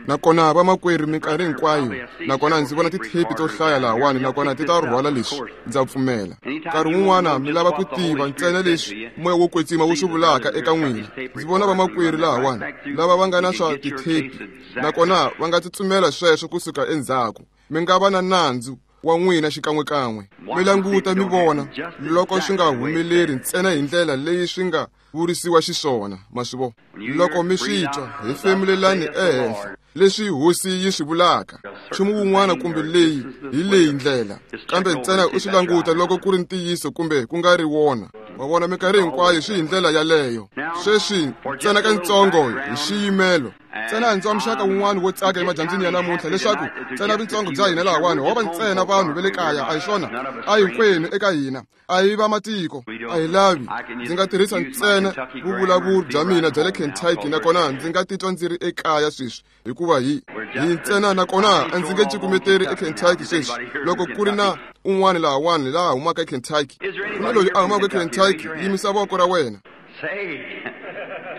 Nakona vamakwerhu minkarhi hinkwayo, nakona ndzi vona tithepi to hlaya lahawani, nakona ti ta rhwala leswi, ndza pfumela. Nkarhi wun'wana mi lava ku tiva ntsena leswi moya wo kwetsima wu swi vulaka eka n'wina. Ndzi vona vamakwerhu lahawani lava va nga na swa tithepi, nakona va nga tsutsumela sweswo kusuka endzhaku. Mi nga va na nandzu wa n'wina xikan'wekan'we. Mi languta mi vona loko swi nga humeleri ntsena hi ndlela leyi swi nga vurisiwa xiswona, ma swi vona. Loko mi swi twa, hefemulelani ehenhla leswi hosi yi swi vulaka. Nchumu wun'wana kumbe leyi hi leyi ndlela, kambe ntsena u swi languta loko ku ri ntiyiso kumbe ku nga ri wona. Ma vona, minkarhi hinkwayo swi hi ndlela yaleyo. Sweswi ntsena katsongo hi xiyimelo. Ntsena ndzi wa muxaka wun'wana wo tsaka emadyambyini ya namuntlha leswaku ntsena vuntsongo bya hina lahawani ho va ntsena vanhu va le kaya, a hi swona? A hinkwenu eka hina a hi va matiko, a hi lavi. Ndzi nga tirhisa ntsena vuvulavuri bya mina bya le Kentucky, nakona ndzi nga titwa ndzi ri ekaya sweswi, hikuva hi ntsena, nakona a ndzi nge cukumeteri eKentucky sweswi. Loko ku ri na un'wana lahawani laha humaka eKentucky, ku na loyi a humaka eKentucky, yimisa voko ra wena.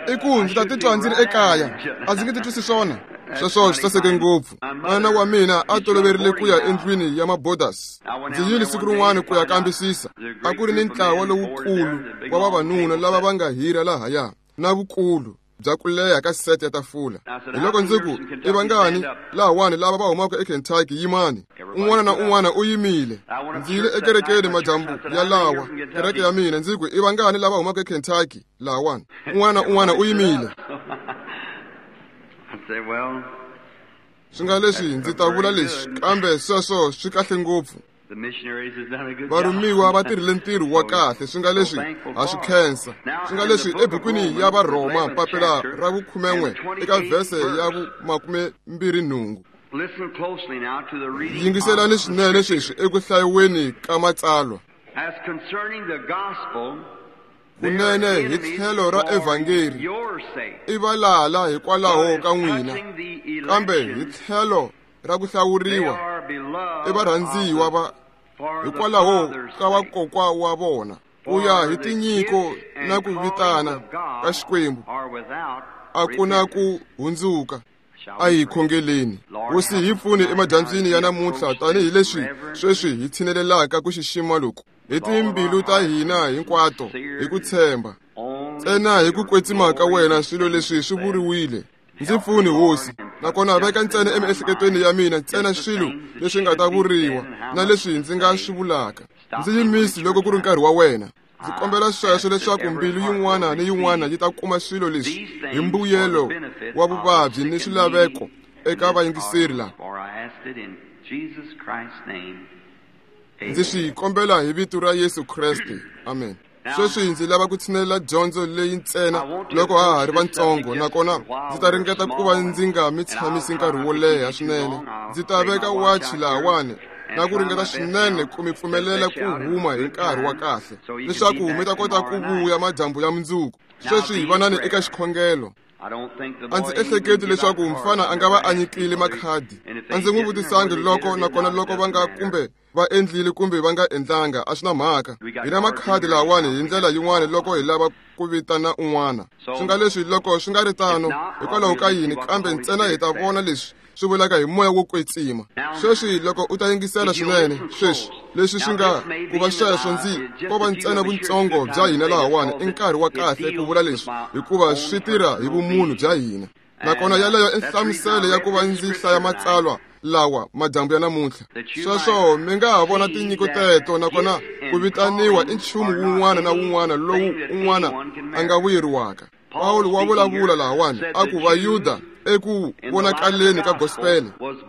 I ku ndzi ta titwa ndzi ri ekaya, a ndzi nge titwisi swona. Sweswo swi saseke ngopfu. N'wana wa mina a toloverile ku ya endlwini ya mabodasi. Ndzi yile siku rin'wana ku ya kambisisa. A ku ri ni ntlawa lowukulu wa vavanuna lava va nga hira lahaya, na vukulu bya ku leha ka sete ya tafula. Hi loko ndzi ku, i vangani lahawani lava va humaka eKentucky, yimani. Un'wana na un'wana u yimile. Ndzi yile ekerekeni madyambu ya lawa, kereke ya mina, ndzi ku, i vangani lava humaka eKentucky lahawani. Un'wana na un'wana u yimile. Swi nga leswi ndzi ta vula leswi, kambe sweswo swi kahle ngopfu. Varhumiwa va tirhile ntirho wa kahle, swi nga leswi ha swi khensa. Swi nga leswi ebukwini ya Varhoma papila ra vukhumen'we eka vhese ya vu-28. Yingiselani swinene sweswi eku hlayiweni ka matsalwa. Kunene hi tlhelo ra evhangeli i valala hikwalaho ka n'wina, kambe hi tlhelo ra ku hlawuriwa i varhandziwa va hikwalaho ka vakokwa wa vona. Ku ya hi tinyiko na ku vitana ka Xikwembu a ku na ku hundzuka. A hi khongeleni. Hosi, hi pfune emadyambyini ya namuntlha tanihileswi sweswi hi tshinelelaka ku xixima loku hi timbilu ta hina hinkwato hi ku tshemba ntsena hi ku kwetsima ka wena. Swilo leswi swi vuriwile. Ndzi pfuni, Hosi, nakona veka ntsena emiehleketweni ya mina ntsena swilo leswi nga ta vuriwa na leswi ndzi nga swi vulaka. Ndzi yimisi loko ku ri nkarhi wa wena. Ndzi kombela sweswo leswaku mbilu yin'wana ni yin'wana yi ta kuma swilo leswi hi mbuyelo wa vuvabyi ni swilaveko eka vayingiseri lava. Ndzi swi kombela hi vito ra Yesu Kreste. Amen. Sweswi ndzi lava ku tshinelela dyondzo leyi ntsena loko ha ha ri vantsongo, nakona ndzi ta ringeta ku va ndzi nga mi tshamisi nkarhi wo leha swinene. Ndzi ta veka wachi lahawani na ku ringeta swinene ku mi pfumelela ku huma hi nkarhi wa kahle leswaku mi ta kota ku vuya madyambu ya mundzuku. Sweswi vanani eka xikhongelo. A ndzi ehleketi leswaku mfana a nga va a nyikile makhadi. A ndzi n'wi vutisangi loko nakona loko va nga kumbe va endlile kumbe va nga endlanga, a swi na mhaka. Hi na makhadi lahawani hi ndlela yin'wana loko hi lava ku vitana un'wana. Swi nga leswi loko swi nga ri tano, hikwalaho ka yini, kambe ntsena hi ta vona leswi swi vulaka hi moya wo kwetsima. Sweswi loko u ta yingisela swinene sweswi, leswi swi nga ku va sweswo, ndzi ko va ntsena vuntsongo bya hina lahawani i nkarhi wa kahle ku vula leswi, hikuva swi tirha hi vumunhu bya hina. Nakona yaleyo i nhlamuselo ya ku va ndzi hlaya matsalwa lawa madyambu ya namuntlha. Sweswo mi nga ha vona tinyiko teto, nakona ku vitaniwa i nchumu wun'wana na wun'wana lowu un'wana a nga vuyeriwaka. Pawulo wa vulavula lahawani a ku Vayuda eku vonakaleni ka gospel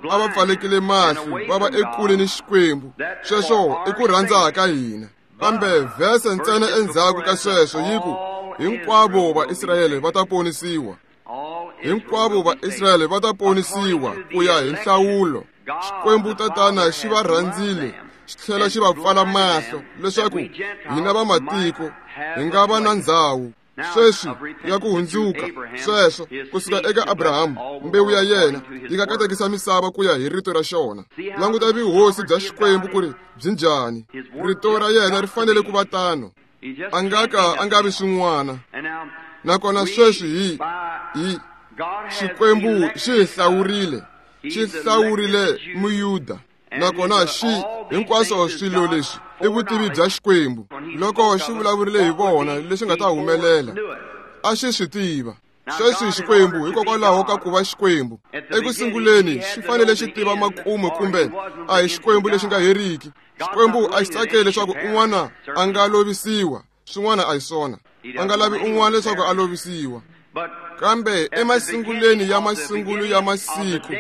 a va pfalekile mahlo, va va ekule ni Xikwembu. Sweswo i ku rhandza ka hina. Kambe vhese ntsena endzhaku ka sweswo yi ku hinkwavo Vaisrayele va ta ponisiwa. Hinkwavo Vaisrayele va ta ponisiwa ku ya hi nhlawulo. Xikwembu Tatana xi va rhandzile, xi tlhela xi va pfala mahlo leswaku hina va matiko hi nga va na ndzhawu sweswi ya ku hundzuka. Sweswo kusuka eka Abrahamu, mbewu ya yena yi nga katekisa misava ku ya hi rito ra xona. Languta vuhosi bya Xikwembu ku ri byi njhani. Rito ra yena ri fanele ku va tano. A nga ka a nga vi swin'wana. Nakona sweswi hi Xikwembu xi hi hlawurile, xi hlawurile Muyuda, nakona xi hinkwaswo swilo leswi i vutivi bya Xikwembu. Loko xi vulavurile hi vona leswi nga ta humelela, a xi swi tiva. Sweswi Xikwembu hikokwalaho ka ku va Xikwembu eku sunguleni xi fanele xi tiva makumu, kumbe a hi Xikwembu lexi nga heriki. Xikwembu a xi tsakeli leswaku un'wana a nga lovisiwa, swin'wana a hi swona. A nga lavi un'wana leswaku a lovisiwa. Kambe emasungulweni ya masungulo ya masiku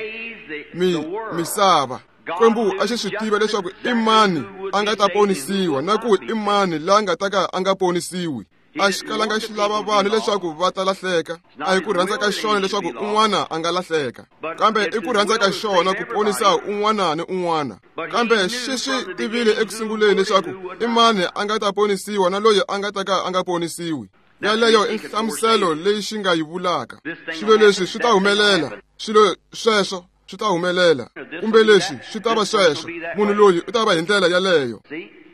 misava, Xikwembu a xi swi tiva leswaku i mani a nga ta ponisiwa na ku i mani la nga ta ka a nga ponisiwi. A xi kalanga xi lava vanhu leswaku va ta lahleka. A hi ku rhandza ka xona leswaku un'wana a nga lahleka, kambe i ku rhandza ka xona ku ponisa un'wana ni un'wana. Kambe xi swi tivile eku sunguleni leswaku i mani a nga ta ponisiwa na loyi a nga ta ka a nga ponisiwi. Yaleyo i nhlamuselo leyi xi nga yi vulaka. Swilo leswi swi ta humelela, swilo sweswo swi ta humelela, kumbe leswi swi ta va sweswo, munhu loyi u ta va hi ndlela yaleyo.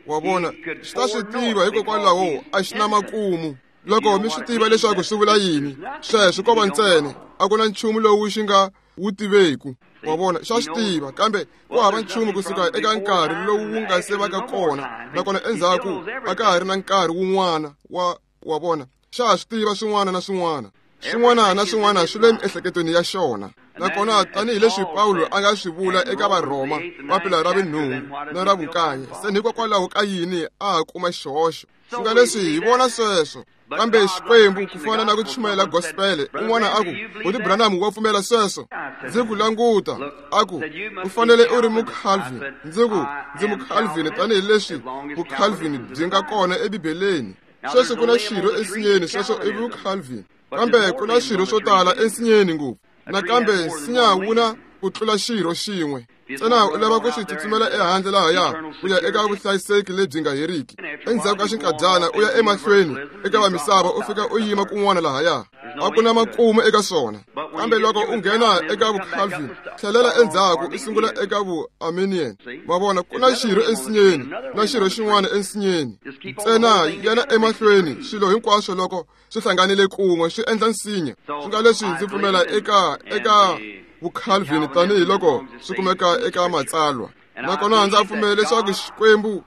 Wa vona, xi ta swi tiva hikokwalaho a xi na makumu. Loko mi swi tiva leswaku swi vula yini, sweswo ko va ntsena, a ku na nchumu lowu xi nga wu tiveku. Wa vona, xa swi tiva, kambe ku hava nchumu kusuka eka nkarhi lowu wu nga se vaka kona, nakona endzhaku a ka ha ri na nkarhi wun'wana. Wa vona, xa swi tiva swin'wana na swin'wana. Swin'wana na swin'wana swi le miehleketweni ya xona. Nakona tanihileswi Pawulo a nga swi vula eka Varhoma papila ra vunhungu na ra vunkaye, se hikokwalaho ka yini a ha kuma xihoxo? Swi nga leswi hi vona sweswo. Kambe Xikwembu, ku fana na ku chumayela gospel, un'wana a ku, Buti Branham wa pfumela sweswo? Ndzi ku languta, a ku, u fanele u ri Mucalvin. Ndzi ku, ndzi Mucalvin tanihileswi Vucalvin byi nga kona eBibeleni. Sweswi ku na xirho ensinyeni, sweswo i Vucalvin. Kambe ku na swirho swo tala ensinyeni ngopfu. Nakambe nsinya wu na ku tlula xirho xin'we. Ntsena u lava ku swi tsutsumela ehandle lahaya ku ya eka vuhlayiseki lebyi nga heriki. Endzhaku ka xinkadyana u ya emahlweni eka va misava, u fika u yima kun'wana lahaya. A ku na makumu eka swona. Kambe loko u nghena eka Vucalvin, tlhelela endzhaku u sungula eka Vuarminian. Ma vona, ku na xirho ensinyeni na xirho xin'wana ensinyeni. Ntsena yana emahlweni, swilo hinkwaswo loko swi hlanganile kun'we swi endla nsinya. Swi nga leswi ndzi pfumela eka Vucalvin tanihiloko swi kumeka eka Matsalwa. Nakona ndza pfumela leswaku Xikwembu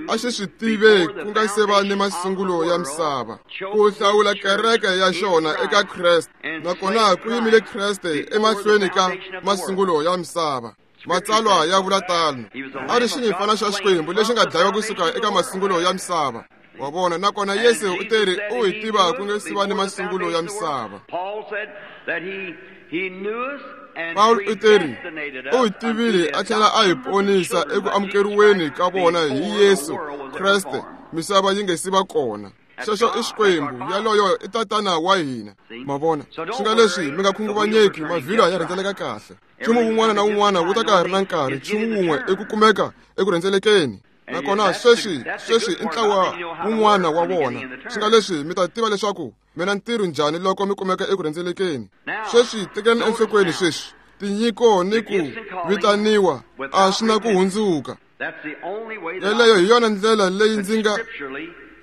a xi swi tive ku nga se va ni masungulo ya misava, ku hlawula kereke ya xona eka Kreste, nakona ku yimile Kreste emahlweni ka masungulo ya misava. Matsalwa ya vula tano. A ri xinyimpfana xa Xikwembu lexi nga dlayiwa kusuka eka masungulo ya misava. Wa vona, nakona Yesu u teri u hi tiva ku nga se va ni masungulo ya misava. Paul u teri u hi tivile a tlhela a hi ponisa eku amukeriweni ka vona hi Yesu Kreste misava yi nga si va kona. Sweswo i Xikwembu, yaloyo i Tatana wa hina. Ma vona, swi nga leswi mi nga khunguvanyeki, mavhilwa ya rhendzeleka kahle. Nchumu wun'wana na wun'wana wu ta ka ha ri na nkarhi, nchumu wun'we i ku kumeka eku rhendzelekeni. Nakona sweswi i ntlawa wun'wana wa vona. Swi nga leswi mi ta tiva leswaku mina ntirho njhani loko mi kumeka eku rhendzelekeni. Sweswi tekeni enhlokweni sweswi, tinyiko ni ku vitaniwa a swi na ku hundzuka. Yeleyo hi yona ndlela leyi ndzi nga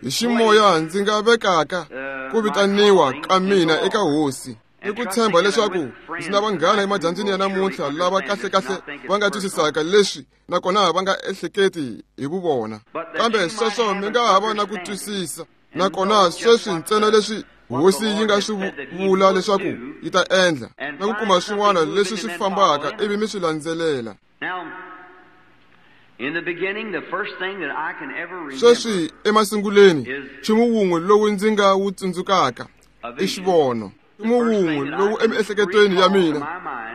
hi ximoya ndzi nga vekaka ku vitaniwa ka mina eka Hosi. I ku tshemba leswaku ndzi na vanghana emadyambyini ya namuntlha lava kahlekahle va nga twisisaka leswi nakona va nga ehleketi hi vuvona. Kambe sweswo mi nga ha va na ku twisisa, nakona sweswi ntsena leswi Hosi yi nga swi vula leswaku yi ta endla, na ku kuma swin'wana leswi swi fambaka ivi mi swi landzelela. Sweswi emasunguleni, nchumu wun'we lowu ndzi nga wu tsundzukaka i xivono. Nchumu wun'we lowu emiehleketweni ya mina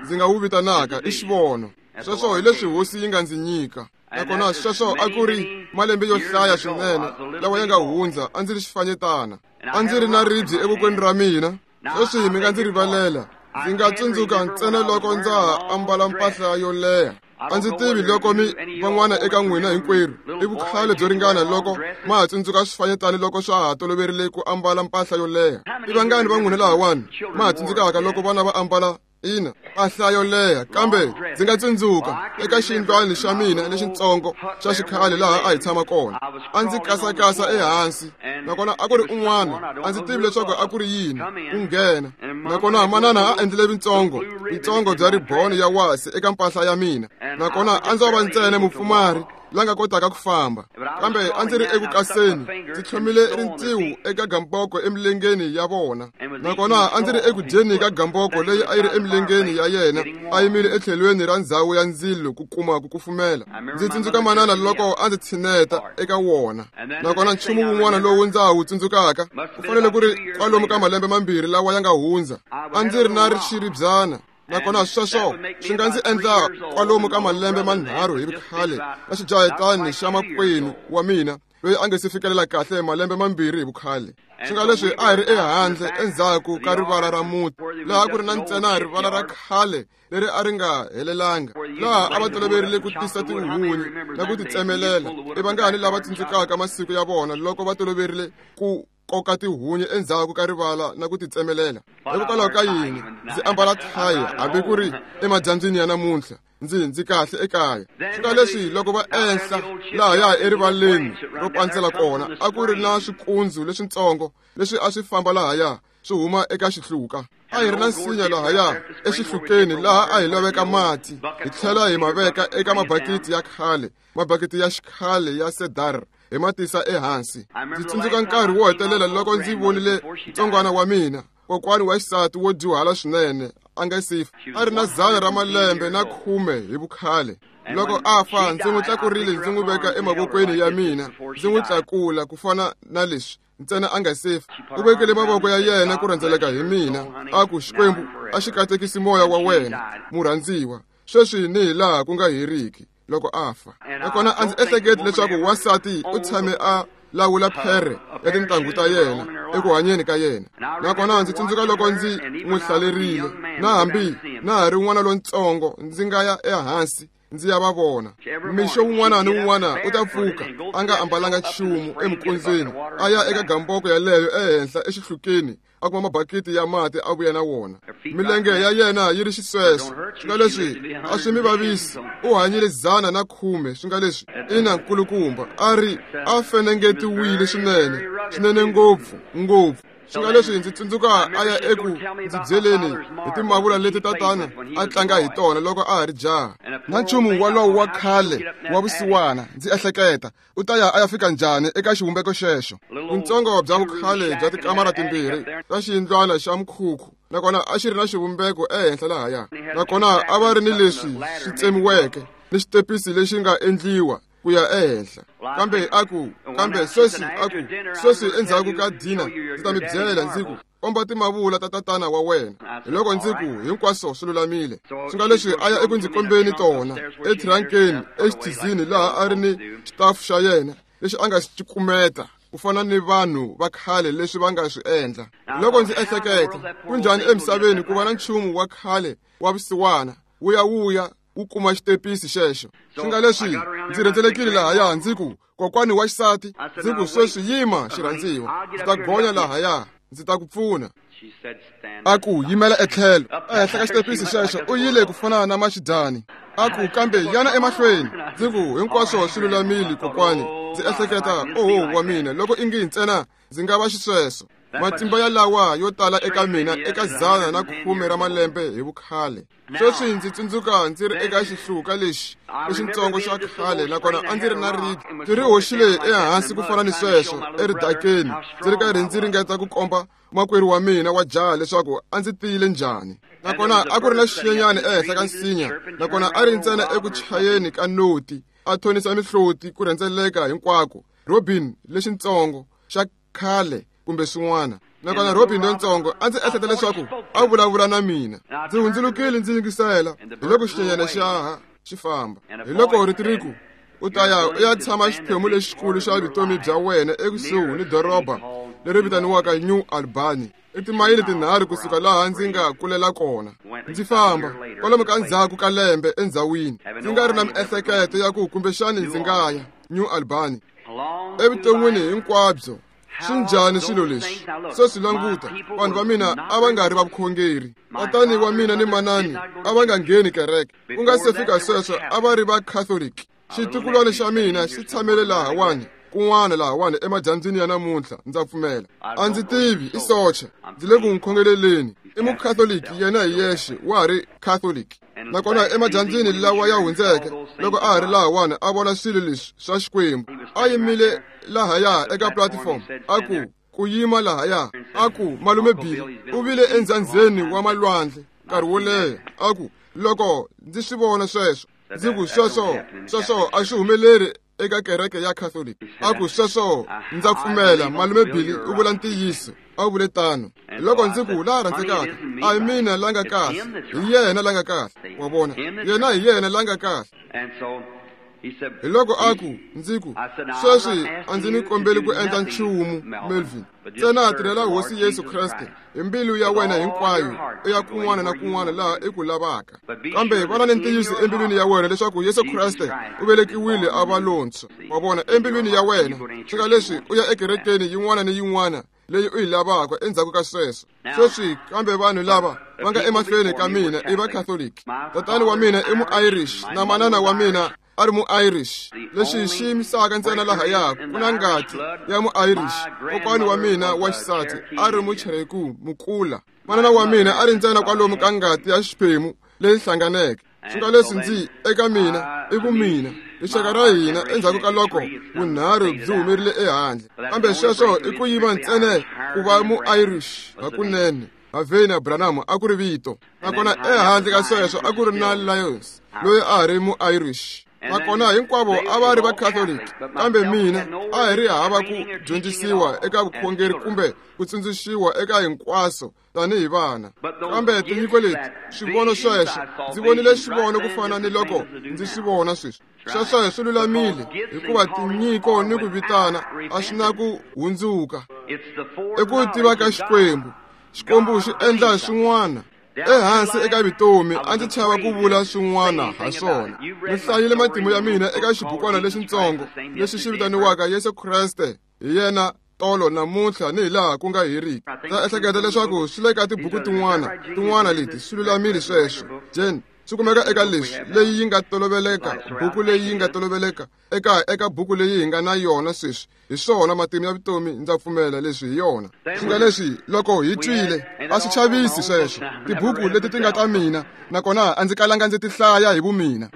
ndzi nga wu vitanaka i xivono. Sweswo hi leswi Hosi yi nga ndzi nyika. Nakona sweswo a ku ri malembe yo hlaya swinene lawa ya nga hundza, a ndzi ri xifanyetana. A ndzi ri na ribye evokweni ra mina. Sweswi mi nga ndzi rivalela, ndzi nga tsundzuka ntsena loko ndza ha ambala mpahla yo leha. A ndzi tivi loko mi van'wana eka n'wina hinkwerhu i vukhale byo ringana loko ma ha tsundzuka swifanyetana loko swa ha toloverile ku ambala mpahla yo leha. I vangani va n'wina lahawani ma ha tsundzukaka loko vana va ambala Ina, mpahla yo leha, kambe ndzi nga tsundzuka eka xiyindlwana xa mina lexitsongo xa xikhale laha a hi tshama kona. A ndzi kasakasa ehansi, nakona a ku ri un'wana, a ndzi tivi leswaku a ku ri yini, ku nghena. Nakona manana a endlile vitsongo bya riboni ya wasi eka mpahla ya mina. Nakona a ndzo va ntsena mupfumari la nga kotaka ku famba, kambe a ndzi ri eku kaseni, ndzi tlhomile rintiho eka gamboko emilengeni ya vona. Nakona a ndzi ri eku dyeni ka gamboko leyi a yi ri emilengeni ya yena, a yimile etlhelweni ra ndzhawu ya ndzilo ku kuma ku kufumela. Ndzi tsundzuka manana loko a ndzi tshineta eka wona. Nakona nchumu wun'wana lowu ndza wu tsundzukaka ku fanele ku ri kwalomu ka malembe mambirhi lawa ya nga hundza, a ndzi ri na xiribyana. Nakona sweswo swi nga ndzi endla kwalomu ka malembe manharhu hi vukhale na xijahetani xa makwenu wa mina loyi a nga si fikelela kahle malembe mambirhi hi vukhale. Swi nga leswi a hi ri ehandle endzhaku ka rivala ra muti, laha ku ri na ntsena rivala ra khale leri a ri nga helelanga, laha a va toloverile ku tisa tihunyi na ku ti tsemelela. I vangani lava tsundzukaka masiku ya vona loko va toloverile ku koka tihunyi endzhaku ka rivala na ku ti tsemelela? Hikokwalaho ka yini ndzi ambala thayi hambi ku ri emadyambyini ya namuntlha? Ndzi kahle ekaya. Swi nga leswi loko va enhla lahaya erivaleni ro pandzela kona, a ku ri na swikundzu leswitsongo leswi a swi famba lahaya swi huma eka xihluka. A hi ri na nsinya lahaya exihlukeni laha a hi laveka mati, hi tlhela hi ma veka eka mabakiti ya khale, mabakiti ya xikhale ya cedar, hi ma tisa ehansi. Ndzi tsundzuka nkarhi wo hetelela loko ndzi vonile ntsongwana wa mina, kokwani wa xisati wo dyuhala swinene, a nga si fa, a ri na 100 ra malembe na 10 hi vukhale. Loko a fa, ndzi n'wi tlakurile ndzi n'wi veka emavokweni ya mina, ndzi n'wi tlakula ku fana na leswi ntsena a nga si fa. U vekele mavoko ya yena ku rhendzeleka hi mina, a ku, Xikwembu a xi katekisi moya wa wena, murhandziwa, sweswi ni hi laha ku nga heriki. Loko a fa. Nakona a ndzi ehleketi leswaku wansati u tshame a lawula phere ya tintangu ta yena eku hanyeni ka yena. Nakona ndzi tsundzuka loko ndzi n'wi hlalerile, na hambi na ha ri n'wana lontsongo, ndzi nga ya ehansi ndzi ya va vona. Mixo wun'wana ni wun'wana u ta pfuka a nga ambalanga nchumu eminkondzweni, a ya eka gamboko yaleyo ehenhla exihlukeni, a kuma mabakiti ya mati a vuya na wona. Milenge ya yena yi ri xisweswo, swi nga leswi a swi mi vavisi. U hanyile 110, swi nga leswi ina nkulukumba, a ri a fenengetiwile swinene, swinene ngopfu ngopfu. Swi nga leswi ndzi tsundzuka a ya eku ndzi byeleni hi timavula leti tatana a tlanga hi tona loko a ha ri jaha, na nchumu walowo wa khale wa vusiwana. Ndzi ehleketa, u ta ya a ya fika njhani eka xivumbeko xexo? Vuntsongo bya vukhale bya tikamara timbirhi ta xiyindlwana xa mukhukhu, nakona a xi ri na xivumbeko ehenhla lahaya. Nakona a va ri ni leswi swi tsemiweke ni xitepisi lexi nga endliwa ku ya ehenhla. Kambe a ku, kambe sweswi a ku, sweswi endzhaku ka dina ndzi ta mi byela ndzi ku, komba timavula ta tatana wa wena. Hi loko ndzi ku, hinkwaswo swi lulamile. Swi nga leswi a ya eku ndzi kombeni tona ethirankeni exithizini laha a ri ni xitafu xa yena lexi a nga xi kumeta ku fana ni vanhu va khale leswi va nga swi endla. Loko ndzi ehleketa, ku njhani emisaveni ku va na nchumu wa khale wa vusiwana wu ya wuya wu kuma xitepisi xexo? Swi nga leswi ndzi rhendzelekile lahaya, ndzi ku, kokwani wa xisati, ndzi ku, sweswi yima xirhandziwa, ndzi ta gonya lahaya, ndzi ta ku pfuna. A ku, yimela etlhelo. Ehenhla ka xitepisi xexo u yile ku fana na maxidyani. A ku, kambe yana emahlweni. Ndzi ku, hinkwaswo swi lulamile kokwani. Ndzi ehleketa, oho wa mina, loko ingi ntsena ndzi nga va xisweswo. Matimba ya lawa yo tala eka mina eka 110 ra malembe hi vukhale. Sweswi ndzi tsundzuka ndzi ri eka xihluka lexi lexitsongo xa khale, nakona a ndzi ri na ribye ndzi ri hoxile ehansi ku fana ni sweswo eridakeni, ndzi ri karhi ndzi ringeta ku komba makwerhu wa mina wa jaha leswaku a ndzi tiyile njhani. Nakona a ku ri na xinyenyani ehenhla ka nsinya, nakona a ri ntsena eku chayeni ka noti, a thonisa mihloti ku rhendzeleka hinkwako. Robin lexitsongo xa khale kumbe swin'wana. Nakona Robin lontsongo a ndzi ehleketa leswaku a vulavula na mina. Ndzi hundzulukile ndzi yingisela, hi loko xinyenyana xa ha xi famba. Hi loko rito ri ku, u ta ya u ya tshama xiphemu lexikulu xa vutomi bya wena ekusuhi ni doroba leri vitaniwaka New Albany, i timayili 3 kusuka laha ndzi nga kulela kona. Ndzi famba kwalomu ka ndzhaku ka lembe endzhawini, ndzi nga ri na miehleketo ya ku kumbexani ndzi nga ya New Albany. Evuton'wini hinkwabyo Swi njhani swilo leswi? Sweswi languta, vanhu va mina a va nga ri va vukhongeri. Tatani wa mina ni manani a va nga ngheni kereke. Ku nga se fika sweswo a va ri va Catholic. Xitukulwana xa mina xi tshamele lahawani, kun'wana lahawani emadyambyini ya namuntlha, ndza pfumela. A ndzi tivi, i socha. Ndzi le ku n'wi khongeleleni. I Mukhatholiki yena hi yexe, wa ha ri Catholic. Nakona emadyambyini lawa ya hundzeke, loko a ha ri lahawani a vona swilo leswi swa Xikwembu, a yimile lahaya eka platform, a ku, ku yima lahaya, a ku, Malume Billy u vile endzandzeni wa malwandle nkarhi wo leha. A ku, loko ndzi swi vona sweswo, ndzi ku, sweswo, sweswo a swi humeleri eka kereke ya Catholic. A ku, sweswo ndza pfumela, Malume Billy u vula ntiyiso. A vule tano. Loko ndzi ku, la rhandzekaka, a hi mina la nga kahle, hi yena la nga kahle. Wa vona, yena hi yena la nga kahle. Hi loko a ku, ndzi ku, sweswi a ndzi mi kombeli ku endla nchumu, Melvin. Ntsena tirhela Hosi Yesu Kreste hi mbilu ya wena hinkwayo, u ya kun'wana na kun'wana laha i ku lavaka. Kambe vana ni ntiyiso embilwini ya wena leswaku Yesu Kreste u velekiwile a va lontshwa. Wa vona, embilwini ya wena. Swika leswi u ya ekerekeni yin'wana ni yin'wana leyi u yi lavaka endzhaku ka sweswo. Sweswi kambe vanhu lava va nga emahlweni ka mina i va Catholic. Tatani wa mina i mu-Irish na manana wa mina a ri mu-Irish. Lexi xi yimisaka ntsena lahaya ku na ngati ya mu-Irish. Kokwani wa mina wa xisati a ri Muchereku mukula. Manana wa mina a ri ntsena kwalomu ka ngati ya xiphemu leyi hlanganeke. Swi nga leswi ndzi eka mina i vumina, rixaka ra hina endzhaku ka loko vunharhu byi humerile ehandle. Kambe sweswo i ku yiva ntsena ku va mu-Irish hakunene. Havena Branham a ku ri vito. Nakona ehandle ka sweswo a ku ri na Lyons loyi a ha ri mu-Irish. Nakona hinkwavo a va ri va Catholic, kambe mina a hi ri hava ku dyondzisiwa eka vukhongeri kumbe ku tsundzuxiwa eka hinkwaswo tanihi vana. Kambe tinyiko leti, swivono sweswo, ndzi vonile xivono ku fana ni loko ndzi swi vona sweswi. Sweswo swi lulamile, hikuva tinyiko ni ku vitana a swi na ku hundzuka. I ku tiva ka Xikwembu. Xikwembu xi endla swin'wana ehansi eka vutomi. A ndzi chava ku vula swin'wana ha swona. Mi hlayile matimu ya mina eka xibukwana lexitsongo lexi xi vitaniwaka Yesu Kreste hi yena tolo namuntlha ni hi laha ku nga heriki. Ndza ehleketa leswaku swi le ka tibuku tin'wana leti swi lulamile sweswo. Jane, swi kumeka eka leswi leyi yi nga toloveleka, buku leyi yi nga toloveleka eka buku leyi hi nga na yona sweswi. Hi swona matimu ya vutomi, ndza pfumela leswi hi yona. Swi nga leswi loko hi twile a swi chavisi sweswo. Tibuku leti ti nga ta mina, nakona a ndzi kalanga ndzi ti hlaya hi vumina.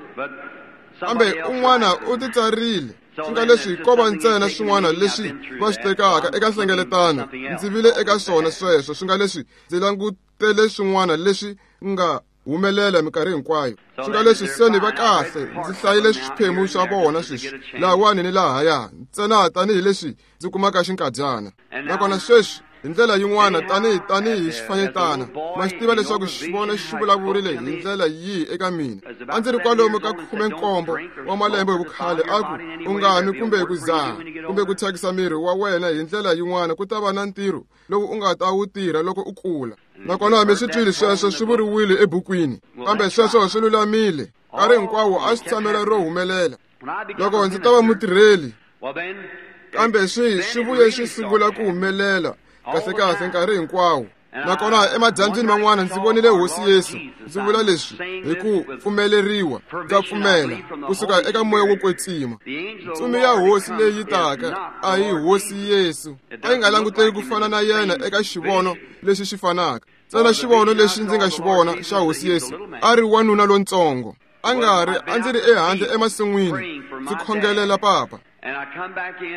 Kambe un'wana u ti tsarile. Swi nga leswi ko va ntsena swin'wana leswi va swi tekaka eka nhlengeletano. Ndzi vile eka swona sweswo. Swi nga leswi ndzi langutele swin'wana leswi nga humelela minkarhi hinkwayo. Swi nga leswi se ni va kahle, ndzi hlayile swiphemu swa vona sweswi lahawani ni lahaya, ntsena tanihileswi ndzi kumaka xinkadyana. Nakona sweswi hi ndlela yin'wana tanihi xifanyetana, ma swi tiva leswaku xivono xi vulavurile hi ndlela yihi eka mina. A ndzi ri kwalomu ka 17 wa malembe hi vukhale, a ku, u nga nwi kumbe ku dzaha kumbe ku thyakisa miri wa wena hi ndlela yin'wana, ku ta va na ntirho lowu u nga ta wu tirha loko u kula. Nakona mi swi twile sweswo swi vuriwile ebukwini, kambe sweswo swi lulamile. Nkarhi hinkwawo a swi tshamela ro humelela. Loko ndzi ta va mutirheli, kambe swi vuye swi sungula ku humelela kahlekahle nkarhi hinkwawo. Nakona emadyambyini man'wana ndzi vonile Hosi Yesu. Ndzi vula leswi hi ku pfumeleriwa, ndza pfumela kusuka eka Moya wo Kwetsima. Ntsumi ya Hosi leyi taka a hi Hosi Yesu. A yi nga languteki ku fana na yena eka xivono lexi xi fanaka. Ntsena xivono lexi ndzi nga xi vona xa Hosi Yesu, a ri wanuna lontsongo. A nga ri, a ndzi ri ehandle emasin'wini ndzi khongelela papa.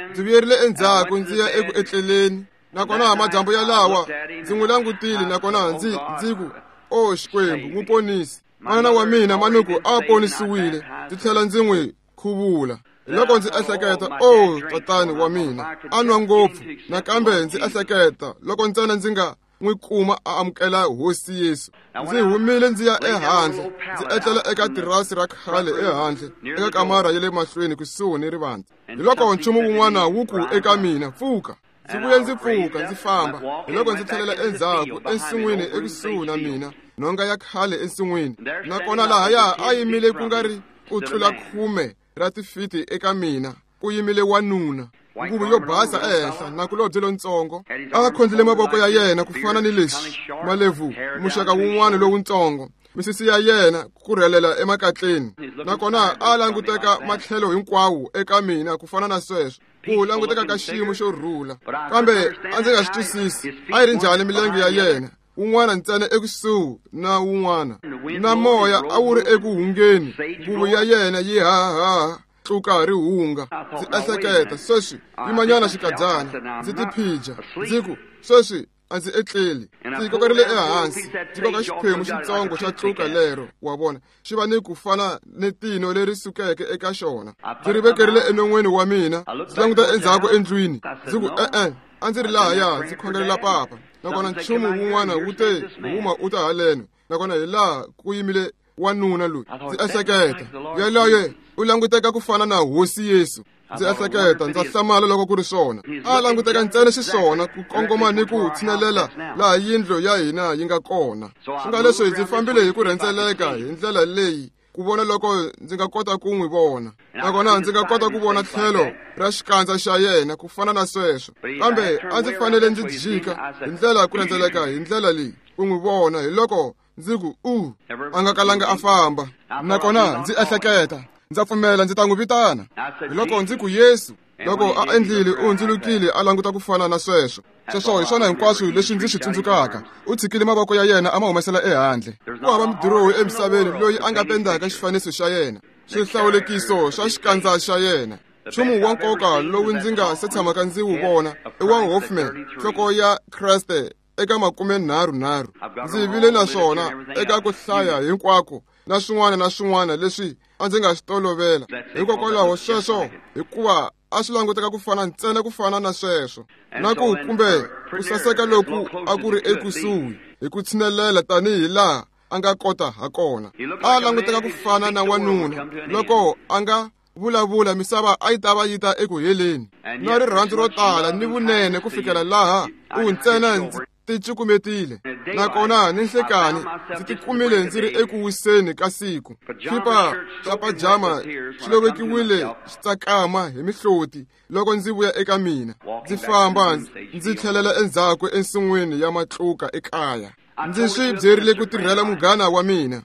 Ndzi vuyerile endzhaku ndzi ya eku etleleni. Nakona madyambu yalawa ndzi n'wi langutile, nakona ndzi ku, o Xikwembu, n'wi ponisi. Manana wa mina manuku a ponisiwile, ndzi tlhela ndzi n'wi khuvula. Loko ndzi ehleketa, o tatani wa mina a nwa ngopfu. Nakambe ndzi ehleketa, loko ntsena ndzi nga n'wi kuma a amukela Hosi Yesu. Ndzi humile ndzi ya ehandle, ndzi etlela eka tirasi ra khale ehandle eka kamara ya le mahlweni kusuhi ni rivanti. Hi loko nchumu wun'wana wu ku eka mina, pfuka. Ndzi vuye ndzi pfuka ndzi famba. Hi loko ndzi tlhelela endzhaku ensin'wini ekusuhi na mina, nhonga ya khale ensin'wini. Nakona lahaya a yimile ku nga ri ku tlula 10 ra tifiti eka mina, ku yimile wanuna. Nguvu yo basa ehenhla nakulobye lontsongo a khondlile mavoko ya yena ku fana ni leswi malebvu muxaka wun'wana lowuntsongo misisi ya yena ku rhelela emakatleni nakona a languteka matlhelo hinkwawo eka mina ku fana na sweswo ku languteka ka xiyimo xo rhula kambe a ndzi nga swi twisisi a yi ri njhani milenge ya yena wun'wana ntsena ekusuhi na wun'wana na moya a wu ri eku hungeni nguvu ya yena yi hahaha tluka ri hunga ndzi ehleketa sweswi yimanyana xikadyana ndzi tiphija ndzi ku sweswi a ndzi etleli ndzi kokerile ehansi ndzi koka xiphemu xitsongo xa tluka lero wa vona xi va ni ku fana ni tino leri sukeke eka xona ndzi ri vekerile enon'weni wa mina ndzi languta endzhaku endlwini ndzi ku e-e a ndzi ri lahaya ndzi khongelela papa nakona nchumu wun'wana wu te huma u ta haleno nakona hi laha ku yimile wanuna loyi ndzi ehleketa yaloye u languteka ku fana na hosi Yesu ndzi ehleketa ndza hlamala loko ku ri swona a languteka ntsena xiswona ku kongoma ni ku tshinelela laha yindlu ya hina yi nga kona swi nga leswi ndzi fambile hi ku rhendzeleka hi ndlela leyi ku vona loko ndzi nga kota ku n'wi vona nakona ndzi nga kota ku vona tlhelo ra xikandza xa yena ku fana na sweswo kambe a ndzi fanele ndzi jika hi ndlela ku rhendzeleka hi ndlela leyi ku n'wi vona hi loko ndzi ku u a nga kalanga a famba nakona ndzi ehleketa ndza pfumela ndzi ta n'wi vitana hi loko ndzi ku Yesu loko a endlile u hundzulukile a languta ku fana na sweswo sweswo hi swona hinkwaswo leswi ndzi swi tsundzukaka u tshikile mavoko ya yena a ma humesela ehandle ku hava mudirohi emisaveni loyi a nga pendaka xifaniso xa yena swihlawulekiso swa xikandza xa yena nchumu wa nkoka lowu ndzi nga se tshamaka ndzi wu vona i wa Hoffman nhloko ya Kreste eka 33 ndzi vile na swona eka ku hlaya hinkwako na swin'wana na swin'wana leswi a ndzi nga swi tolovela hikokwalaho sweswo hikuva a swi languteka ku fana ntsena ku fana na sweswo na ku kumbe ku saseka loku a ku ri ekusuhi hi ku tshinelela tanihi laha a nga kota ha kona a languteka ku fana na wanuna loko a nga vulavula misava a yi ta va yi ta eku heleni na rirhandzu ro tala ni vunene ku fikela laha u ntsena ndzi ticukumetile nakona ni nhlekani ndzi tikumile ndzi ri eku wiseni ka siku xipa xa pajama xi lovekiwile xi tsakama hi mihloti loko ndzi vuya eka mina ndzi famba ndzi tlhelela endzhaku ensin'wini ya matluka ekaya ndzi swi byerile ku tirhela munghana wa mina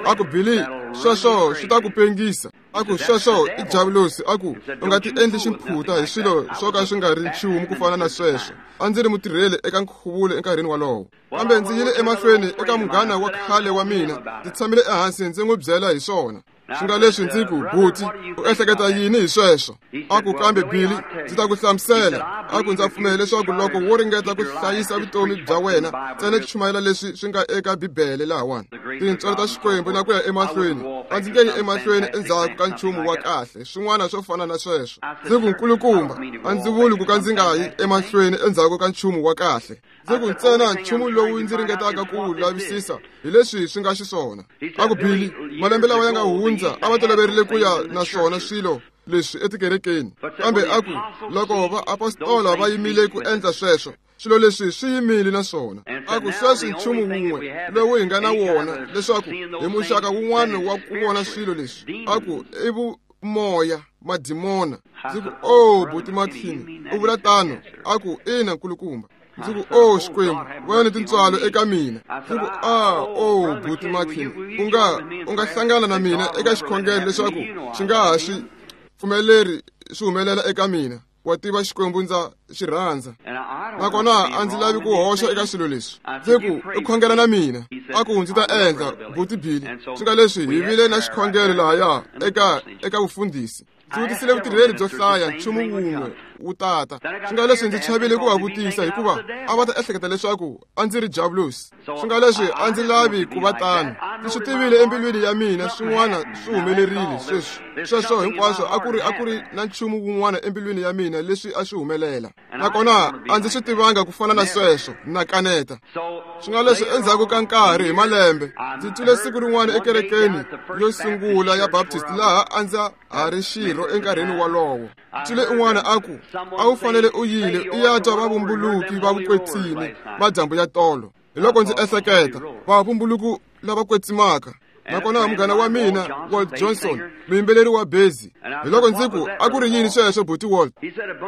a ku Billy sweswo swi ta ku pengisa a ku sweswo i javulosi a ku u nga ti endli ximphuta hi swilo swo ka swi nga ri nchumu ku fana na sweswo a ndzi ri mutirheli eka nkhuvulo enkarhini wolowo kambe ndzi yile emahlweni eka munghana wa khale wa mina ndzi tshamile ehansi ndzi n'wi byela hi swona swi nga leswi ndzi ku buti u ehleketa yini hi sweswo a ku kambe Billy ndzi ta ku hlamusela a ku ndza pfumela leswaku loko wo ringeta ku hlayisa vutomi bya wena ntsena ku chumayela leswi swi nga eka bibele lahawani tintswalo ta Xikwembu na ku ya emahlweni a ndzi nge yi emahlweni endzhaku ka nchumu wa kahle swin'wana swo fana na sweswo ndzi ku nkulukumba a ndzi vuli ku ka ndzi nga yi emahlweni endzhaku ka nchumu wa kahle ndzi ku ntsena nchumu lowu ndzi ringetaka ku wu lavisisa hi leswi swi nga xiswona a ku Billy malembe lawa ya nga hundza a va toloverile ku ya na swona swilo leswi etikerekeni kambe a ku loko vaapostola va yimile ku endla sweswo swilo leswi swi yimile na swona a ku sweswi nchumu wun'we lowu hi nga na wona leswaku hi muxaka wun'wana wa ku vona swilo leswi a ku i vumoya madimona ndzi ku o buti Makhini u vula tano a ku ina nkulukumba ndzi ku o Xikwembu vona ni tintswalo eka mina ndzi ku a o buti Makhini u nga hlangana na mina eka xikhongelo leswaku xi nga ha swi pfumeleri swi humelela eka mina wa tiva Xikwembu ndza xi rhandza nakona a ndzi lavi ku hoxa eka swilo leswi ndzi ku u khongela na mina a ku ndzi ta endla buti Billy swi nga leswi hi vile na xikhongelo lahaya eka vufundhisi ndzi vutisile vutirheli byo hlaya nchumu wun'we wu tata swi nga leswi ndzi chavile ku va vutisa hikuva a va ta ehleketa leswaku a ndzi ri javulosi swi nga leswi a ndzi lavi ku va tano ndzi swi tivile embilwini ya mina swin'wana swi humelerile sweswi sweswo hinkwaswo a ku ri na nchumu wun'wana embilwini ya mina leswi a swi humelela nakona a ndzi swi tivanga ku fana na sweswo na kaneta swi nga leswi endzhaku ka nkarhi hi malembe ndzi twile siku rin'wana ekerekeni yo sungula ya Baptist laha a ndza ha ri xirho enkarhini wolowo twile un'wana a ku a wu fanele u yile u ya twa vavumbuluki va vukwetsimi madyambu ya tolo hi loko ndzi ehleketa vavumbuluki lava kwetsimaka Nakona munghana wa mina Walt Johnson, muyimbeleri wa bezi. Hi loko ndzi ku, a ku ri yini sweswo buti Walt?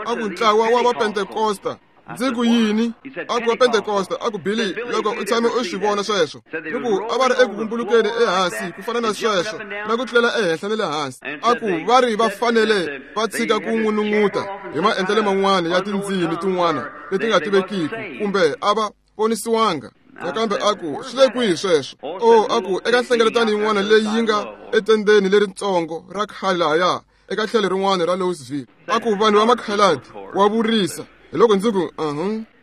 A ku ntlawa wa Vapentekosta. Ndzi ku yini? A ku wa Pentekosta. A ku Billy, loko u tshame u swi vona sweswo. Ni ku a va ri eku vumbulukeni ehansi ku fana na sweswo, na ku tlulela ehenhla ni le hansi. A ku va ri va fanele va tshika ku n'unun'uta hi maendlelo man'wana ya tindzimi tin'wana leti nga tivekiki, kumbe a va ponisiwanga. Nakambe a ku swi le kwihi sweswo? O, a ku eka nhlengeletano yin'wana leyi yi nga etendeni leritsongo ra khale lahaya eka tlhelo rin'wana ra Louisville. A ku vanhu va makhaladi wa vurisa. Hi loko ndzi ku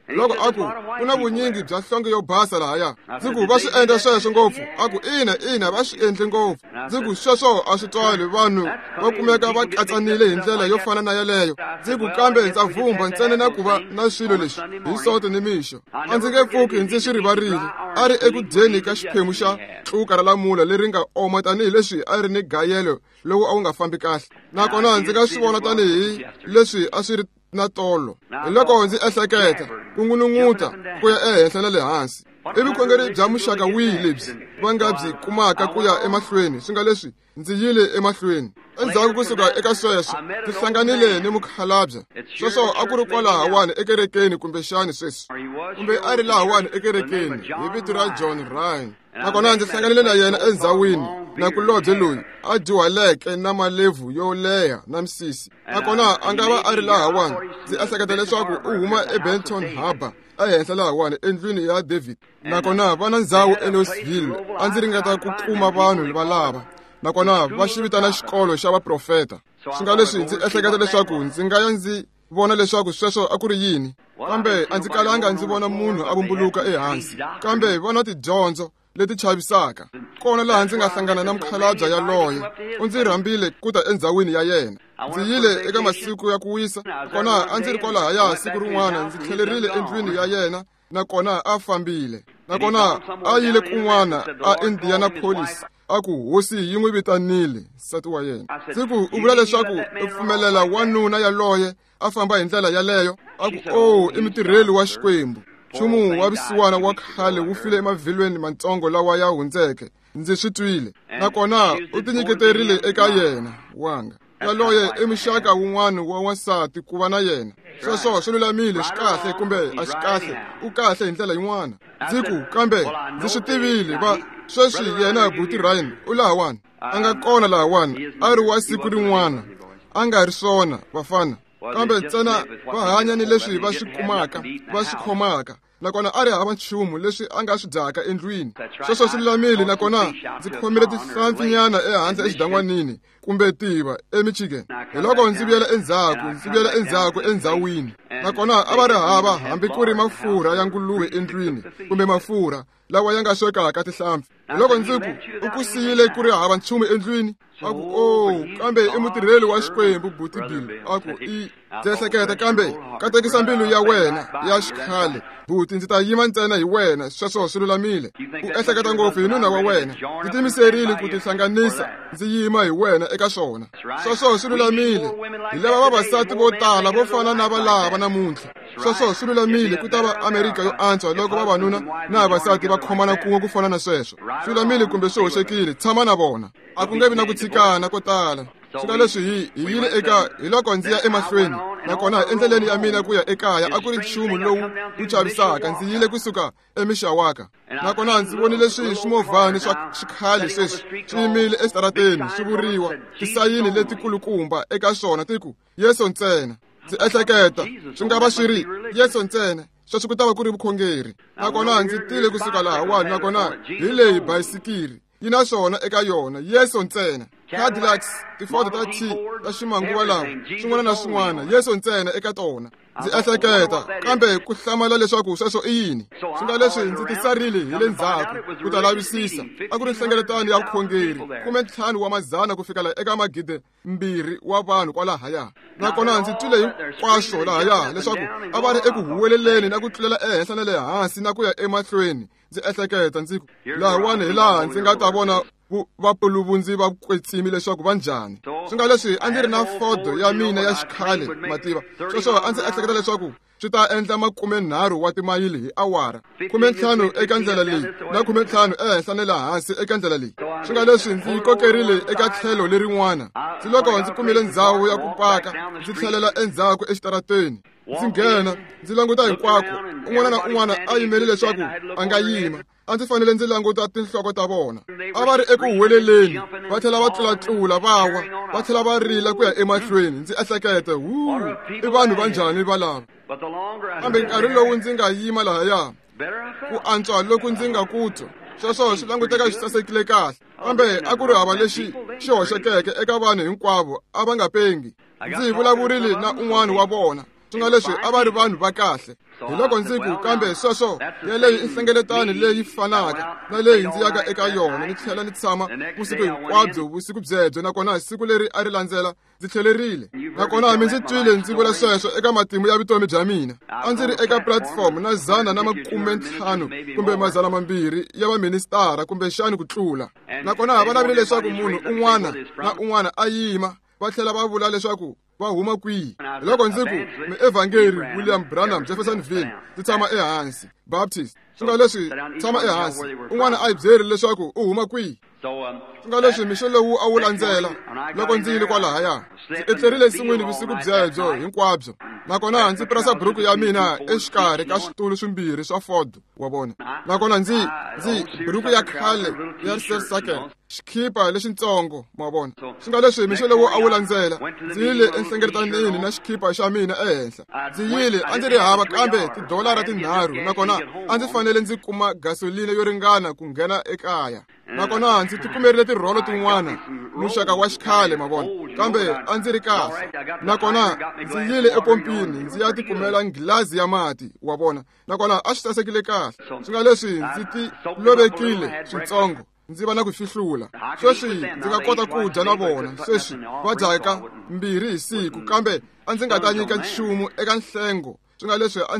Loko a ku ku na vunyingi bya nhlonge yo basa lahaya. Ndzi ku va swi endla sweswo ngopfu. A ku ina, ina, va swi endle ngopfu. Ndzi ku sweswo a swi twali, vanhu va kumeka va katsanile hi ndlela yo fana na yaleyo. Ndzi ku kambe ndza vhumba ntsena na ku va na swilo leswi hi Sonto ni mixo. A ndzi nge pfuki ndzi swi rivarile. A ri eku dyeni ka xiphemu xa tluka ra lamula leri nga oma tanihileswi a ri ni gayelo lowu a wu nga fambi kahle. Nakona ndzi nga swi vona tanihi leswi a swi ri na tolo. Hi loko ndzi ehleketa ku n'unun'uta ku ya ehenhla na le hansi. I vukhongeri bya muxaka wihi lebyi va nga byi kumaka ku ya emahlweni? Swi nga leswi ndzi yile emahlweni. Endzhaku kusuka eka sweswo, ndzi hlanganile ni mukhalabye. Sweswo a ku ri kwalahawani ekerekeni kumbexani sweswi, kumbe a ri lahawani ekerekeni hi vito ra John Ryan. Nakona ndzi hlanganile na yena endzhawini nakulobye loyi a dyuhaleke na malebvu yo leha na misisi. Nakona a nga va a ri lahawani. Ndzi ehleketa leswaku u huma eBenton Harbor ehenhla lahawani endlwini ya David. Nakona va na ndzhawu eLouisville. A ndzi ringeta ku kuma vanhu valava. Nakona va xi vitana xikolo xa vaprofeta. Swi nga leswi ndzi ehleketa leswaku ndzi nga ya ndzi vona leswaku sweswo a ku ri yini. Kambe a ndzi kalanga ndzi vona munhu a vumbuluka ehansi. Kambe va na tidyondzo leti chavisaka. Kona laha ndzi nga hlangana na mukhalabye yaloye. U ndzi rhambile ku ta endzhawini ya yena. Ndzi yile eka masiku ya ku wisa. Kona a ndzi ri kwalahaya siku rin'wana ndzi tlhelerile endlwini ya yena, nakona a fambile. Nakona a yile kun'wana a Indianapolis. A ku hosi yi n'wi vitanile nsati wa yena. Ndzi ku u vula leswaku u pfumelela wanuna yaloye a famba hi ndlela yaleyo? A ku o, i mutirheli wa Xikwembu. Nchumu wa vusiwana wa khale wu file emavhilweni matsongo lawa ya hundzeke. Ndzi swi twile. Nakona u tinyiketerile eka yena wanga. Yaloye i muxaka wun'wana wa wansati ku va na yena. Sweswo swi lulamile, swi kahle kumbe a swi kahle, u kahle hi ndlela yin'wana. Ndzi ku kambe ndzi swi tivile va sweswi yena buti Ryan u lahawani. A nga kona lahawani, a ri wa siku rin'wana. A nga ri swona vafana, kambe ntsena va hanya ni leswi va swi kumaka, va swi khomaka. Nakona a ri hava nchumu leswi a nga swi dyaka endlwini. Sweswo swi lulamile. Nakona ndzi khomile tihlampfinyana ehandle exidan'wanini kumbe tiva eMichigan. Hi loko ndzi vuyela endzhaku, ndzi vuyela endzhaku endzhawini. Nakona a va ri hava hambi ku ri mafurha ya nguluve endlwini kumbe mafurha lawa ya nga swekaka tihlampfi. Hi loko ndzi ku u ku siyile ku ri hava nchumu endlwini. A ku o, kambe i mutirheli wa Xikwembu buti Bill. A ku i ndzi ehleketa kambe katekisa mbilu ya wena ya xikhale buti, ndzi ta yima ntsena hi wena. Sweswo swi lulamile. U ehleketa ngopfu hi nuna wa wena. Ndzi tiyimiserile ku tihlanganisa ndzi yima hi wena eka swona. Sweswo swi lulamile. Hi lava vavasati vo tala vo fana na valava namuntlha. Sweswo swi lulamile. Ku ta va Amerika yo antswa loko vavanuna na vavasati va khomana kun'we ku fana na sweswo. Swi lulamile kumbe swi hoxekile, tshama na vona. A ku nge vi na ku tshikana ko tala. Swi nga leswi hi yile eka hi loko ndzi ya emahlweni. Nakona endleleni ya mina ku ya ekaya a ku ri nchumu lowu wu chavisaka. Ndzi yile kusuka eMishawaka. Nakona ndzi vonile swimovhani swa xikhale sweswi swi yimile exitarateni swi vuriwa tisayini letikulukumba eka swona ti ku Yesu ntsena. Ndzi ehleketa swi nga va swi ri Yesu ntsena. Sweswo ku ta va ku ri vukhongeri. Nakona ndzi tile kusuka lahawani. Nakona hi leyi bayisikiri yi na swona eka yona, Yesu ntsena. Cadillacs, Tiford ta T ta ximanguva lawa, swin'wana na swin'wana, Yesu ntsena eka tona. Ndzi ehleketa kambe ku hlamala leswaku sweswo i yini. Swi nga leswi ndzi tisarile hi le ndzhaku ku ta lavisisa. A ku ri nhlengeletano ya vukhongeri, 15 wa mazana ku fikela eka 2,000 wa vanhu kwalahaya. Nakona ndzi twile hinkwaswo lahaya leswaku a va ri eku huweleleni na ku tlulela ehenhla na le hansi na ku ya emahlweni. Ndzi ehleketa ndzi ku lahawani hi laha ndzi nga ta vona vapuluvundzi va kwetsimi leswaku va njhani. Swi nga leswi a ndzi ri na Ford ya mina ya xikhale, mativa. Sweswo a ndzi ehleketa leswaku swi ta endla 30 wa timayili hi awara, 15 eka ndlela leyi na 15 ehenhla ni le hansi eka ndlela leyi. Swi nga leswi ndzi yi kokerile eka tlhelo lerin'wana. Ndzi loko ndzi kumile ndzhawu ya ku paka, ndzi tlhelela endzhaku exitarateni. Ndzi nghena, ndzi languta hinkwako, un'wana na un'wana a yimele leswaku a nga yima. A ndzi fanele ndzi languta tinhloko ta vona. A va ri eku huweleleni, va tlhela va tlulatlula va wa, va tlhela va rila ku ya emahlweni. Ndzi ehlekete, wu, i vanhu va njhani valava? Kambe nkarhi lowu ndzi nga yima lahaya, ku antswa loku ndzi nga ku twa, sweswo swi languteka swi sasekile kahle. Kambe a ku ri hava lexi xi hoxekeke eka vanhu hinkwavo, a va nga pengi. Ndzi vulavurile na un'wana wa vona, swi nga leswi a va ri vanhu va kahle. Hi loko ndzi ku, kambe sweswo yeleyo i nhlengeletano leyi fanaka na leyi ndzi yaka eka yona, ni tlhela ni tshama vusiku hinkwabyo vusiku byebyo, nakona siku leri a ri landzela ndzi tlhelerile. Nakona mi ndzi twile ndzi vula sweswo eka matimu ya vutomi bya mina. A ndzi ri eka platform na 150 kumbe 200 ya vaministara kumbexani ku tlula. Nakona va lavile leswaku munhu un'wana na un'wana a yima, va tlhela va vula leswaku va huma kwihi. Loko ndzi ku, muevhangeri William Branham, Jeffersonville, ndzi tshama ehansi, Baptist. Swi nga leswi tshama ehansi, un'wana a yi byeri leswaku u huma kwihi. Swi nga leswi mixo lowu a wu landzela loko ndzi yile kwalahaya, ndzi etlerile ensin'wini vusiku byebyo hinkwabyo. Nakona ndzi pirasa buruku ya mina exikarhi ka switulu swimbirhi swa Ford, wa vona. Nakona ndzi buruku ya khale ya seersucker, xikhipa lexintsongo, ma vona. Swi nga leswi mixo lowu a wu landzela, ndzi yile enhlengeletanini na xikhipa xa mina ehenhla. Ndzi yile a ndzi ri hava kambe tidolara 3, nakona a ndzi fanele ndzi kuma gasoline yo ringana ku nghena ekaya. Nakona ndzi tikumerile tirholo tin'wana, muxaka wa xikhale, ma vona, kambe a ndzi ri kahle. Nakona ndzi yile epompini ndzi ya tikumela nghilazi ya mati, wa vona. Nakona a swi sasekile kahle. Swi nga leswi ndzi ti lovekile switsongo, ndzi va na ku fihlula. Sweswi ndzi nga kota ku dya na vona, sweswi va dyaka 2 hi siku, kambe a ndzi nga ta nyika nchumu eka nhlengo. Swi nga leswi a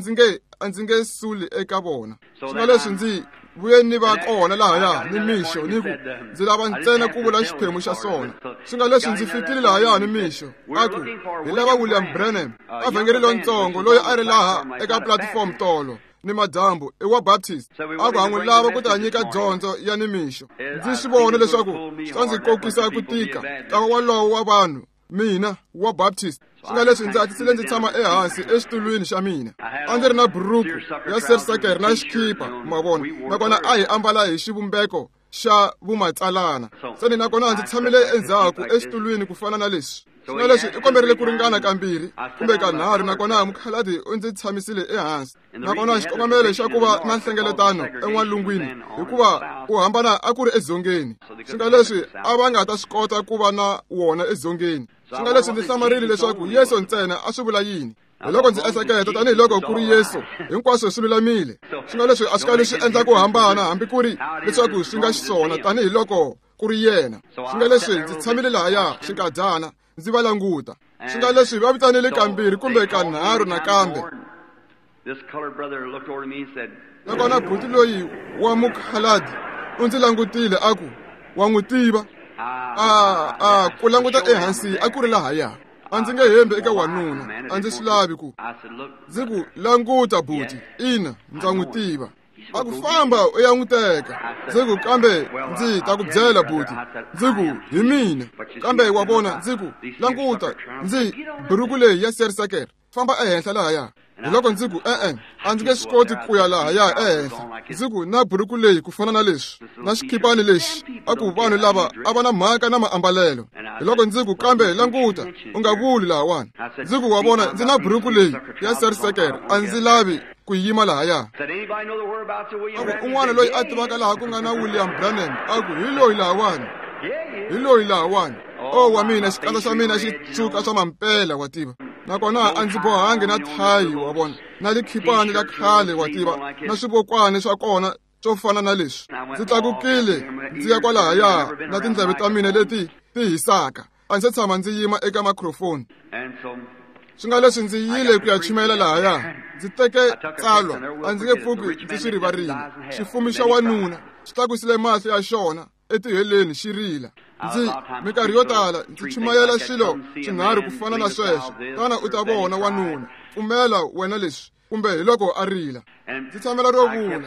ndzi nge suli eka vona. Swi nga leswi ndzi vuye ni va kona lahaya ni mixo, ni ku ndzi lava ntsena ku vula xiphemu xa swona. Swi nga leswi ndzi fikile lahaya ni mixo, a ku hi lava William Branham, evhangeri lontsongo loyi a ri laha eka platform tolo ni madyambu, i wa Baptist. A ku ha n'wi lava ku ta nyika dyondzo ya ni mixo. Ndzi swi vona leswaku swi ta ndzi kokisa ku tika ntlawa walowo wa vanhu, mina wa Baptist. Swi nga leswi ndzi hatlisile ndzi tshama ehansi exitulwini xa mina. A ndzi ri na buruku ya seersucker na xikhipa, ma vona. Nakona a hi ambala hi xivumbeko xa vumatsalana. Se nakona ndzi tshamile endzhaku exitulwini ku fana na leswi. Swi nga leswi i komberile ku ringana kambirhi kumbe kanharhu, nakona mukhaladi u ndzi tshamisile ehansi. Nakona xikongomelo xa ku va na nhlengeletano en'walungwini, hikuva ku hambana a ku ri edzongeni. Swi nga leswi a va nga ta swi kota ku va na wona edzongeni. Swi nga leswi ndzi hlamarile leswaku Yesu ntsena a swi vula yini. Hi loko ndzi ehleketa tanihiloko ku ri Yesu, hinkwaswo swi lulamile. Swi nga leswi a swi kali swi endla ku hambana hambi ku ri leswaku swi nga xiswona tanihiloko ku ri yena. Swi nga leswi ndzi tshamile lahaya xinkadyana ndzi va languta. Swi nga leswi va vitanile kambirhi kumbe kanharhu nakambe. Nakona buti loyi wa mukhaladi u ndzi langutile a ku, wa n'wi tiva? A ku languta ehansi a ku ri lahaya. A ndzi nge hembi eka wanuna, a ndzi swi lavi ku. Ndzi ku, languta buti, ina, ndza n'wi tiva. A ku famba u ya n'wi teka. Ndzi ku, kambe ndzi ta ku byela buti. Ndzi ku, hi mina. Kambe wa vona, ndzi ku, languta, ndzi buruku leyi ya seersucker, famba ehenhla lahaya. Hi loko ndzi ku, e-e, a ndzi nge swi koti ku ya lahaya ehenhla. Ndzi ku, na buruku leyi ku fana na leswi, na xikhipani lexi, a ku vanhu lava a va na mhaka na maambalelo. Hi loko ndzi ku, kambe languta, u nga vuli lahawani. Ndzi ku, wa vona, ndzi na buruku leyi ya seersucker, a ndzi lavi ku yima lahaya. A ku un'wana loyi a tivaka laha ku nga na William Branham, a ku hi loyi lahawani, hi loyi lahawani. O wa mina, xikandza xa mina xi tshuka swa mampela, wa tiva. Nakona a ndzi bohangi na thayi, wa vona, na likhipani la khale, wa tiva, na swivokwani swa kona swo fana na leswi. Ndzi tlakukile ndzi ya kwalahaya na tindleve ta mina leti ti hisaka. A ndzi se tshama ndzi yima eka microphone. Swi nga leswi ndzi yile ku ya chumayela lahaya. Ndzi teke tsalwa, a ndzi nge pfuki ndzi swi rivarile. Xifumi xa wanuna xi tlakusile mahlo ya xona etiheleni xi rila. Ndzi minkarhi yo tala ndzi chumayela swilo swinharhu ku fana na sweswo. Tana u ta vona wanuna, pfumela wena leswi, kumbe hi loko a rila. Ndzi tshamela ro vula,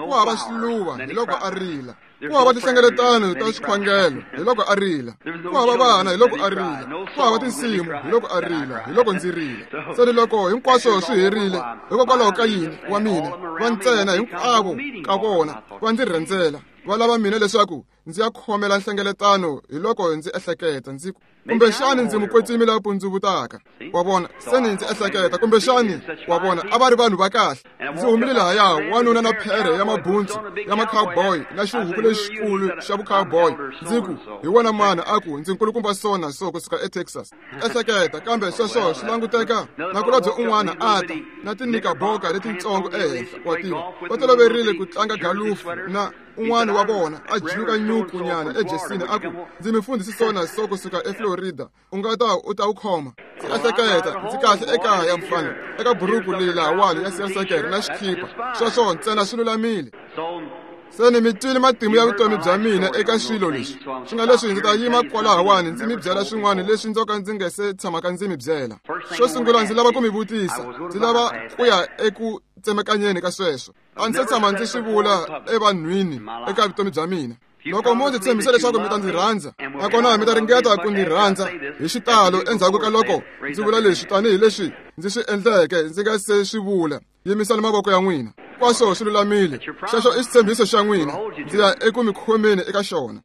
ku hava swiluva, hi loko a rila. Ku hava tinhlengeletano ta swikhongelo, hi loko a rila. Ku hava vana, hi loko a rila. Ku hava tinsimu, hi loko a rila, hi loko ndzi rila. Se ni loko hinkwaswo swi herile, hikokwalaho ka yini wa mina va ntsena hinkwavo ka vona va ndzi rhendzela, va lava mina leswaku ndzi ya khomela nhlengeletano. Hi loko ndzi ehleketa ndzi ku, kumbexani ndzi mukwetsimi la pundzuvutaka, wa vona. Se ni ndzi ehleketa, kumbexani, wa vona, a va ri vanhu va kahle. Ndzi humile lahaya, wanuna na phere ya mabundzu ya ma-cowboy na xihuku lexikulu xa vu-cowboy. Ndzi ku, hi wena mani? A ku, ndzi nkulukumba so na so kusuka eTexas. Ehleketa, kambe sweswo swi languteka nakulobye un'wana a ta na tinikaboka letitsongo ehenhla, wa tiva, va toloverile ku tlanga galufu, na un'wana wa vona a jiluka nyuku nyana ejesini, a ku, ndzi mufundhisi so na so kusuka eFlorida, u nga ta u ta wu khoma. Ndzi ehleketa, ndzi kahle ekaya mfana, eka buruku leyi lahawani ya seersucker na xikhipa, sweswo ntsena swi lulamile. Se ni mi twile matimu ya vutomi bya mina eka swilo leswi. Swi nga leswi ndzi ta yima kwalahawani ndzi mi byela swin'wana leswi ndzo ka ndzi nge se tshamaka ndzi mi byela. Xo sungula ndzi lava ku mi vutisa, ndzi lava ku ya eku tsemekanyeni ka sweswo. A ndzi se tshama ndzi swi vula evanhwini eka vutomi bya mina. Loko mo ndzi tshembisa leswaku mi ta ndzi rhandza, nakona mi ta ringeta ku ndzi rhandza hi xitalo endzhaku ka loko ndzi vula leswi tanihileswi ndzi swi endleke ndzi nga se swi vula, yimisani mavoko ya n'wina. Hinkwaswo swi lulamile. Xexo i xitshembiso xa n'wina, ndzi ya eku mi khomeni eka xona.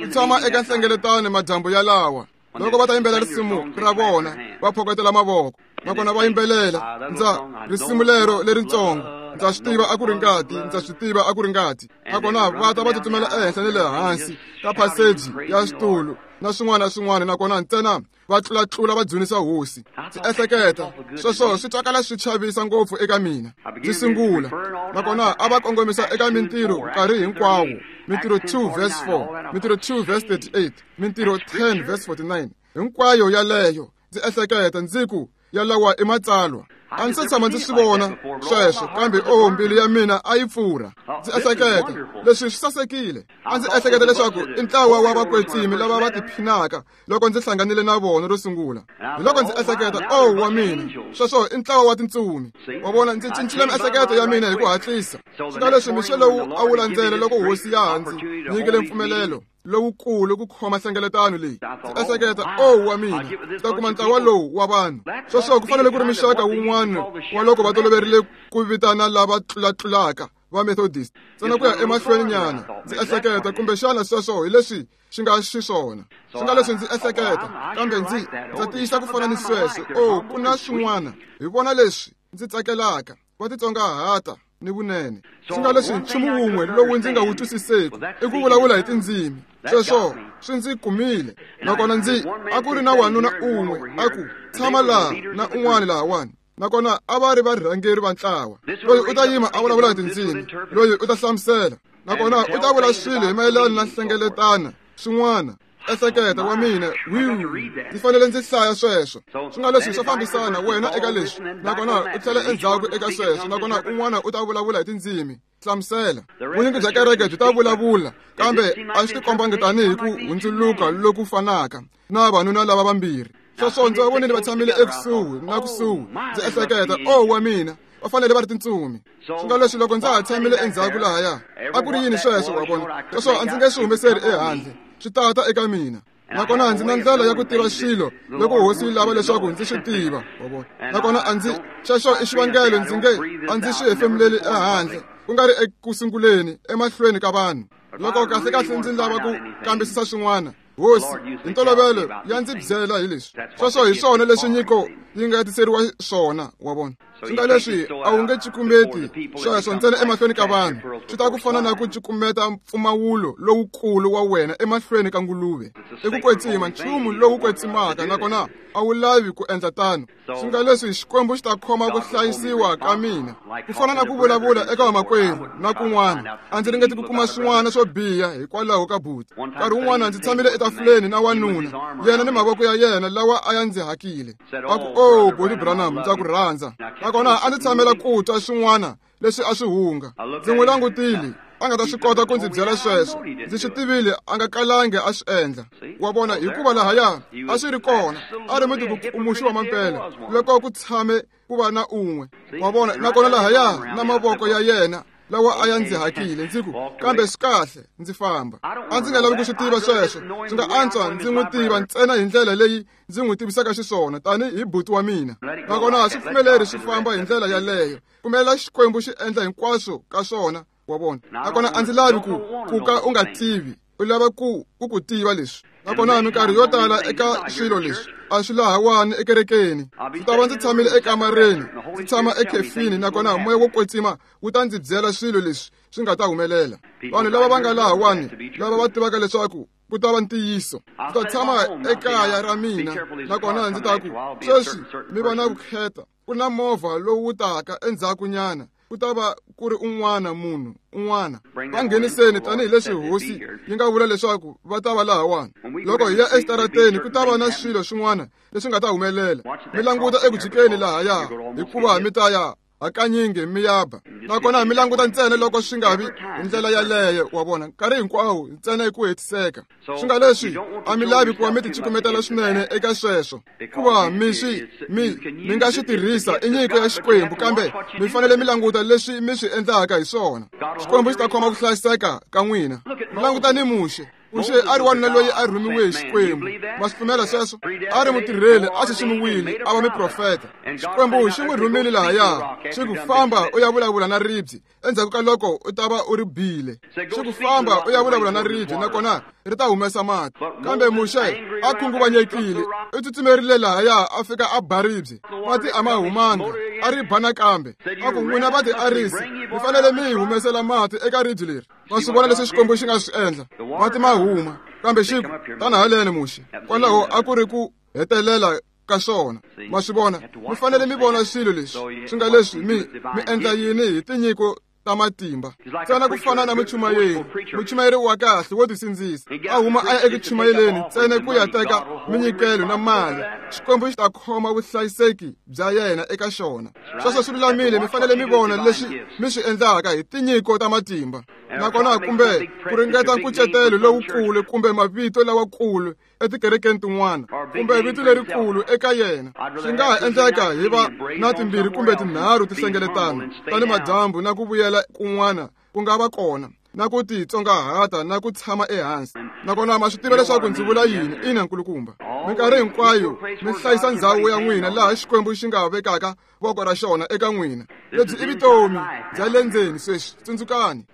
Ku tshama eka nhlengeletano madyambu yalawa, loko va ta yimbelela risimu ra vona, va phokotela mavoko, nakona va yimbelela ndza risimu lero leritsongo, ndza swi tiva a ku ri ngati, ndza swi tiva a ku ri ngati, nakona va ta va tsutsumela ehenhla ni le hansi ka phaseji ya switulu na swin'wana na swin'wana, nakona ntsena va tlulatlula va dzunisa hosi. Ndzi ehleketa, sweswo swi twakala swi chavisa ngopfu eka mina. Ndzi sungula, nakona a va kongomisa eka Mintirho nkarhi hinkwawo, Mintirho 2 verse 4, Mintirho 2 verse 38, Mintirho 10 verse 49, hinkwayo yaleyo. Ndzi ehleketa ndzi ku, yalawa i matsalwa. A ndzi se tshama ndzi swi vona sweswo, kambe o mbilu ya mina a yi pfurha. Ndzi ehleketa, leswi swi sasekile. A ndzi ehleketa leswaku i ntlawa wa vakwetsimi lava va tiphinaka loko ndzi hlanganile na vona ro sungula. Hi loko ndzi ehleketa, o wa mina, sweswo i ntlawa wa tintsumi, wa vona. Ndzi cincile miehleketo ya mina hi ku hatlisa. Swi nga leswi mixo lowu a wu landzela, loko hosi ya ha ndzi nyikile mpfumelelo lowukulu ku khoma nhlengeletano leyi, ndzi ehleketa, o wa mina, ndzi ta kuma ntlawa lowu wa vanhu. Sweswo ku fanele ku ri mixaka wun'wana wa loko va toloverile ku vitana lava tlulatlulaka va Methodist, ntsena ku ya emahlweni nyana. Ndzi ehleketa, kumbexana sweswo hi leswi xi nga xiswona. Swi nga leswi ndzi ehleketa, kambe ndzi ndza tiyisa ku fana ni sweswo, o ku na swin'wana hi vona leswi ndzi tsakelaka, va titsongahata ni vunene. Swi nga leswi nchumu wun'we lowu ndzi nga wu twisiseki i ku vulavula hi tindzimi. Sweswo swi ndzi kumile. Nakona ndzi a ku ri na wanuna un'we a ku tshama laha na un'wana lahawani, nakona a va ri varhangeri va ntlawa. Loyi u ta yima a vulavula hi tindzimi, loyi u ta hlamusela, nakona u ta vula swilo hi mayelana na nhlengeletana swin'wana. Ehleketa, wa mina, wiu, ndzi fanele ndzi hlaya sweswo. Swi nga leswi swa fambisana wena eka leswi, nakona u tlhela endzhaku eka sweswo, nakona un'wana u ta vulavula hi tindzimi, hlamusela. Vunyingi bya kereke byi ta vulavula, kambe a swi tikombangi tanihi ku hundzuluka loku fanaka na vanuna lava vambirhi. Sweswo ndzi va vonile va tshamile ekusuhi na kusuhi. Ndzi ehleketa, o wa mina, va fanele va ri tintsumi. Swi nga leswi loko ndza ha tshamile endzhaku lahaya, a ku ri yini sweswo, wa vona? Sweswo a ndzi nge swi humeseri ehandle, swi tata eka mina. Nakona ndzi na ndlela ya ku tiva swilo loko hosi yi lava leswaku ndzi swi tiva, wa vona. Nakona a ndzi xexo i xivangelo ndzi nge a ndzi swi hefemuleli ehandle, ku nga ri ekusunguleni emahlweni ka vanhu. Loko kahlekahle ndzi lava ku kambisisa swin'wana, hosi hi ntolovelo ya ndzi byela hi leswi. Sweswo hi swona leswi nyiko yi nga tiseriwa swona, wa vona. Swi nga leswi a wu nge cukumeti sweswo ntsena emahlweni ka vanhu, swi ta ku fana na ku cukumeta mpfumawulo lowukulu wa wena emahlweni ka nguluve. I ku kwetsima, nchumu lowu kwetsimaka, nakona a wu lavi ku endla tano. Swi nga leswi Xikwembu xi ta khoma ku hlayisiwa ka mina, ku fana na ku vulavula eka vamakwerhu na kun'wana. A ndzi ringeti ku kuma swin'wana swo biha hikwalaho ka buti. Nkarhi wun'wana ndzi tshamile etafuleni na wanuna, yena ni mavoko ya yena lawa a ya ndzi hakile, a ku, o buti Branham, ndza ku rhandza. Nakona a ndzi tshamela ku twa swin'wana leswi a swi hunga. Ndzi n'wi langutile. a nga ta swi kota ku ndzi byela sweswo. Ndzi swi tivile a nga kalangi a swi endla. Wa vona, hikuva lahaya a swi ri kona, a ri mutikukumuxi wa mampela loko ku tshame ku va na un'we. Wa vona, nakona lahaya na mavoko ya yena lawa a ya ndzi hakile. Ndzi ku, kambe swi kahle, ndzi famba. A ndzi nga lavi ku swi tiva sweswo. Swi nga antswa ndzi n'wi tiva ntsena hi ndlela leyi ndzi n'wi tivisaka xiswona tanihi buti wa mina. Nakona swi pfumeleri swi famba hi ndlela yaleyo. Pfumelela Xikwembu xi endla hinkwaswo ka swona, wa vona. Nakona a ndzi lavi ku ka u nga tivi, u lava ku ku tiva leswi. Nakona minkarhi yo tala eka swilo leswi a swi lahawani ekerekeni. Ndzi ta va ndzi tshamile ekamareni, ndzi tshama ekhefini, nakona moya wo kwetsima wu ta ndzi byela swilo leswi swi nga ta humelela. Vanhu lava va nga lahawani, lava va tivaka leswaku ku ta va ntiyiso. Ndzi ta tshama ekaya ra mina, nakona ndzi ta ku, sweswi mi va na vukheta, ku na movha lowu taka endzhakunyana, ku ta va ku ri un'wana munhu un'wana. Va ngheniseni tanihileswi hosi yi nga vula leswaku va ta va lahawani. Loko hi ya exitarateni, ku ta va na swilo swin'wana leswi nga ta humelela. Mi languta eku jikeni lahaya, hikuva mi ta ya hakanyingi mi ya ba. Nakona mi languta ntsena loko swi nga vi hi ndlela yaleyo, wa vona, nkarhi hinkwawo ntsena hi ku hetiseka. Swi nga leswi a mi lavi ku va mi ticukumetela swinene eka sweswo, kuva mi swi mi nga swi tirhisa i nyiko ya Xikwembu, kambe mi fanele mi languta leswi mi swi endlaka hi swona. Xikwembu xi ta khoma ku hlayiseka ka n'wina. Mi languta ni Muxe. Muxe a ri wanuna loyi a rhumiwe hi Xikwembu. Ma swi pfumela sweswo? A ri mutirheli, a xiximiwile, a va muprofeta. Xikwembu xi n'wi rhumile lahaya, xi ku famba u ya vulavula na ribye endzhaku ka loko u ta va u ri bile. Xi ku famba u ya vulavula na ribye, nakona ri ta humesa mati. Kambe Muxe a khunguvanyekile, u tsutsumerile lahaya a fika a ba ribye, mati a ma humanga, a ri ba nakambe. A ku, n'wina va tiarisi, mi fanele mi hi humesela mati eka ribye leri. Ma swi vona leswi Xikwembu xi nga swi endla? Mati ma huma, kambe xi ku, tana haleni Muxe. Kwalaho a ku ri ku hetelela ka swona. Ma swi vona? Mi fanele mi vona swilo leswi. Swi nga leswi mi endla yini hi tinyiko ta matimba? Ntsena ku fana na muchumayeri, muchumayeri wa kahle wo tisindzisa, a huma a ya eku chumayeleni ntsena ku ya teka minyikelo na mali. Xikwembu xi ta khoma vuhlayiseki bya yena eka xona. Sweswo swi lulamile. Mi fanele mi vona leswi mi swi endlaka hi tinyiko ta matimba. Nakona kumbe ku ringeta nkucetelo lowukulu kumbe mavito lawakulu etikerekeni tin'wana, kumbe vito lerikulu eka yena. Swi nga ha endleka hi va na timbirhi kumbe tinharhu tihlengeletano tani madyambu na ku vuyela kun'wana ku nga va kona, na ku titsongahata na ku tshama ehansi. Nakona ma swi tiva leswaku ndzi vula yini? Ina, nkulukumba. Minkarhi hinkwayo mi hlayisa ndzhawu ya n'wina laha Xikwembu xi nga vekaka voko ra xona eka n'wina. Lebyi i vutomi bya le ndzeni sweswi, tsundzukani.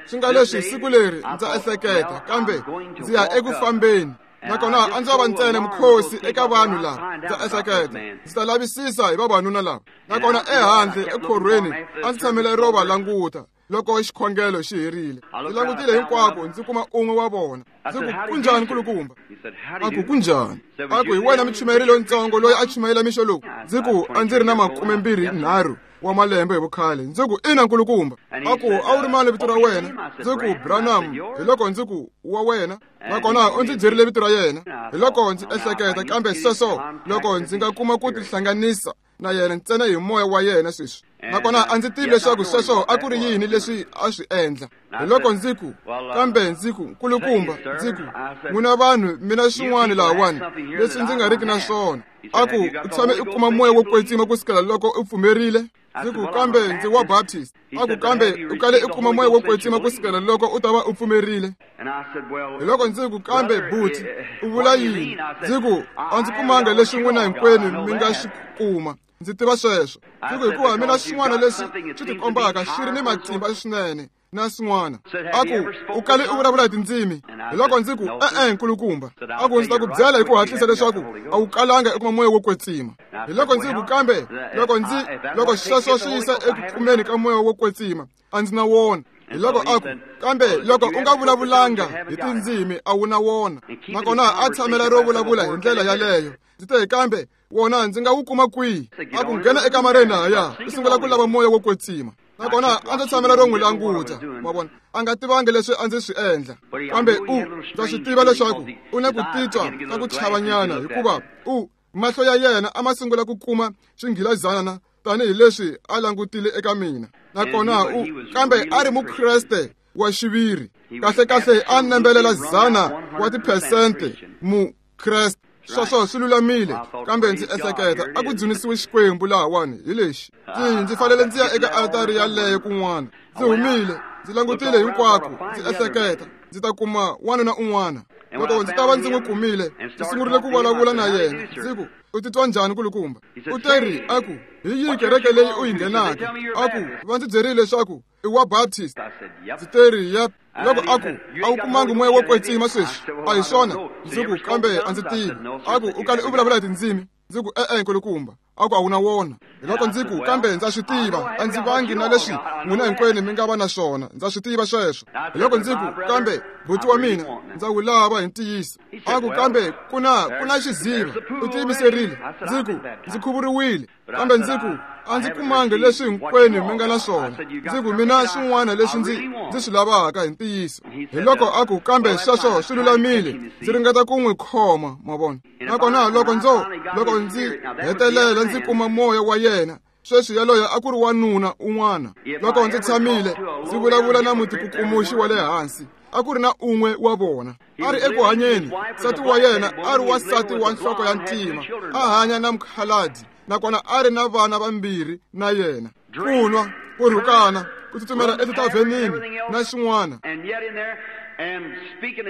Swi nga leswi siku leri ndza ehleketa, kambe ndzi ya eku fambeni. Nakona a ndzo va ntsena mukhosi eka vanhu lava. Ndza ehleketa ndzi ta lavisisa hi vavanuna lava. Nakona ehandle ekhorhweni a ndzi tshamela ro va languta loko xikhongelo xi herile. Ndzi langutile hinkwako, ndzi kuma un'we wa vona. Ndzi ku, kunjhani nkulukumba? A ku, kunjhani? A ku, hi wena muchumayeri lontsongo loyi a chumayela mixo lowu? Ndzi ku, a ndzi ri na 23 wa malembe hi vukhale. Ndzi ku, ina nkulukumba. A ku, a wu ri mani vito ra wena? Ndzi ku, Branham. Hi loko ndzi ku, wa wena? Nakona u ndzi byerile vito ra yena. Hi loko ndzi ehleketa, kambe sweswo loko ndzi nga kuma ku tihlanganisa na yena ntsena hi moya wa yena sweswi. Nakona a ndzi tivi leswaku sweswo a ku ri yini leswi a swi endla. Hi loko ndzi ku, kambe ndzi ku, nkulukumba, ndzi ku, n'wina vanhu mi na swin'wana lahawani leswi ndzi nga riki na swona. A ku, u tshame u kuma moya wo kwetsima ku sukela loko u pfumerile? Ndzi ku, kambe ndzi wa Baptist. A ku, kambe u kale u kuma moya wo kwetsima ku sukela loko u ta va u pfumerile? Hi loko ndzi ku, kambe buti, u vula yini? Ndzi ku, a ndzi kumanga leswi n'wina hinkwenu mi nga swi kuma. Ndzi tiva sweswo. Ndzi ku, hikuva mina swin'wana leswi swi tikombaka xi ri ni matimba swinene na swin'wana. A ku, u kale u vulavula hi tindzimi? Hi loko ndzi ku, e-e nkulukumba. A ku, ndzi ta ku byela hi ku hatlisa leswaku a wu kalanga u kuma moya wo kwetsima. Hi loko ndzi ku, kambe loko sweswo swi yisa eku kumeni ka moya wo kwetsima, a ndzi na wona. Hi loko a ku, kambe loko u nga vulavulanga hi tindzimi a wu na wona. Nakona a tshamela ro vulavula hi ndlela yaleyo. Ndzi te, kambe wona ndzi nga wu kuma kwihi? A ku, nghena ekamareni lahaya, u sungula ku lava moya wo kwetsima. Nakona a ndzi tshamela ro n'wi languta, ma vona, a nga tivangi leswi a ndzi swi endla. Kambe u ndza swi tiva leswaku u na ku titwa ka ku chavanyana, hikuva u mahlo ya yena a ma sungula ku kuma xinghilazana tanihileswi a langutile eka mina. Nakona u kambe a ri Mukreste wa xiviri. Kahlekahle a nembelela 100 wa tiphesente Mukreste. Sweswo swi lulamile, kambe ndzi ehleketa a ku dzunisiwe Xikwembu lahawani hi lexi. Ndzi fanele ndzi ya eka altari yaleyo kun'wana. Ndzi humile, ndzi langutile hinkwako, ndzi ehleketa ndzi ta kuma wanuna un'wana. Loko ndzi ta va ndzi n'wi kumile, ndzi sungurile ku vulavula na yena. Ndzi ku, u titwa njhani kulukumba? U teri a ku, hi yihi kereke leyi u yi nghenaka? A ku, va ndzi byerile leswaku i wa Baptist. Ndzi teri, yep. Loko a ku, a wu kumangi moya wo kwetsima sweswi? A hi swona? Ndzi ku, kambe a ndzi tivi. A ku, u kale u vulavula hi tindzimi? Ndzi ku, e-e nkulukumba. A ku, a wu na wona. Hiloko ndzi ku, kambe ndza swi tiva, a ndzi vangi na leswi n'wina hinkwenu mi nga va na swona, ndza swi tiva sweswo. Hiloko ndzi ku, kambe buti wa mina ndza wu lava hi ntiyiso. A ku, kambe ku na xiziva, u tiyimiserile. Ndzi ku, ndzi khuvuriwile, kambe ndzi ku, a ndzi kumangi leswi hinkwenu mi nga na swona. Ndzi ku, mina swin'wana leswi ndzi swi lavaka hi ntiyiso. Hiloko a ku, kambe sweswo swi lulamile, ndzi ringeta ku n'wi khoma, ma vona. Nakona loko ndzi hetelela ndzi kuma moya wa yena, sweswi yaloye a ku ri wanuna un'wana. Loko ndzi tshamile ndzi vulavula na mutikukumuxi wa le hansi, a ku ri na un'we wa vona a ri eku hanyeni. Nsati wa yena a ri wansati wa nhloko ya ntima, a hanya na mukhaladi, nakona a ri na vana vambirhi na yena. Ku nwa, ku rhukana, ku tsutsumela etitavhenini na xin'wana.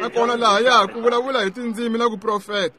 Nakona lahaya ku vulavula hi tindzimi na ku profeta.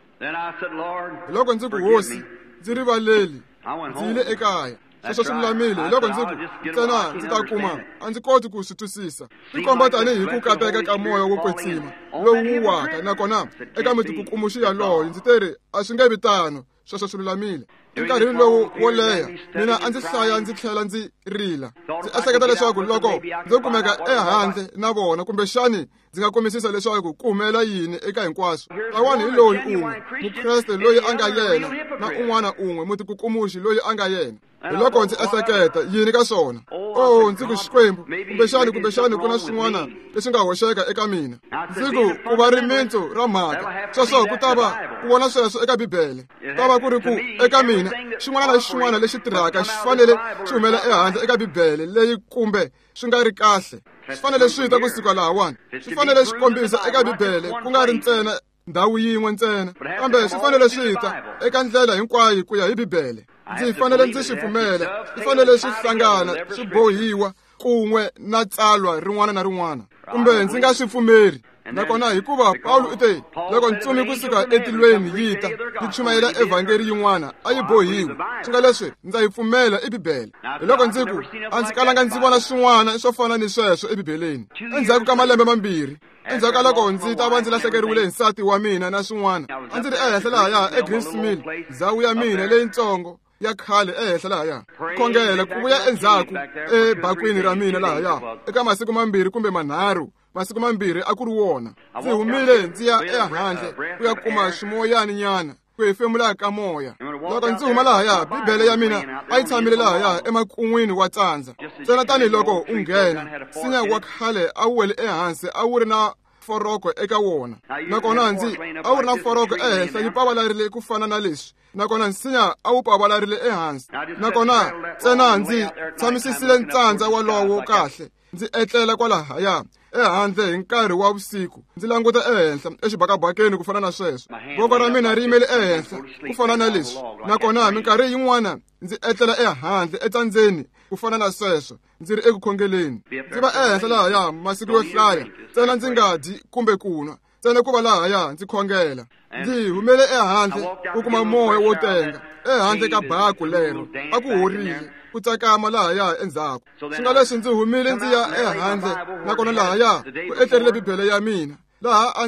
Loko ndzi ku, Hosi, ndzi rivaleli, ndzi yile ekaya. Sweswo swi lulamile. Hiloko ndzi ku, ntsena ndzi ta kuma, a ndzi koti ku swi twisisa. Swi komba tanihi ku kateka ka moya wo kwetsima lowu wu waka, nakona eka mitikukumuxi yaloyo ndzi teri a swi nge vi tano. Sweswo swi lulamile. Enkarhini lowu wo leha, mina a ndzi hlaya ndzi tlhela ndzi rila. Ndzi ehleketa leswaku loko ndzo kumeka ehandle na vona, kumbexani ndzi nga kombisisa leswaku ku humelela yini eka hinkwaswo. Lawani hi loyi un'we Mukreste loyi a nga yena, na un'wana un'we mutikukumuxi loyi a nga yena. Hiloko ndzi ehleketa yini ka swona? Oh, ndzi ku, Xikwembu, kumbexani ku na swin'wana leswi nga hoxeka eka mina. Ndzi ku, ku va rimitsu ra mhaka. Sweswo ku ta va ku vona sweswo eka Bibele. Ta va ku ri ku eka mina xin'wana na xin'wana lexi tirhaka xi fanele xi humela ehandle eka Bibele leyi, kumbe swi nga ri kahle. Swi fanele swi ta kusuka lahawani. Swi fanele swi kombisa eka Bibele, ku nga ri ntsena ndhawu yin'we ntsena, kambe swi fanele swi ta eka ndlela hinkwayo ku ya hi Bibele. Ndzi fanele ndzi swi pfumela, swi fanele swi hlangana, swi bohiwa kun'we na tsalwa rin'wana na rin'wana, kumbe ndzi nga swi pfumeri. Nakona hikuva Pawulo u te, loko ntsumi kusuka etilweni yi ta yi chumayela evhangeli yin'wana, a yi bohiwi. Swi nga leswi ndza yi pfumela i Bibele. Hiloko ndzi ku, a ndzi kalanga ndzi vona swin'wana swo fana ni sweswo eBibeleni. Endzhaku ka malembe mambirhi, endzhaku ka loko ndzi ta va ndzi lahlekeriwile hi nsati wa mina na swin'wana, a ndzi ri ehenhla lahaya eGreens Mill, ndhawu ya mina leyitsongo ya khale ehenhla lahaya, khongela ku vuya endzhaku ebakwini ra mina lahaya eka masiku mambirhi kumbe manharhu. Masiku mambirhi a ku ri wona. Ndzi humile ndzi ya ehandle ku ya kuma swimoyani nyana, ku hefemula ka moya. Loko ndzi huma lahaya, Bibele ya mina a yi tshamile lahaya emakun'wini wa tsandza. Ntsena tanihiloko u nghena, nsinya wa khale a wu wele ehansi, a wu ri na foroko eka wona. Nakona ndzi a wu ri na foroko ehenhla yi pavalarile ku fana na leswi, nakona nsinya a wu pavalarile ehansi. Nakona ntsena ndzi tshamisisile ntsandza walowo kahle, ndzi etlela kwalahaya ehandle hi nkarhi wa vusiku, ndzi languta ehenhla exibakabakeni ku fana na sweswo. Voko ra mina ri yimele ehenhla ku fana na leswi, nakona minkarhi yin'wana ndzi etlela ehandle etsandzeni ku fana na sweswo, ndzi ri eku khongeleni. Ndzi va ehenhla lahaya masiku yo hlaya, ntsena ndzi nga dyi kumbe ku nwa, ntsena ku va lahaya ndzi khongela. Ndzi humele ehandle ku kuma moya wo tenga ehandle ka baku lero, a ku horile ku tsakama lahaya endzhaku. Swi nga leswi ndzi humile ndzi ya ehandle, nakona lahaya ku etlerile Bibele ya mina laha a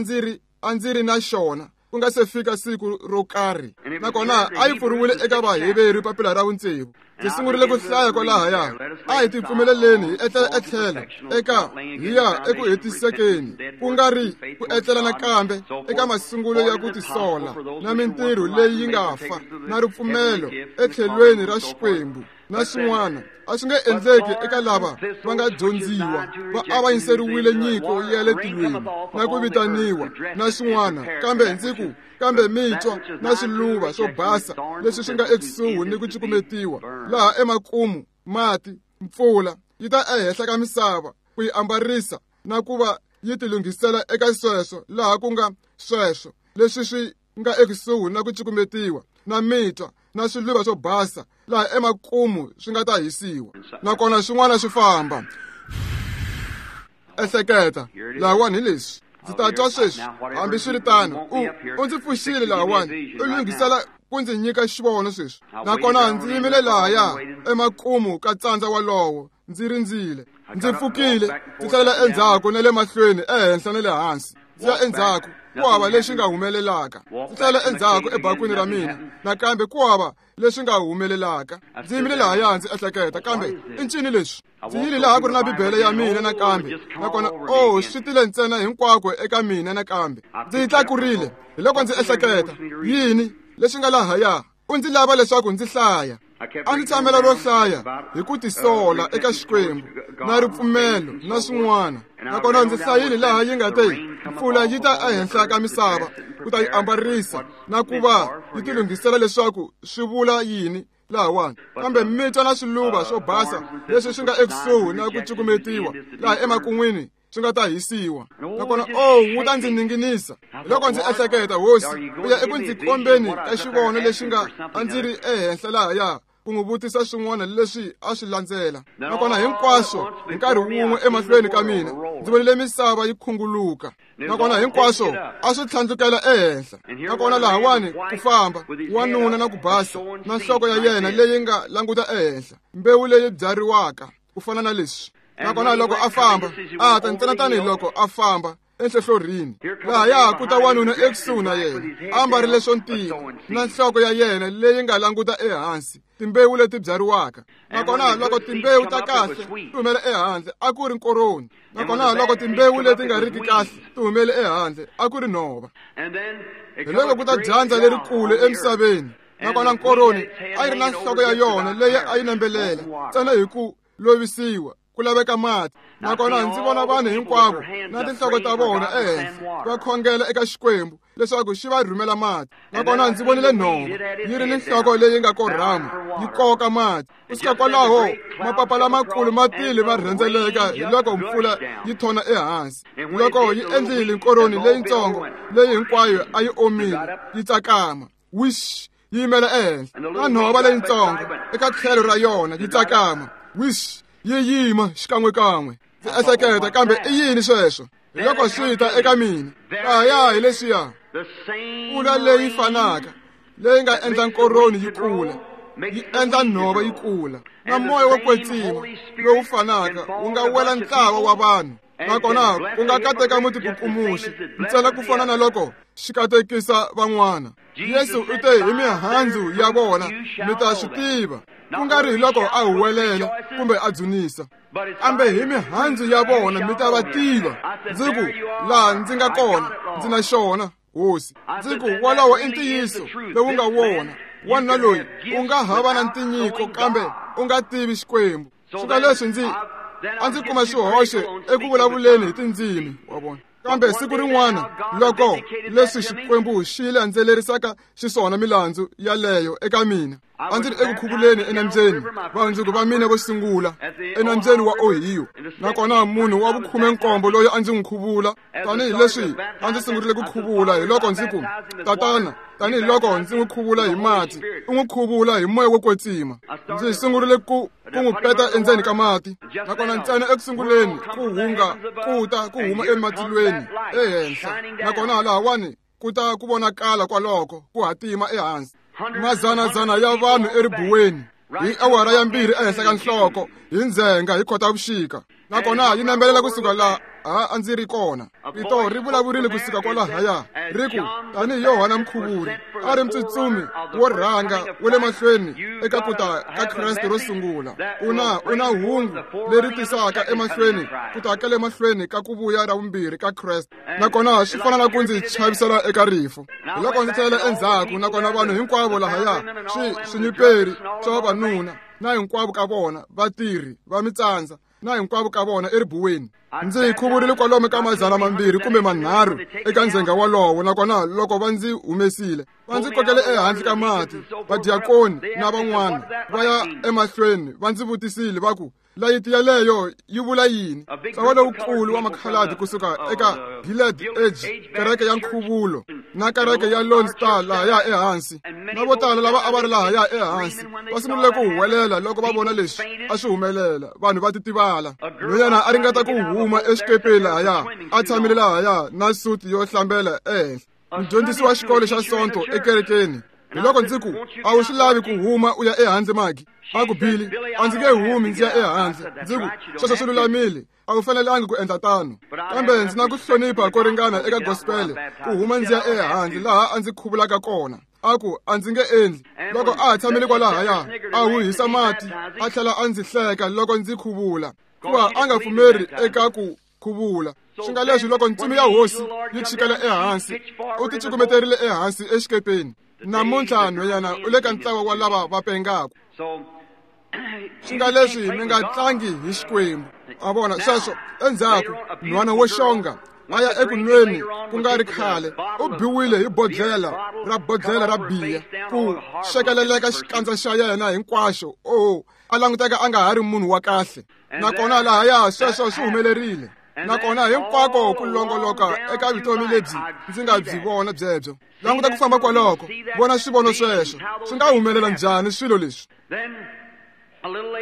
ndzi ri na xona ku nga se fika siku ro karhi. Nakona a yi pfuriwile eka Vaheveru papila ra vutsevu. Ndzi sungurile ku hlaya kwalahaya. A hi tipfumeleleni hi etlela etlhelo eka hi ya eku hetisekeni, ku nga ri ku etlela nakambe eka masungulo ya ku tisola na mintirho leyi yi nga fa na ripfumelo etlhelweni ra Xikwembu na swin'wana. A swi nge endleki eka lava va nga dyondziwa, va avanyiseriwile nyiko ya le tilweni na ku vitaniwa na swin'wana. Kambe ndzi ku, kambe mitwa na swiluva swo basa leswi swi nga ekusuhi ni ku cukumetiwa laha emakumu, mati, mpfula yi ta ehenhla ka misava ku yi ambarisa na ku va yi tilunghisela eka sweswo laha ku nga sweswo leswi swi nga ekusuhi na ku cukumetiwa na mitwa na swiluva swo basa laha emakumu swi nga ta hisiwa nakona swin'wana swi famba. Ehleketa lahawani hi leswi ndzi ta twa sweswi. Hambiswiritano u ndzi pfuxile lahawani, u lunghisela ku ndzi nyika xivono sweswi. Nakona ndzi yimile lahaya emakumu ka tsandza walowo ndzi rindzile. Ndzi pfukile ndzi tlhelela endzhaku na le mahlweni, ehenhla na le hansi, ndzi ya endzhaku ku hava lexi nga humelelaka. Ndzi tlhelela endzhaku ebakwini ra mina nakambe ku hava leswi nga humelelaka. Ndzi yimile lahaya ndzi ehleketa, kambe i ncini leswi? Ndzi yile laha ku ri na Bibele ya mina nakambe, nakona o swi tile ntsena hinkwako eka mina nakambe. Ndzi yi tlakurile, hi loko ndzi ehleketa, yini leswi nga lahaya? U ndzi lava leswaku ndzi hlaya. A ndzi tshamela ro hlaya hi ku tisola eka Xikwembu na ripfumelo na swin'wana. Nakona ndzi hlayile laha yi nga te mpfula yi ta ehenhla ka misava ku ta yi ambarisa na ku va yi tilunghisela leswaku swi vula yini lahawani. Kambe mitwa na swiluva swo basa leswi swi nga ekusuhi na ku cukumetiwa laha emakun'wini swi nga ta hisiwa. Nakona o wu ta ndzi ninginisa. Loko ndzi ehleketa, Hosi, u ya eku ndzi kombeni ka xivono lexi nga a ndzi ri ehenhla lahaya ku n'wi vutisa swin'wana leswi a swi landzela. Nakona hinkwaswo hi nkarhi wun'we emahlweni ka mina ndzi vonile misava yi khunguluka. Nakona hinkwaswo a swi tlhandlukela ehenhla. Nakona lahawani ku famba wanuna na ku basa na nhloko ya yena leyi nga languta ehenhla, mbewu leyi byariwaka ku fana na leswi. Nakona loko a famba a ta ntsena tanihiloko a famba enhlohlorhini, lahaya ku ta wanuna ekusuhi na yena a ambarile swo ntima na nhloko ya yena leyi nga languta ehansi, timbewu leti byariwaka. Nakona loko timbewu ta kahle ti humele ehandle a ku ri nkoroni. Nakona loko timbewu leti nga riki kahle ti humele ehandle a ku ri nhova. Hi loko ku ta dyandza lerikulu emisaveni. Nakona nkoroni a yi ri na nhloko ya yona leyi a yi nambelela ntsena hi ku lovisiwa ku laveka mati. Nakona ndzi vona vanhu hinkwavo na tinhloko ta vona ehenhla va khongela eka Xikwembu leswaku xi va rhumela mati. Nakona ndzi vonile nhova yi ri ni nhloko leyi nga korhama yi koka mati. Kusuka kwalaho mapapa lamakulu ma tile ma rhendzeleka hi loko mpfula yi thona ehansi. Loko yi endlile nkoroni leyitsongo leyi hinkwayo a yi omile yi tsakama, wish, yi yimela ehenhla. Na nhova leyitsongo eka tlhelo ra yona yi tsakama, wish, yi yima xikan'wekan'we. Ndzi ehleketa, kambe i yini sweswo? Hi loko swi ta eka mina lahaya hi leswiya mpfula leyi fanaka leyi nga endla nkoroni yi kula yi endla nhova yi kula, na moya wo kwetsima lowu fanaka wu nga wela ntlawa wa vanhu. Nakona ku nga kateka mutikukumuxi ntsena ku fana na loko xi katekisa van'wana. Yesu u te hi mihandzu ya vona mi ta swi tiva, ku nga ri hi loko a huwelela kumbe a dzunisa, kambe hi mihandzu ya vona mi ta va tiva. Ndzi ku, laha ndzi nga kona ndzi na xona, Hosi. Ndzi ku, walowo i ntiyiso lowu nga wona. Wanuna loyi u nga hava na ntinyiko kambe u nga tivi Xikwembu. Swi leswi ndzi a ndzi kuma xihoxo eku vulavuleni hi tindzimi, wa vona. Kambe siku rin'wana loko leswi Xikwembu xi landzelerisaka xiswona milandzu yaleyo eka mina, a ndzi ri eku khuvuleni enambyeni, vahundzuki va mina vo sungula enambyeni wa Ohio. Nakona munhu wa 17 loyi a ndzi n'wi khuvula tanihileswi a ndzi sungurile ku khuvula, hi loko ndzi ku, Tatana, tanihiloko ndzi n'wi khuvula hi mati, u n'wi khuvula hi moya wo kwetsima. Ndzi sungurile ku n'wi peta endzeni ka mati. Nakona ntsena ekusunguleni ku hunga ku ta ku huma ematilweni ehenhla. Nakona lahawani ku ta ku vonakala kwaloko ku hatima ehansi. Mazanazana ya vanhu eribuweni hi awara ya 2 ehenhla ka nhloko hi ndzhenga hi Khotavuxika. Nakona yi nambelela kusuka laha a ndzi ri kona. Rito ri vulavurile kusuka kwalahaya ri ku, tanihi Yohana Mukhuvuri a ri mutsutsumi wo rhanga wa le mahlweni eka ku ta ka Kreste ro sungula, u na hungu leri tisaka emahlweni ku ta ka le mahlweni ka ku vuya ra vumbirhi ka Kreste. Nakona swi fana na ku ndzi chavisela eka rifu. Hi loko ndzi tlhelela endzhaku, nakona vanhu hinkwavo lahaya swinyuperi swa vavanuna na hinkwavo ka vona vatirhi va mitsandza na hinkwavo ka vona eribuweni. Ndzi khuvurile kwalomu ka 200 kumbe 300 eka ndzhenga walowo. Nakona loko va ndzi humesile va ndzi kokele ehandle ka mati, vadiakoni na van'wana va ya emahlweni va ndzi vutisile va ku, Layiti yaleyo yi vula yini? Ntlawa lowukulu wa makhaladi kusuka eka Gilead Edge, kereke ya nkhuvulo, na kereke ya Lone Star lahaya ehansi, na vo tala lava a va ri lahaya ehansi va sungule ku huwelela loko va vona leswi a swi humelela. Vanhu va titivala. Nhwanyana a ringeta ku huma exikepeni lahaya, a tshamile lahaya na suti yo hlambela ehenhla. Mudyondzisi wa xikolo xa Sonto ekerekeni. Hi loko ndzi ku, a wu swi lavi ku huma u ya ehandle Magi? A ku, Billy, a ndzi nge humi ndzi ya ehandle. Ndzi ku, sweswo swi lulamile, a wu fanelangi ku endla tano. Kambe ndzi na ku hlonipha ko ringana eka gospel ku huma ndzi ya ehandle laha a ndzi khuvulaka kona. A ku, a ndzi nge endli. Loko a ha tshamile kwalahaya, a huhisa mati, a tlhela a ndzi hleka loko ndzi khuvula, hikuva a nga pfumeri eka ku khuvula. Swi nga leswi loko ntsumi ya hosi yi chikela ehansi, u ti cukumeterile ehansi exikepeni. Namuntlha nhwanyana u le ka ntlawa wa lava va pengaka. Swi nga leswi mi nga tlangi hi Xikwembu. A vona sweswo endzhaku nhwana wo xonga a ya eku nweni ku nga ri khale, u biwile hi bodlhela ra biya ku xekeleleka xikandza xa yena hinkwaxo. O a languteka a nga ha ri munhu wa kahle. Nakona lahaya sweswo swi humelerile. Nakona hinkwako ku longoloka eka vutomi lebyi ndzi nga byi vona byebyo. Languta ku famba kwaloko, vona swivono sweswo. Swi nga humelela njhani swilo leswi?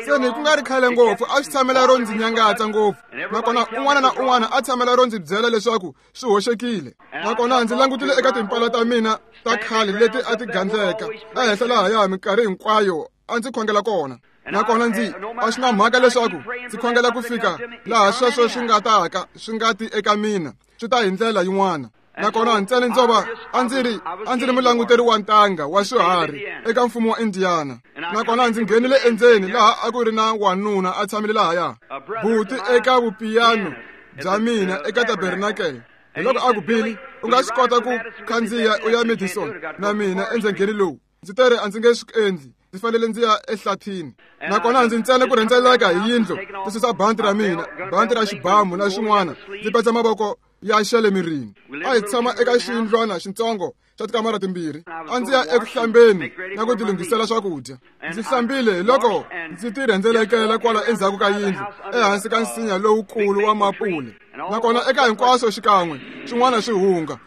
Seni ku nga ri khale ngopfu a swi tshamela ro ndzi nyangatsa ngopfu. Nakona un'wana na un'wana a tshamela ro ndzi byela leswaku swi hoxekile. Nakona ndzi langutile eka timpala ta mina ta khale leti a ti gandleka ehenhla lahaya minkarhi hinkwayo a ndzi khongela kona. Nakona ndzi a swi na mhaka leswaku ndzi khongela ku fika laha sweswo swi nga taka swi nga ti eka mina, swi ta hi ndlela yin'wana. Nakona ntsena ndzo va a ndzi ri mulanguteri wa ntanga wa swiharhi eka mfumo wa Indiana. Nakona ndzi nghenile endzeni laha a ku ri na wanuna a tshamile lahaya, buti eka vupiyano bya mina eka tabernacle. Hi loko a ku, Billy, u nga swi kota ku khandziya u ya Madison na mina endzengeni lowu? Ndzi tere a ndzi nge swi endli, ndzi fanele ndzi ya ehlathini. Nakona ndzi ntsena ku rhendzeleka hi yindlu, ndzi susa banti ra mina, banti ra xibamu na swin'wana, ndzi petsa mavoko ya xele mirini. A hi tshama eka xiyindlwana xitsongo xa tikamara timbirhi. A ndzi ya eku hlambeni na ku tilunghisela swakudya. Ndzi hlambile hi loko ndzi ti rhendzelekela kwala endzhaku ka yindlu, ehansi ka nsinya lowukulu wa mapule. Nakona eka hinkwaswo xikan'we swin'wana swi hunga.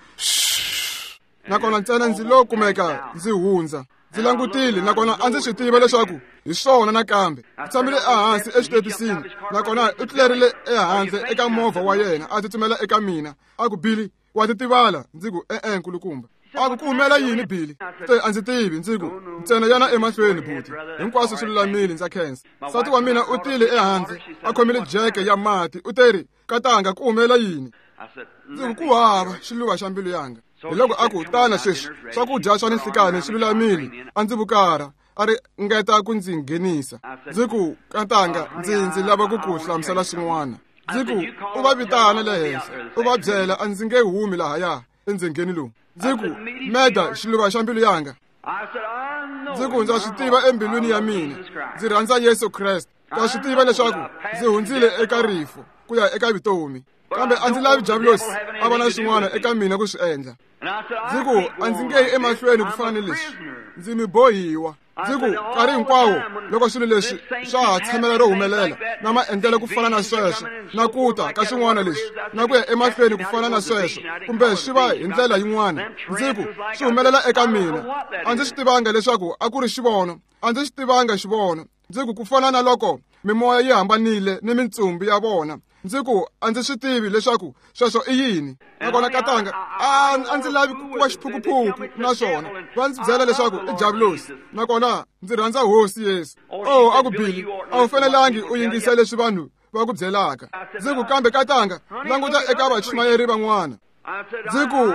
Nakona ntsena ndzi lo kumeka ndzi hundza. Ndzi langutile, nakona a ndzi swi tiva leswaku hi swona nakambe. Ndzi tshamile ehansi exitepisini, nakona u tlulerile ehandle eka movha wa yena a tsutsumela eka mina. A ku, Billy, wa titivala? Ndzi ku, e-e, nkulukumba. A ku, ku humela yini, Billy? Te, a ndzi tivi. Ndzi ku, ntsena yana emahlweni, buti. Hinkwaswo swi lulamile, ndza khensa. Nsati wa mina u tile ehandle a khomile jeke ya mati. U teri, katanga, ku humela yini? Ndzi ku, ku hava xiluva xa mbilu yanga. Hi loko a ku, tana sweswi, swakudya swa ninhlikani swi lulamile. A ndzi vukara, a ri ngeta ku ndzi nghenisa. Ndzi ku, katanga, ndzi lava ku ku hlamusela swin'wana. Ndzi ku, u va vitana le henhla, u va byela a ndzi nge humi lahaya endzengeni lowu. Ndzi ku, Meda, xiluva xa mbilu yanga. Ndzi ku, ndza swi tiva embilwini ya mina, ndzi rhandza Yesu Kreste. Ndza swi tiva leswaku ndzi hundzile eka rifu ku ya eka vutomi. Kambe a ndzi lavi Diabulosi a va na swin'wana eka mina ku swi endla. Ndzi ku, a ndzi nge yi emahlweni ku fana ni leswi. Ndzi mi bohiwa. Ndzi ku, nkarhi hinkwawo loko swilo leswi swa ha tshamela ro humelela na maendlelo ku fana na sweswo, na ku ta ka swin'wana leswi, na ku ya emahlweni ku fana na sweswo, kumbe swi va hi ndlela yin'wana, ndzi ku, swi humelela eka mina. A ndzi swi tivanga leswaku a ku ri xivono. A ndzi swi tivanga xivono. Ndzi ku, ku fana na loko mimoya yi hambanile ni mintsumbu ya vona. Ndzi ku, a ndzi swi tivi leswaku sweswo i yini. Nakona katanga, a ndzi lavi ku va xiphukuphuku naswona va ndzi byela leswaku i Diabulosi. Nakona ndzi rhandza Hosi Yesu. Oh, a ku, Billy, a wu fanelangi u yingisa leswi vanhu va ku byelaka. Ndzi ku, kambe katanga, languta eka vachumayeri van'wana. Ndzi ku,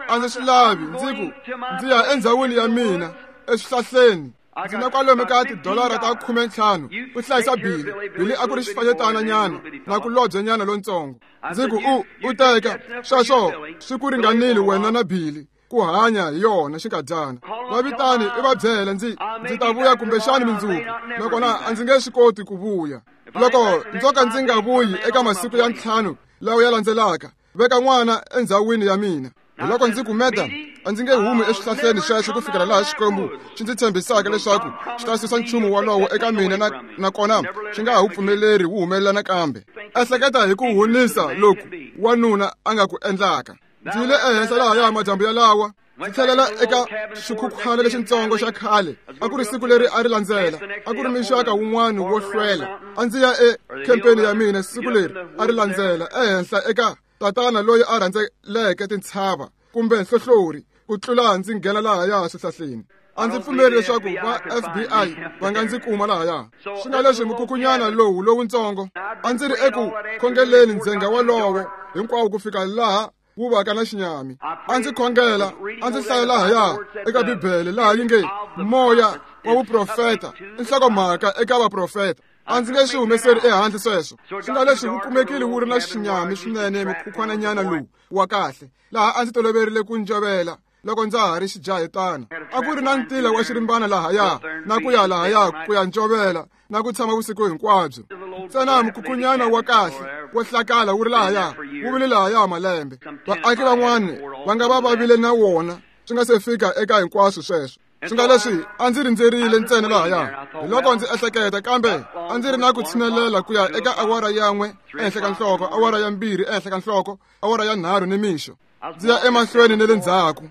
a ndzi swi lavi. Ndzi ku, ndzi ya endzhawini ya mina eswihlahleni. Ndzi na kwalomu ka tidolara ta 15 ku hlayisa Billy. Billy a ku ri xifanyetana nyana na ku lobye nyana lontsongo. Ndzi ku, u teka sweswo swi ku ringanile wena na Billy ku hanya hi yona xinkadyana. Va vitani i va byela ndzi ta vuya kumbexani mundzuku, nakona a ndzi nge swi koti ku vuya. Loko ndzo ka ndzi nga vuyi eka masiku ya 5 lawa ya landzelaka, veka n'wana endzhawini ya mina. Hiloko ndzi ku, Meda, a ndzi nge humi eswihlahleni sweswo ku fikela laha Xikwembu xi ndzi tshembisaka leswaku xi ta susa nchumu wolowo eka mina nakona xi nga ha wu pfumeleri wu humelela nakambe. Ehleketa hi ku hunisa loku wanuna a nga ku endlaka. Ndzi yile ehenhla lahaya madyambu yalawa, ndzi tlhelela eka xikhukhwana lexitsongo xa khale. A ku ri siku leri a ri landzela, a ku ri mixaka wun'wana wo hlwela. A ndzi ya ekhempeni ya mina siku leri a ri landzela, ehenhla eka tatana loyi a rhandzeleke tintshava kumbe nhlohlori ku tlula ndzi nghena lahaya swihlahleni. A ndzi pfumeli leswaku va FBI va nga ndzi kuma lahaya. Swi nga leswi mukhukunyana lowu lowutsongo a ndzi ri eku khongeleni ndzhenga wolowo hinkwawo ku fika laha wu vaka na xinyami. A ndzi khongela, a ndzi hlaya lahaya eka Bibele laha yi nge moya wa vuprofeta i nhlokomhaka eka vaprofeta. A ndzi nge swi humeseri ehandle sweswo. Swi nga leswi wu kumekile wu ri na xinyami swinene mukhukhwananyana lowu wa kahle, laha a ndzi toloverile ku njovela loko ndza ha ri xijahetana. A ku ri na ntila wa xirimbana lahaya na ku ya lahaya ku ya njovela na ku tshama vusiku hinkwabyo. Ntsena mukhukunyana wa kahle wo hlakala wu ri lahaya, wu vile lahaya malembe. Vaaki van'wana va nga va va vile na wona swi nga se fika eka hinkwaswo sweswo. Swi nga leswi a ndzi rindzerile ntsena lahaya. Hiloko ndzi ehleketa, kambe a ndzi ri na ku tshinelela ku ya eka awara yan'we ehenhla ka nhloko, awara ya 2 ehenhla ka nhloko, awara ya 3 nimixo. Ndzi ya emahlweni ne le ndzhaku.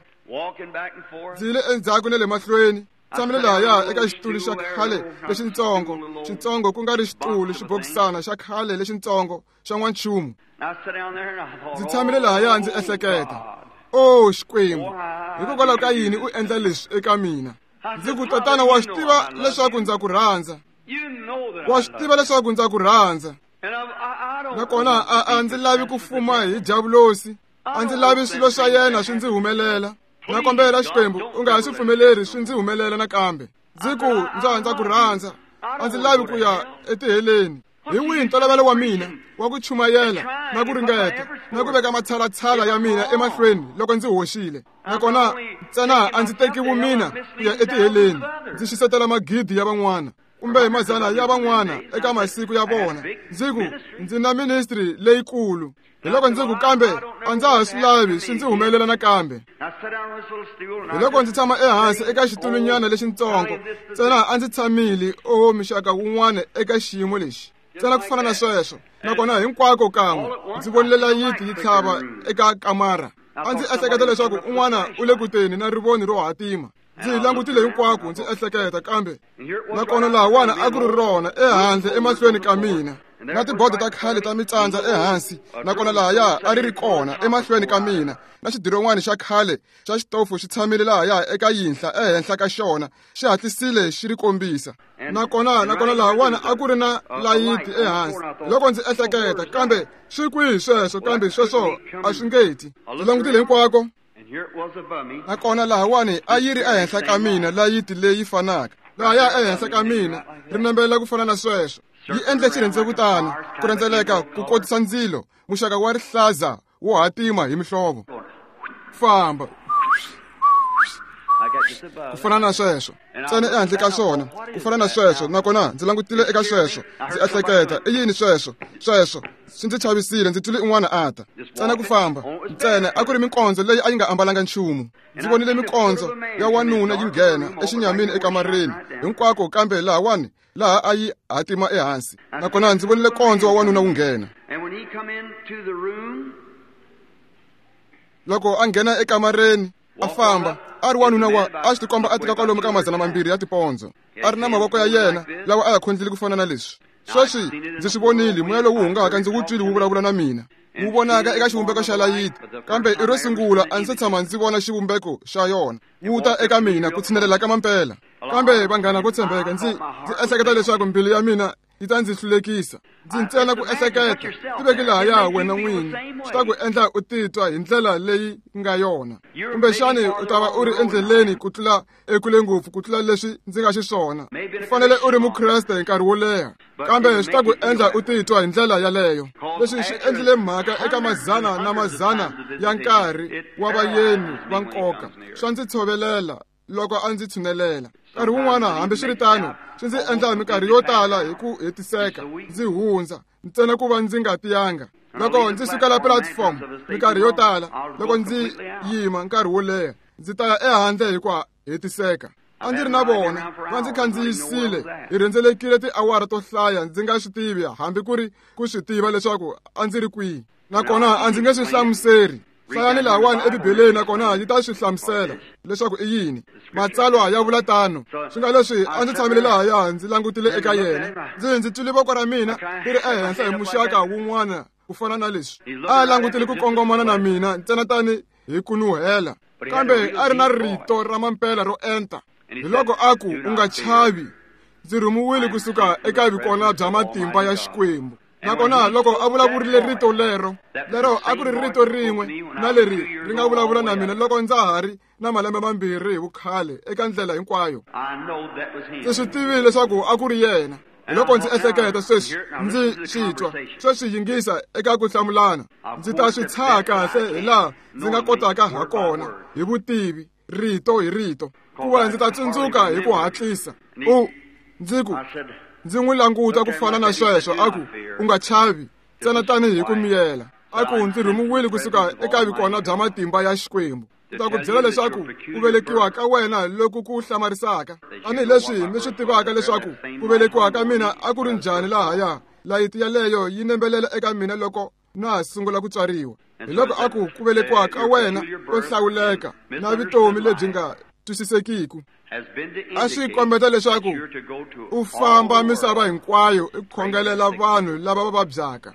Ndzi yile endzhaku ne le mahlweni. Tshamile lahaya eka xitulu xa khale lexitsongo, xitsongo ku nga ri xitulu, xibokisana xa khale lexitsongo xa n'wanchumu. Ndzi tshamile lahaya ndzi ehleketa, o Xikwembu, hikokwalaho ka yini u endla leswi eka mina? Ndzi ku, tatana, wa swi tiva leswaku ndza ku rhandza. Wa swi tiva leswaku ndza ku rhandza. Nakona a ndzi lavi ku fuma hi diabulosi. A ndzi lavi swilo swa yena swi ndzi humelela. Na kombela Xikwembu, u nga ha swi pfumeleri swi ndzi humelela nakambe. Ndzi ku, ndza ku rhandza. A ndzi lavi ku ya etiheleni. Hi wihi ntolovelo wa mina wa ku chumayela na ku ringeta na ku veka matshalatshala ya mina emahlweni loko ndzi hoxile. Nakona ntsena a ndzi teki vumina ku ya etiheleni, ndzi xisetela magidi ya van'wana kumbe mazana ya van'wana eka masiku ya vona. Ndzi ku, ndzi na ministry leyikulu. Hiloko ndzi ku, kambe a ndza ha swi lavi swi ndzi humelela nakambe. Hiloko ndzi tshama ehansi eka xitulunyana lexitsongo. Ntsena a ndzi tshamile oho mixaka wun'wana eka xiyimo lexi. Ntsena ku fana na sweswo. Nakona hinkwako kan'we ndzi vonile layiti yi tlhava eka kamara. A ndzi ehleketa leswaku un'wana u le kuteni na rivoni ro hatima. Ndzi langutile hinkwako ndzi ehleketa, kambe nakona lahawani a ku ri rona ehandle emahlweni ka mina, na tibodo ta khale ta mitsandza ehansi. Nakona lahaya a ri ri kona emahlweni ka mina, na xidiron'wana xa khale xa xitofu xi tshamile lahaya eka yinhla ehenhla ka xona, xi hatlisile xi ri kombisa. Nakona lahawani a ku ri na layiti ehansi. Loko ndzi ehleketa, kambe swi kwihi sweswo? Kambe sweswo a swi nge ti. Ndzi langutile hinkwako. Nakona lahawani a yi ri ehenhla ka mina layiti leyi fanaka. Lahaya ehenhla ka mina ri nambela ku fana na sweswo. Yi endle xirhendzevutana ku rhendzeleka ku kotisa ndzilo, muxaka wa rihlaza wo hatima hi mihlovo. Famba ku fana na sweswo, ntsena ehandle ka swona ku fana na sweswo. Nakona ndzi langutile eka sweswo, ndzi ehleketa, i yini sweswo? Sweswo swi ndzi chavisile. Ndzi twile un'wana a ta. Ntsena ku famba ntsena a ku ri minkondzo leyi a yi nga ambalanga nchumu. Ndzi vonile minkondzo ya wanuna yi nghena exinyamini ekamareni hinkwako, kambe lahawani laha a yi hatima ehansi. Nakona ndzi vonile kondzo wa wanuna wu nghena. Loko a nghena ekamareni a famba, a ri wanuna wa a swi tikomba a tika kwalomu ka 200 ya tipondzo. A ri na mavoko ya yena lawa a ya khondlile ku fana na leswi. Sweswi ndzi swi vonile moya lowu hungaka, ndzi wu twile wu vulavula na mina. Wu vonaka eka xivumbeko xa layiti, kambe i ro sungula a ndzi se tshama ndzi vona xivumbeko xa yona. Wu ta eka mina ku tshinelela ka mampela. Kambe vanghana vo tshembeka, ndzi ehleketa leswaku mbilu ya mina yi ta ndzi hlulekisa. Ndzi ntsena ku ehleketa, tiveki lahaya wena n'wini, swi ta ku endla u titwa hi ndlela leyi nga yona. Kumbexani u ta va u ri endleleni ku tlula ekule ngopfu ku tlula leswi ndzi nga xiswona. U fanele u ri Mukreste hi nkarhi wo leha, kambe swi ta ku endla u titwa hi ndlela yaleyo. Leswi swi endlile mhaka eka mazana na mazana ya nkarhi wa vayeni va nkoka. Swa ndzi tshovelela loko a ndzi tshunelela. Nkarhi wun'wana, hambiswiritano, swi ndzi endla minkarhi yo tala hi ku hetiseka ndzi hundza ntsena ku va ndzi nga tiyanga. Loko ndzi sukela platform minkarhi yo tala, loko ndzi yima nkarhi wo leha, ndzi ta ya ehandle hi ku hetiseka. A ndzi ri na vona, va ndzi khandziyisile, hi rhendzelekile tiawara to hlaya ndzi nga swi tivi hambi ku ri ku swi tiva leswaku a ndzi ri kwihi. Nakona a ndzi nge swi hlamuseri. Hlayani lahawani eBibeleni nakona yi ta swi hlamusela leswaku i yini. Matsalwa ya vula tano. Swi nga leswi a ndzi tshamile lahaya ndzi langutile eka yena. Ndzi twile voko ra mina ri ri ehenhla hi muxaka wun'wana ku fana na leswi. A langutile ku kongomana na mina ntsena tani hi ku nuhela. Kambe a ri na rito ra mampela ro enta. Hi loko a ku, u nga chavi, ndzi rhumiwile kusuka eka vikona bya matimba ya Xikwembu. Nakona loko a vulavurile rito lero, lero a ku ri rito rin'we na leri ri nga vulavula na mina loko ndza ha ri na malembe mambirhi hi vukhale eka ndlela hinkwayo. Ndzi swi tivile leswaku a ku ri yena. Loko ndzi ehleketa sweswi, ndzi swi twa sweswi yingisa eka ku hlamulana. Ndzi ta swi tshaha kahle hi laha ndzi nga kotaka ha kona hi vutivi, rito hi rito, kuva ndzi ta tsundzuka hi ku hatlisa. Ndzi ku, ndzi n'wi languta ku fana na sweswo, a ku, u nga chavi, ntsena tanihi ku miyela. A ku, ndzi rhumiwile kusuka eka vikona bya matimba ya Xikwembu. Ndzi ta ku byela leswaku ku velekiwa ka wena loku ku hlamarisaka, tanihileswi mi swi tivaka leswaku ku velekiwa ka mina a ku ri njhani lahaya. Layiti yaleyo yi nembelela eka mina loko na ha sungula ku tswariwa. Hi loko a ku, ku velekiwa ka wena ko hlawuleka na vutomi lebyi nga twisisekiki a swi kombeta leswaku u famba misava hinkwayo i khongelela vanhu lava va vabyaka.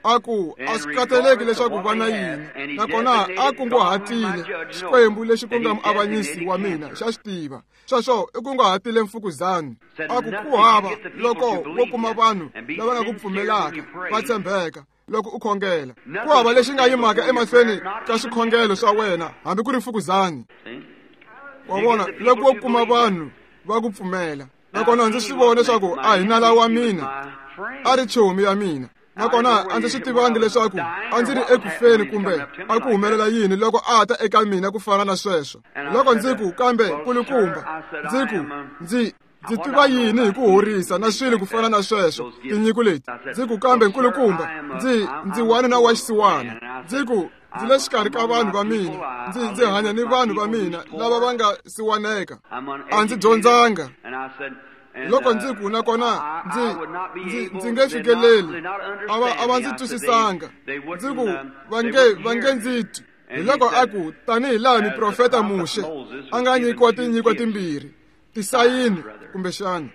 A ku, a swi khathaleki leswaku va na yini, nakona a kunguhatile Xikwembu lexi ku nga muavanyisi wa mina xa swi tiva. Sweswo i kunguhatile mfukuzani. A ku, ku hava loko wo kuma vanhu lava nga ku pfumelaka va tshembeka loko u khongela. Ku hava lexi nga yimaka emahlweni ka swikhongelo swa wena hambi ku ri mfukuzani. Wa vona, loko wo kuma vanhu va ku pfumela. Nakona ndzi swi vona leswaku a hi nala wa mina, a ri chomi ya mina. Nakona a ndzi swi tivangi leswaku a ndzi ri ekufeni kumbe a ku humelela yini loko a ta eka mina ku fana na sweswo. Loko ndzi ku, kambe nkulukumba, ndzi ku, ndzi tiva yini hi ku horisa na swilo ku fana na sweswo, tinyiko leti. Ndzi ku, kambe nkulukumba, ndzi wanuna wa xisiwana. Ndzi ku, ndzi le xikarhi ka vanhu va mina, ndzi hanya ni vanhu va mina lava va nga siwaneka. A ndzi dyondzanga. Loko ndzi ku, nakona ndzi nge fikeleli, a va ndzi twisisanga. Ndzi ku, va nge ndzi twi. Hi loko a ku, tanihi laha miprofeta Muxe a nga nyikiwa tinyiko timbirhi, tisayini kumbexana,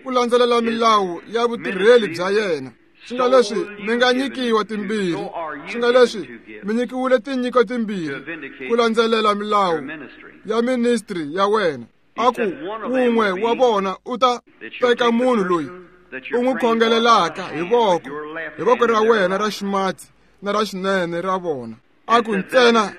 ku landzelela milawu ya vutirheli bya yena. Swi nga leswi mi nga nyikiwa timbirhi, swi nga leswi mi nyikiwile tinyiko timbirhi ku landzelela milawu ya ministry ya wena. A ku, wun'we wa vona u ta teka munhu loyi u n'wi khongelelaka hi voko ra wena ra ximatsi na ra xinene ra vona. A ku, ntsena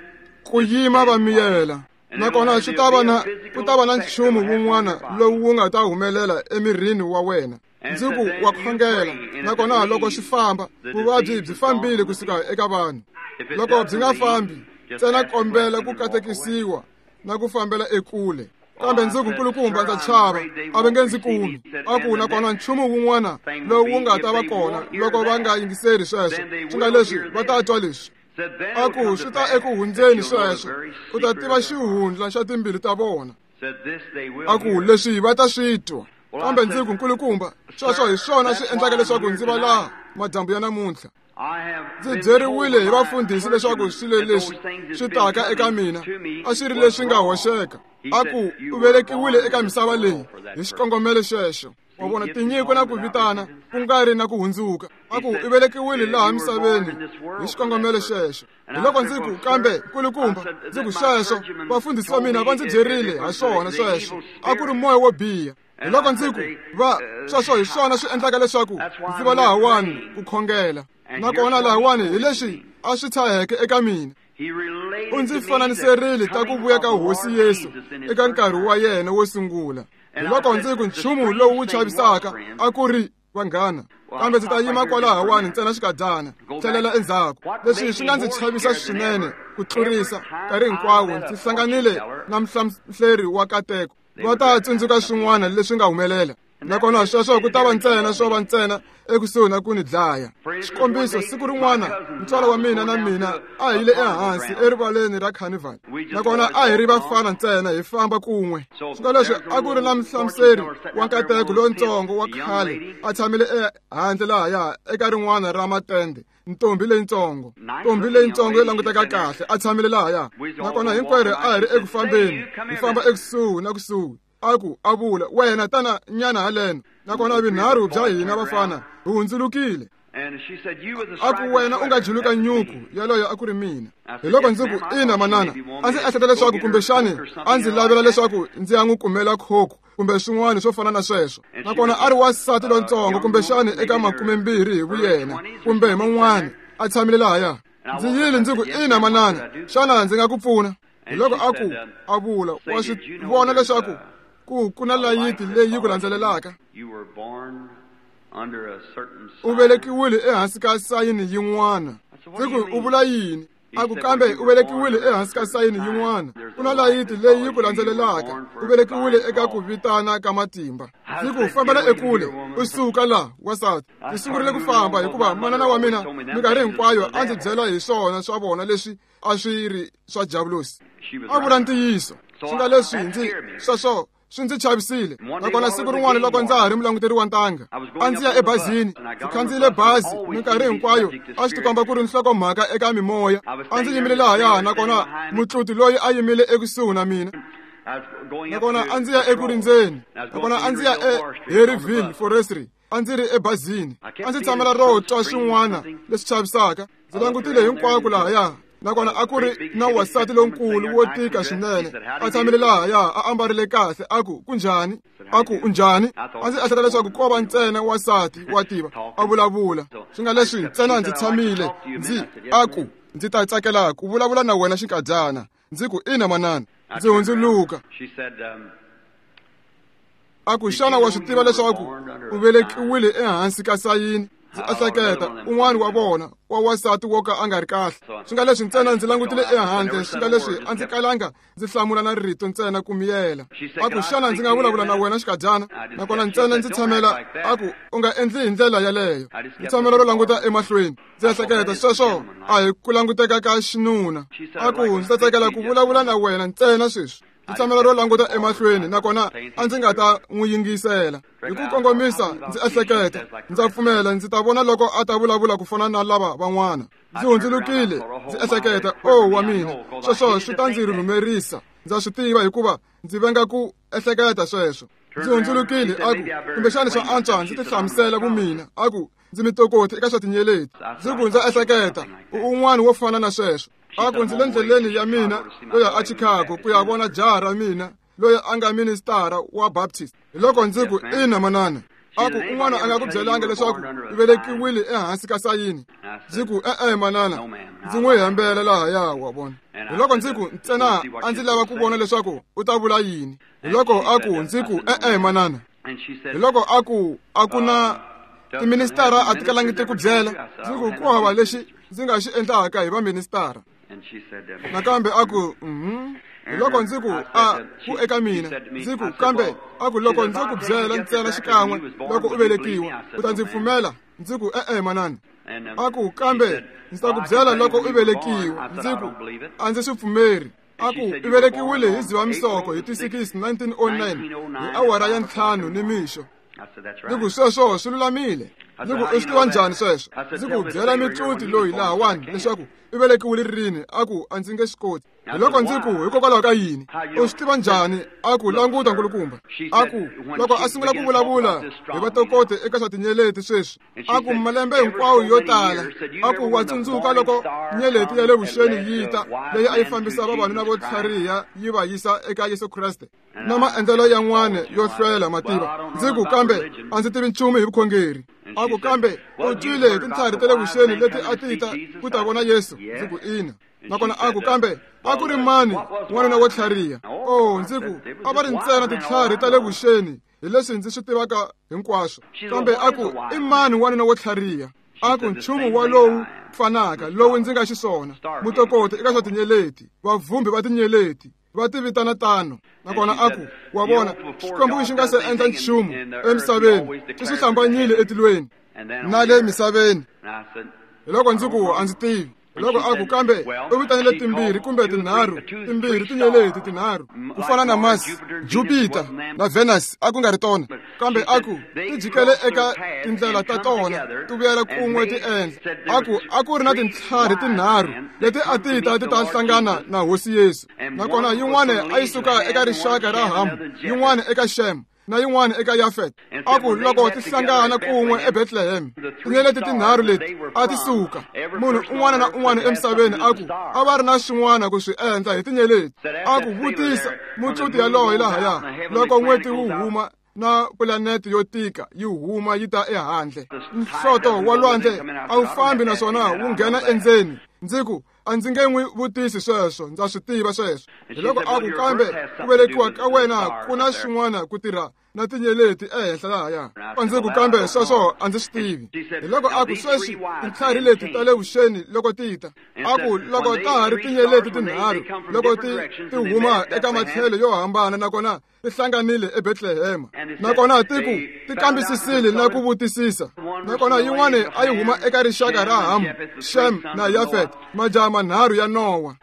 ku yima va miyela. Nakona swi ta va na ku ta va na nchumu wun'wana lowu wu nga ta humelela emirini wa wena. Ndzi ku, wa khongela, nakona loko swi famba, vuvabyi byi fambile kusuka eka vanhu. Loko byi nga fambi, ntsena kombela ku katekisiwa na ku fambela ekule. Kambe ndzi ku, nkulukumba, ndza chava, a va nge ndzi kumi. A ku, nakona nchumu wun'wana lowu wu nga ta va kona loko va nga yingiseri sweswo, swi nga leswi va ta twa leswi. A ku, swi ta eku hundzeni sweswo, u ta tiva xihundla xa timbilu ta vona. A ku, leswi va ta swi twa. Kambe ndzi ku, nkulukumba, sweswo hi swona swi endlaka leswaku ndzi va laha madyambu ya namuntlha. Ndzi byeriwile hi vafundhisi leswaku swilo leswi swi taka eka mina a swi ri leswi nga hoxeka. A ku, u velekiwile eka misava leyi hi xikongomelo xexo. Wa vona, tinyiko na ku vitana ku nga ri na ku hundzuka. A ku, u velekiwile laha misaveni hi xikongomelo xexo. Hi loko ndzi ku, kambe nkulukumba, ndzi ku, sweswo vafundhisi va mina va ndzi byerile ha swona sweswo. A ku ri moya wo biha. Hi loko ndzi ku, va sweswo hi swona swi endlaka leswaku ndzi va lahawani ku khongela. Nakona lahawani hi leswi a swi tshaheke eka mina. U ndzi fananiserile ta ku vuya ka Hosi Yesu eka nkarhi wa yena wo sungula. Hi loko ndzi ku, nchumu lowu wu chavisaka a ku ri vanghana, kambe ndzi ta yima kwalahawani ntsena xikadyana, tlhelela endzhaku. Leswi swi nga ndzi chavisa swinene ku tlurisa nkarhi hinkwawo ndzi hlanganile na muhlamhleri wa kateko. Va ta tsundzuka swin'wana leswi nga humelela. Nakona sweswo ku ta va ntsena swo va ntsena ekusuhi na ku ni dlaya. Xikombiso, siku rin'wana ntswalo wa mina na mina a hi yile ehansi erivaleni ra carnival, nakona a hi ri vafana ntsena hi famba kun'we. Swi nga leswi a ku ri na muhlamuseri wa nkateko lontsongo wa khale a tshamile ehandle lahaya eka rin'wana ra matende, ntombi leyintsongo, ntombi leyintsongo yo languteka kahle a tshamile lahaya. Nakona hinkwerhu a hi ri eku fambeni, hi famba ekusuhi na kusuhi. A ku a vula, wena tana nyana haleno. Nakona vinharhu bya hina vafana hi hundzulukile. A ku wena u nga juluka nyuku, yaloyo a ku ri mina. Hi loko ndzi ku, ina manana, a ndzi ehleketa leswaku kumbexani a ndzi lavela leswaku ndzi ya n'wi kumela khokho kumbe swin'wana swo fana na sweswo. Nakona a ri wansati lontsongo, kumbexani eka 20 hi vuyena kumbe hi man'wana, a tshamile lahaya. Ndzi yile ndzi ku, ina manana, xana ndzi nga ku pfuna? Hi loko a ku a vula, wa swi vona leswaku ku na layiti leyi ku landzelelaka. U velekiwile ehansi ka sayini yin'wana. Ndzi ku, u vula yini? A ku, kambe u velekiwile ehansi ka sayini yin'wana. Ku na layiti leyi ku landzelelaka. U velekiwile eka ku vitana ka matimba. Ndzi ku, fambela ekule, u suka la, wansati. Ndzi sungurile ku famba hikuva manana wa mina minkarhi hinkwayo a ndzi byela hi swona swa vona leswi a swi ri swa diabulosi. A vula ntiyiso. Swi nga leswi ndzi sweswo swi ndzi chavisile. Nakona siku rin'wana loko ndza ha ri mulanguteri wa ntanga, a ndzi ya ebazini, ndzi khandziyile bazi minkarhi hinkwayo a swi tikomba ku ri nhlokomhaka eka mimoya. A ndzi yimile lahaya, nakona mutluti loyi a yimile ekusuhi na mina. Nakona a ndzi ya eku rindzeni. Nakona a ndzi ya eHarryville Forestry. A ndzi ri ebazini. A ndzi tshamela ro twa swin'wana leswi chavisaka. Ndzi langutile hinkwako lahaya. Nakona a ku ri na wansati lonkulu wo tika swinene a tshamile lahaya, a ambarile kahle. A ku, kunjhani? A ku, unjhani? A ndzi ehleketa leswaku ko va ntsena wansati wa tiva a vulavula. Swi nga leswi ntsena ndzi tshamile ndzi a ku, ndzi ta tsakela ku vulavula na wena xinkadyana. Ndzi ku, ina manana. Ndzi hundzuluka. A ku, xana wa swi tiva leswaku u velekiwile ehansi ka sayini? Ndzi ehleketa, un'wana wa vona wa wansati wo ka a nga ri kahle. Swi nga leswi ntsena ndzi langutile ehandle, swi nga leswi a ndzi kalanga ndzi hlamula na rito ntsena ku miyela. A ku, xana ndzi nga vulavula na wena xikadyana? Nakona ntsena ndzi tshamela, a ku, u nga endli hi ndlela yaleyo. Ndzi tshamela ro languta emahlweni. Ndzi ehleketa, sweswo a hi ku languteka ka xinuna. A ku, ndzi ta tsakela ku vulavula na wena ntsena sweswi. Ndzi tshamela ro languta emahlweni, nakona a ndzi nga ta n'wi yingisela. Hi ku kongomisa ndzi ehleketa, ndza pfumela ndzi ta vona loko a ta vulavula ku fana na lava van'wana. Ndzi hundzulukile, ndzi ehleketa, o wa mina, sweswo swi ta ndzi rhumerisa. Ndza swi tiva hikuva ndzi venga ku ehleketa sweswo. Ndzi hundzulukile, a ku, kumbexani swa antswa ndzi tihlamusela vumina. A ku, ndzi mitokoti eka swa tinyeleti. Ndzi ku, ndza ehleketa, u un'wana wo fana na sweswo. A ku, ndzi le ndleleni ya mina yo ya eChicago ku ya vona jaha ra mina loyi a nga ministara wa Baptist. Hi loko ndzi ku, ina manana. A ku, un'wana a nga ku byelanga leswaku u velekiwile ehansi ka sayini? Ndzi ku, e-e manana, ndzi n'wi hembela lahaya, wa vona. Hi loko ndzi ku, ntsena a ndzi lava ku vona leswaku u ta vula yini. Hi loko a ku, ndzi ku, e-e manana. Hi loko a ku, a ku na tiministara a ti kalangi ti ku byela. Ndzi ku, ku hava lexi ndzi nga xi endlaka hi vaministara. Nakambe a ku, Hi loko ndzi ku, a ku eka mina, ndzi ku, kambe a ku loko ndzi ku byela ntsena xikan'we loko u velekiwa, u ta ndzi pfumela? Ndzi ku, e-e manana. A ku, kambe ndzi ta ku byela loko u velekiwa. Ndzi ku, a ndzi swi pfumeri. A ku, u velekiwile hi Dzivamisoko hi ti 6, 1909, hi awara ya 5 nimixo. Ndzi ku, sweswo swi lulamile. Ndzi ku, u swi tiva njhani sweswo? Ndzi ku, byela mitluti loyi lahawani leswaku u velekiwile rini. A ku, a ndzi nge swi koti. Hi loko ndzi ku, hikokwalaho ka yini? U swi tiva njhani? A ku, languta nkulukumba. A ku, loko a sungula ku vulavula hi vatokoti eka swa tinyeleti sweswi, a ku malembe hinkwawo yo tala, a ku wa tsundzuka loko nyeleti ya le vuxeni yi ta, leyi a yi fambisa vavanuna vo tlhariha yi va yisa eka Yesu Kreste na maendlelo yan'wana yo hlwela mativa. Ndzi ku, kambe a ndzi tivi nchumu hi vukhongeri. A ku, kambe u twile hi tintlhari ta le vuxeni leti a ti ta ku ta vona Yesu? Ndzi ku, ina. Nakona a ku, kambe a ku ri mani n'wanuna wo tlhariha? Oh, ndzi ku, a va ri ntsena tintlhari ta le vuxeni hi leswi ndzi swi tivaka hinkwaswo. Kambe a ku, i mani wanuna wo tlhariha? A ku, nchumu wa lowu fanaka lowu ndzi nga xiswona, mutokoti eka swa tinyeleti, vavhumbi va tinyeleti. Va ti vitana tano. Nakona a ku, wa vona, Xikwembu xi nga se endla nchumu emisaveni, xi swi hlambanyile etilweni na le misaveni. Hiloko ndzi ku, a ndzi tivi. Hiloko a ku, kambe u vitanile timbirhi kumbe tinharhu, timbirhi tinyeleti tinharhu, ku fana na Mars, Jupiter na Venus, a ku nga ri tona. Kambe a ku, ti jikele eka tindlela ta tona, ti vuyela kun'we ti endla. A ku, a ku ri na tintlhari tinharhu leti a ti ta ti ta hlangana na Hosi Yesu. Nakona yin'wana a yi suka eka rixaka ra Hamu, yin'wana eka Shem, na yin'wana eka Yafet. A ku loko ti hlangana kun'we eBethlehem, tinyeleti tinharhu leti a ti suka. Munhu un'wana na un'wana emisaveni a ku a va ri na swin'wana ku swi endla hi tinyeleti. A ku vutisa mutluti yaloye lahaya loko n'weti wu huma na pulanete yo tika yi huma yi ta ehandle. Nhloto wa lwandle a wu fambi naswona wu nghena endzeni. Ndzi ku, a ndzi nge n'wi vutisi sweswo, ndza swi tiva sweswo. Hiloko a ku, kambe ku velekiwa ka wena ku na swin'wana ku tirha na tinyeleti ehenhla lahaya. A ndzi ku, kambe sweswo a ndzi swi tivi. Hiloko a ku, sweswi tintlhari leti ta le vuxeni loko ti ta, a ku loko ta ha ri tinyeleti tinharhu loko ti huma eka matlhelo yo hambana nakona ti hlanganile eBethlehem, nakona ti ku ti kambisisile na ku vutisisa. Nakona yin'wana a yi huma eka rixaka ra Ham, Shem na Yafet, majaha manharhu ya Nowa.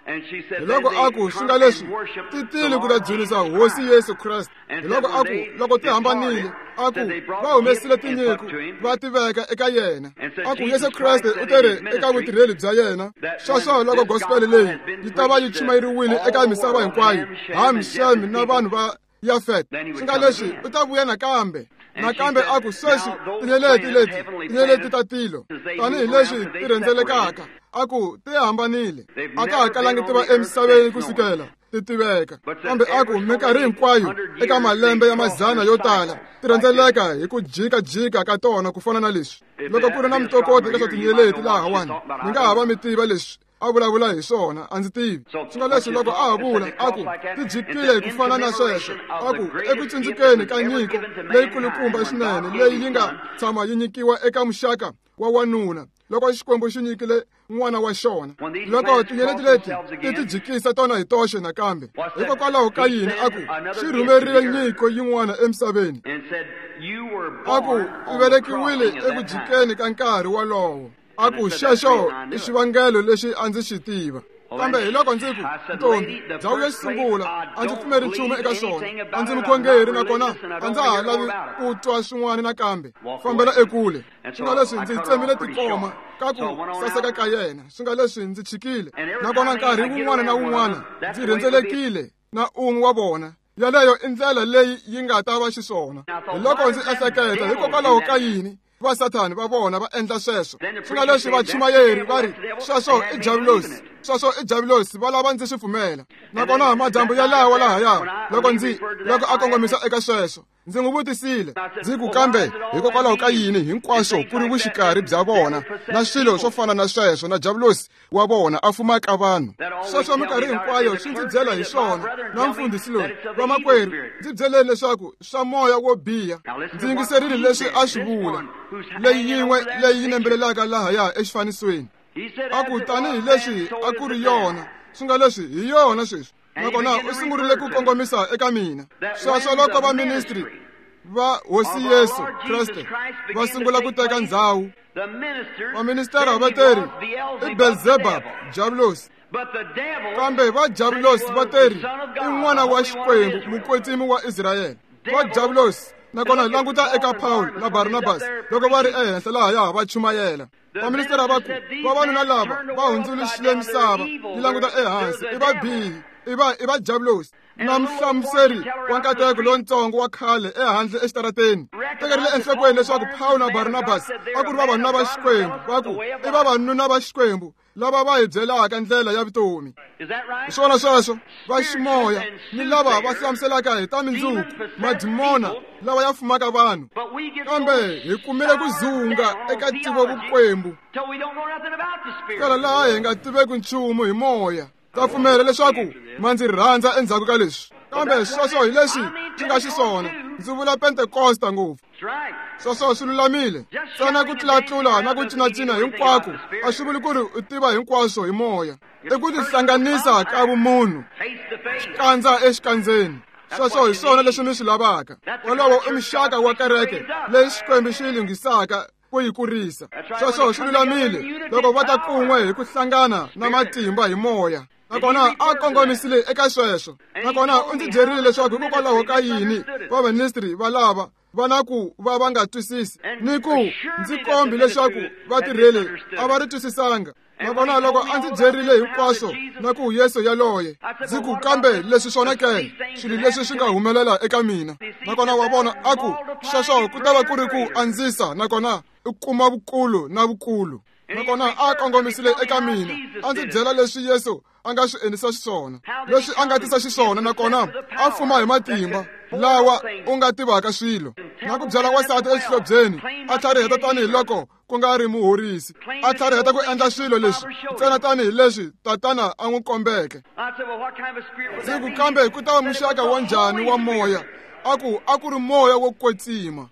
Hiloko a ku, swi nga leswi ti tile ku ta dzunisa Hosi Yesu Kreste. Hiloko a ku, loko ti hambanile, a ku va humesile tinyiko va ti veka eka yena. A ku Yesu Kreste u tere eka vutirheli bya yena. Sweswo loko gospel leyi yi ta va yi chumayeriwile eka misava hinkwayo, Ham, Shem na vanhu va Yafet, swi nga leswi u ta vuya nakambe. Nakambe a ku, sweswi tinyeleti leti, tinyeleti ta tilo, tanihileswi ti rhendzelekaka, a ku ti hambanile, a ta ha kalangi ti va emisaveni kusukela ti tiveka. Kambe a ku minkarhi hinkwayo eka malembe ya mazana yo tala ti rhendzeleka hi ku jikajika ka tona ku fana na leswi. Loko ku ri na mitokoto eka swa tinyeleti lahawani, mi nga ha va mi tiva leswi a vulavula hi swona, a ndzi tivi. Swi nga leswi loko a ha vula, a ku ti jikile hi ku fana na sweswo. A ku eku tsundzukeni ka nyiko leyikulukumba swinene leyi yi nga tshama yi nyikiwa eka muxaka wa wanuna, loko Xikwembu xi nyikile n'wana wa xona. Loko tinyeleti leti ti ti jikisa tona hi toxe nakambe, hikokwalaho ka yini a ku xi rhumerile nyiko yin'wana emisaveni? A ku u velekiwile eku jikeni ka nkarhi wolowo. A ku xexo i xivangelo lexi a ndzi xi tiva. Kambe hiloko ndzi ku, ntombi, ndhawu yo sungula a ndzi pfumeri nchumu eka swona, a ndzi mukhongeri nakona a ndza ha lavi ku twa swin'wana nakambe. Fambela ekule. Swi nga leswi ndzi tsemile tikoma ka ku saseka ka yena. Swi nga leswi ndzi chikile. Nakona nkarhi wun'wana na wun'wana ndzi rhendzelekile na un'we wa vona. Yaleyo i ndlela leyi yi nga ta va xiswona. Hiloko ndzi ehleketa, hikokwalaho ka yini va Sathani va vona va endla sweswo? Swi nga leswi vachumayeri va ri, sweswo i diabulosi, sweswo i diabulosi, va lava ndzi swi pfumela. Nakona madyambu yalawa lahaya, loko a kongomisa eka sweswo, ndzi n'wi vutisile, ndzi ku, kambe hikokwalaho ka yini hinkwaswo ku ri vuxikarhi bya vona na swilo swo fana na sweswo na diabulosi wa vona a fumaka vanhu? Sweswo minkarhi hinkwayo swi ndzi byela hi swona. Na mfundhisi loyi, vamakwerhu, ndzi byeleni leswaku swa moya wo biha. Ndzi yingiserile leswi a swi vula, leyi yin'we leyi yi nembelelaka lahaya exifanisweni. A ku tanihileswi a ku ri yona, swi nga leswi hi yona sweswi. Nakona u sungurile ku kongomisa eka mina. Sweswo loko va ministry va Hosi Yesu Kreste va sungula ku teka ndzhawu, vaministara va teri i Beelzebub, diabulosi. Kambe va diabulosi va teri i n'wana wa Xikwembu, mukwetsimi wa Israyele. Va diabulosi. Nakona languta eka Paul na Barnabas loko va ri ehenhla lahaya va chumayela. Vaministara va ku, vavanuna lava va hundzuluxile misava yi languta ehansi, i vabihi, i va diabulosi. Na muhlamuseri wa nkateko lontsongo wa khale ehandle exitarateni tekerile enhlokweni leswaku Paul na Barnabas a ku ri vavanuna va Xikwembu. Va ku i vavanuna va Xikwembu lava va hi byelaka ndlela ya vutomi. Hi swona sweswo, va ximoya ni lava va hlamuselaka hi ta mindzuku, madimona lava ya fumaka vanhu. Kambe hi kumile ku zunga eka tivo vukwembu, kala laha hi nga tiveki nchumu hi moya. Ta pfumela leswaku ma ndzi rhandza endzhaku ka leswi. Kambe sweswo hi leswi swi nga xiswona. Ndzi vula Pentekosta ngopfu. Sweswo swi lulamile. Ntsena ku tlulatlula na ku cinacina hinkwako a swi vuli ku ri u tiva hinkwaswo hi moya. I ku tihlanganisa ka vumunhu, xikandza exikandzeni. Sweswo hi swona leswi mi swi lavaka. Wolowo i muxaka wa kereke leyi Xikwembu xi yi lunghisaka ku yi kurisa. Sweswo swi lulamile loko va ta kun'we hi ku hlangana na matimba hi moya. Nakona a kongomisile eka sweswo. Nakona u ndzi byerile leswaku hikokwalaho ka yini vaministri va lava va na ku va va nga twisisi, ni ku ndzi kombi leswaku vatirheli a va ri twisisanga. Nakona loko a ndzi byerile hinkwaswo na ku Yesu yaloye, ndzi ku kambe leswi swona ke, swilo leswi swi nga humelela eka mina. Nakona wa vona a ku sweswo ku ta va ku ri ku andzisa, nakona u kuma vukulu na vukulu. Nakona a kongomisile eka mina, a ndzi byela leswi Yesu a nga swi endlisa xiswona, leswi a nga tisa xiswona, nakona a fuma hi matimba lawa u nga tivaka swilo, na ku byela wansati exihlobyeni a tlhariheta tanihiloko ku nga ri muhorisi, a tlhariheta ku endla swilo leswi ntsena tanihileswi tatana a n'wi kombeke. Ndzi ku kambe ku ta va muxaka wa njhani wa moya? A ku a ku ri moya wo kwetsima.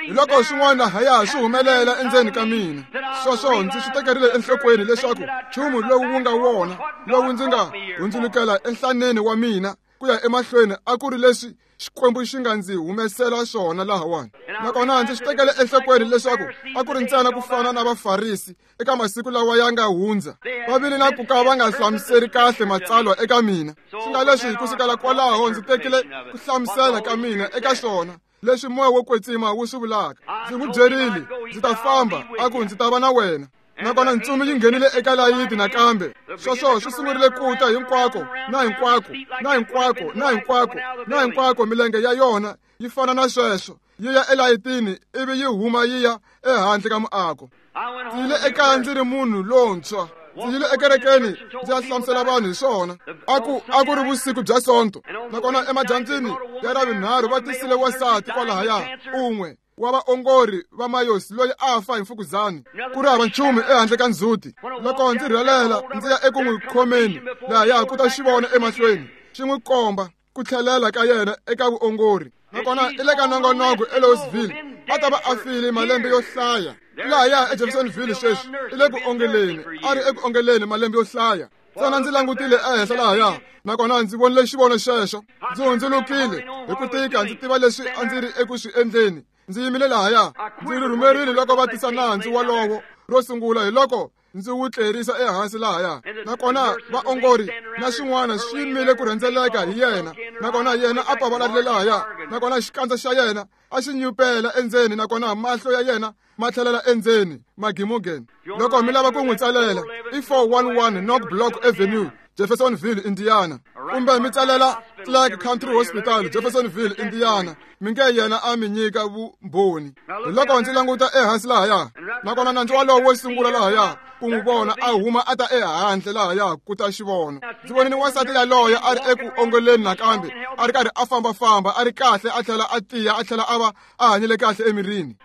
Hiloko swin'wana lahaya swi humelela endzeni ka mina. Sweswo ndzi swi tekerile enhlokweni leswaku nchumu lowu wu nga wona lowu ndzi nga hundzulukela enhlaneni wa mina ku ya emahlweni a ku ri leswi Xikwembu xi nga ndzi humesela swona lahawani. Nakona ndzi swi tekele enhlokweni leswaku a ku ri ntsena ku fana na Vafarisi eka masiku lawa ya nga hundza, va vile na ku ka va nga hlamuseri kahle matsalwa eka mina. Swi nga leswi ku sukela kwalaho ndzi tekile ku hlamusela ka mina eka swona leswi moya wo kwetsima wu swi vulaka. Ndzi n'wi byerile ndzi ta famba, a ku ndzi ta va na wena. Nakona ntsumi yi nghenile eka layiti nakambe. Sweswo swi sungurile ku ta hinkwako na hinkwako na hinkwako na hinkwako na hinkwako, milenge ya yona yi fana na sweswo, yi ya elayitini ivi yi huma yi ya ehandle ka muako. Ndzi yile ekaya ndzi ri munhu lontshwa. Ndzi yile ekerekeni ndzi ya hlamusela vanhu hi swona. A ku ri vusiku bya Sonto, nakona emadyambyini ya Ravunharhu va tisile wansati kwalahaya, un'we wa vaongori va Mayosi loyi a fa hi mfukuzani, ku ri hava nchumu ehandle ka ndzhuti. Loko ndzi rhelela ndzi ya eku n'wi khomeni lahaya ku ta xi vona emahlweni, xi n'wi komba ku tlhelela ka yena eka vuongori. Nakona i le ka nongonoko eLouisville, a ta va a file malembe yo hlaya. Lahaya eJeffersonville sweswi i le ku ongeleni, a ri eku ongeleni malembe yo hlaya. Ntsena ndzi langutile ehenhla lahaya, nakona ndzi vonile xivono xexo. Ndzi hundzulukile hi ku tika, ndzi tiva leswi a ndzi ri eku swi endleni. Ndzi yimile lahaya, ndzi ri rhumerile loko va tisa nandzu walowo ro sungula, hi loko ndzi wu tlerisa ehansi lahaya. Nakona vaongori na swin'wana swi yimile ku rhendzeleka hi yena, nakona yena a pavalarile lahaya, nakona xikandza xa yena a xi nyupela endzeni, nakona mahlo ya yena ma tlhelela endzeni magimugeni. Loko mi lava ku n'wi tsalela, i 411 North Block Avenue, Jeffersonville, Indiana, kumbe mi tsalela Clark Country Hospital, Jeffersonville, Indiana, mi nge yena a mi nyika vumbhoni. Hi loko ndzi languta ehansi lahaya, nakona nandzu walowo wo sungula lahaya ku n'wi vona a huma a ta ehandle lahaya ku ta xi vona. Ndzi vonile wansati yaloye a ri eku ongeleni nakambe, a ri karhi a fambafamba, a ri kahle, a tlhela a tiya, a tlhela a va a hanyile kahle emirini.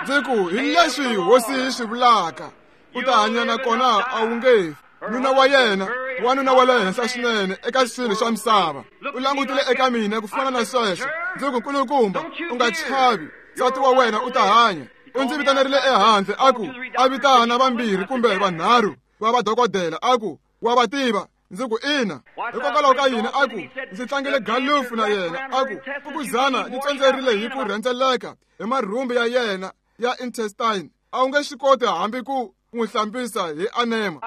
Ndzi ku hi leswi Hosi yi swi vulaka, u ta hanya nakona a wu nge fi. Nuna wa yena, wanuna wa le henhla swinene eka swilo swa misava, u langutile eka mina ku fana na sweswo. Ndzi ku, nkulukumba, u nga chavi, nsati wa wena u ta hanya. U ndzi vitanerile ehandle, a ku a vitana vambirhi kumbe vanharhu va vadokodela, a ku wa va tiva. Ndzi ku ina. Hikokwalaho ka yini? A ku ndzi tlangile galufu na yena, a ku fukuzana yi tsondzerile hi ku rhendzeleka hi marhumbi ya yena ya intestine, a wu nge swi koti hambi ku n'wi hlambisa hi anema.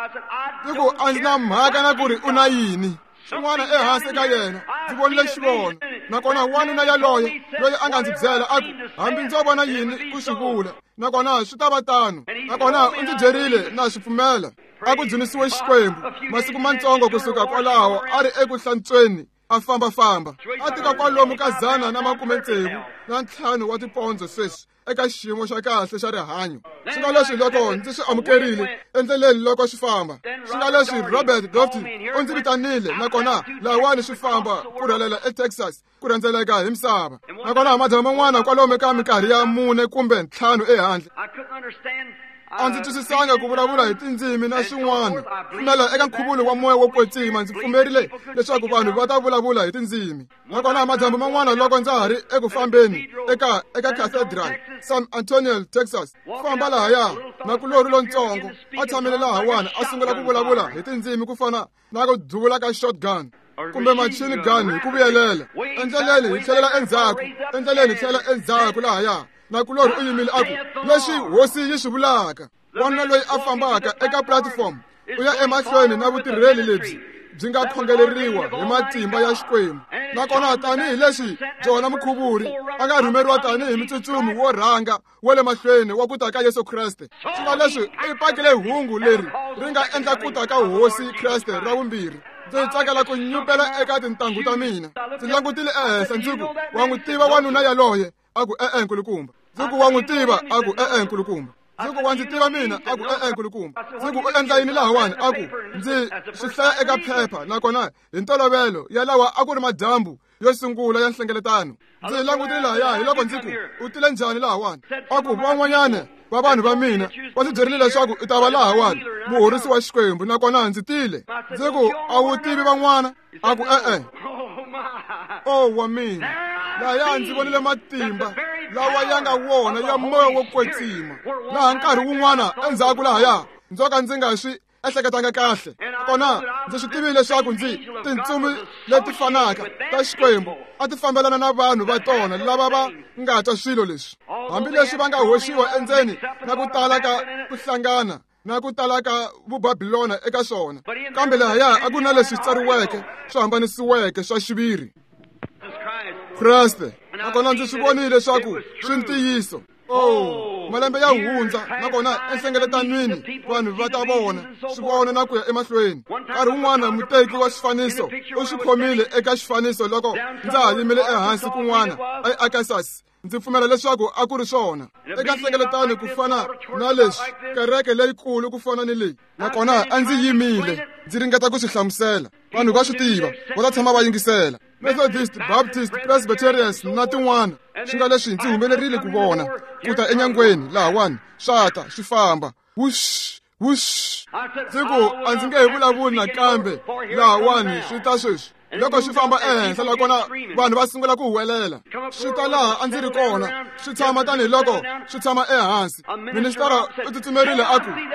Ndzi ku a ndzi na mhaka na ku ri u na yini. Swin'wana ehansi ka yena, ndzi vonile xivono. Nakona wanuna yaloye loyi a nga ndzi byela, a ku hambi ndzo vona yini ku swi vula, nakona swi ta va tano. Nakona u ndzi byerile na swi pfumela. A ku dzunisiwe Xikwembu. Masiku matsongo kusuka kwalaho a ri eku hlantsweni a fambafamba, a tika kwalomu ka 165 wa tipondzo sweswi eka xiyimo xa kahle xa rihanyo. Swi nga leswi loko ndzi swi amukerile endleleni loko swi famba. Swi nga leswi Robert Gotti u ndzi vitanile, nakona lahawani swi famba ku rhelela eTexas, ku rhendzeleka hi misava. Nakona madyambu man'wana kwalomu ka minkarhi ya 4 kumbe 5 ehandle. A ndzi twisisanga ku vulavula hi tindzimi na swin'wana. Pfumela eka nkhuvulo wa moya wo kwetsima, ndzi pfumerile leswaku vanhu va ta vulavula hi tindzimi. Nakona madyambu man'wana loko ndza ha ri eku fambeni eka Cathedral, San Antonio, Texas, famba lahaya na kulori lontsongo a tshamile lahawani a sungula ku vulavula hi tindzimi ku fana na ku duvula ka shotgun kumbe machine gun hi ku vuyelela. Endleleni hi tlhelela endzhaku, endleleni hi tlhelela endzhaku lahaya. Na kulori u yimile a ku, leswi hosi yi swi vulaka. Wanuna loyi a fambaka eka platform u ya emahlweni na vutirheli lebyi byi nga khongeleriwa hi matimba ya Xikwembu. Nakona tanihi leswi Jona Mukhuvuri a nga rhumeriwa tanihi mutsutsumi wo rhanga wa le mahlweni wa ku ta ka Yesu Kreste, swi nga leswi i pakile hungu leri ri nga endla ku ta ka Hosi Kreste ra vumbirhi. Ndzi tsakela ku nyupela eka tintangu ta mina. Ndzi langutile ehenhla ndzi ku, wa n'wi tiva wanuna yaloye? A ku, e-e nkulukumba. Ndzi ku, wa n'wi tiva? A ku, e-e nkulukumba. Ndzi ku, wa ndzi tiva mina? A ku, e-e nkulukumba. Ndzi ku, u endla yini lahawani? A ku, ndzi swi hlaya eka phepha. Nakona hi ntolovelo yalawa a ku ri madyambu yo sungula ya nhlengeletano. Ndzi langutile lahaya, hi loko ndzi ku, u tile njhani lahawani? A ku, van'wanyana va vanhu va mina va ndzi byerile leswaku u ta va lahawani, muhorisi wa Xikwembu, nakona ndzi tile. Ndzi ku, a wu tivi van'wana? A ku, e-e. O wa mina, lahaya ndzi vonile matimba lawa ya nga wona ya moya wo kwetsima. Laha nkarhi wun'wana endzhaku lahaya ndzo ka ndzi nga swi ehleketanga kahle. Kona ndzi swi tivile leswaku ndzi tintsumi leti fanaka ta Xikwembu a ti fambelana na vanhu va tona lava va nga twa swilo leswi, hambileswi va nga hoxiwa endzeni na ku tala ka ku hlangana na ku tala ka vubabilona eka swona. Kambe lahaya a ku na leswi tsariweke swi hambanisiweke swa xiviri Kreste. Nakona ndzi swi vonile leswaku swi ntiyiso. Oh, malembe ya hundza, nakona enhlengeletanweni vanhu va ta vona swi vona na ku ya emahlweni. Nkarhi wun'wana muteki wa xifaniso u swi khomile eka xifaniso loko ndza ha yimile ehansi kun'wana eArkansas. Ndzi pfumela leswaku a ku ri swona eka nhlengeletano ku fana na leswi, kereke leyikulu ku fana ni leyi. Nakona a ndzi yimile ndzi ringeta ku swi hlamusela. Vanhu va swi tiva, va ta tshama va yingisela. Methodist, Baptist, Presbyterians na tin'wana. Swi nga leswi ndzi humelerile ku vona ku ta enyangweni lahawani, swa ta swi famba. Wush, wush. Ndzi ku, a ndzi nge he vulavuli nakambe lahawani, swi ta sweswi. Loko swi famba ehenhla nakona vanhu va sungula ku huwelela, swi ta laha a ndzi ri kona, swi tshama tanihiloko swi tshama ehansi. Ministara u tsutsumerile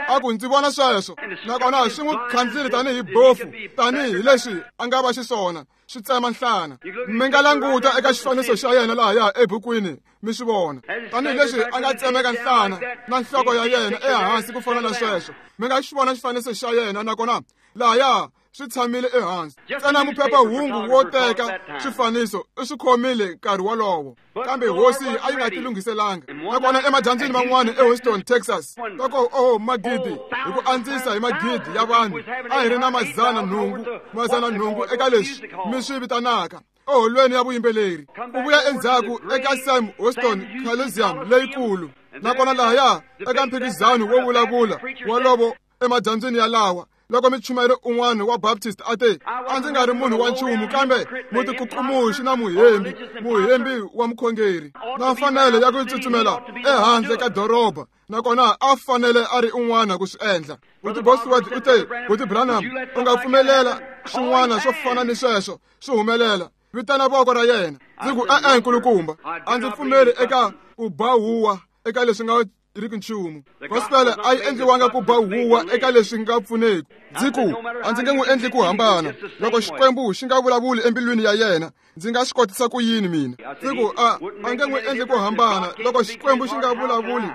a ku ndzi vona sweswo, nakona swi n'wi khandzile tanihi bofu, tanihi leswi a nga va xiswona, swi tsema nhlana. Mi nga languta eka xifaniso xa yena lahaya ebukwini mi swi vona, tanihileswi a nga tsemeka nhlana na nhloko ya yena ehansi ku fana na sweswo. Mi nga xi vona xifaniso xa yena, nakona lahaya swi tshamile ehansi. Ntsena muphephahungu wo teka swifaniso u swi khomile nkarhi wolowo, kambe hosi a yi nga ti lunghiselanga. Nakona emadyambyini man'wana eHouston, Texas, loko oh magidi hi ku andzisa hi magidi ya vanhu, a hi ri na 800 eka leswi mi swi vitanaka eholweni ya vuyimbeleri. U vuya endzhaku eka Sam Houston Coliseum leyikulu, nakona lahaya eka mphikizano wo vulavula wolowo emadyambyini yalawa, loko michumayeri un'wana wa Baptist a te, a ndzi nga ri munhu wa nchumu kambe mutikukumuxi na muhembi wa mukhongeri, na mfanelo ya ku tsutsumela ehandle ka doroba, nakona a fanele a ri un'wana ku swi endla. Buti Bosworth u te, Buti Branham, u nga pfumelela swin'wana swo fana ni sweswo swi humelela, vitana voko ra yena. Ndzi ku, e-e nkulukumba, a ndzi pfumeli eka ku ba huwa eka leswi nga riki nchumu. Gospel a yi endliwanga ku ba huwa eka leswi nga pfuneki. Ndzi ku, a ndzi nge n'wi endli ku hambana. Loko Xikwembu xi nga vulavuli embilwini ya yena, ndzi nga swi kotisa ku yini mina? Ndzi ku, a nge n'wi endli ku hambana. Loko Xikwembu xi nga vulavuli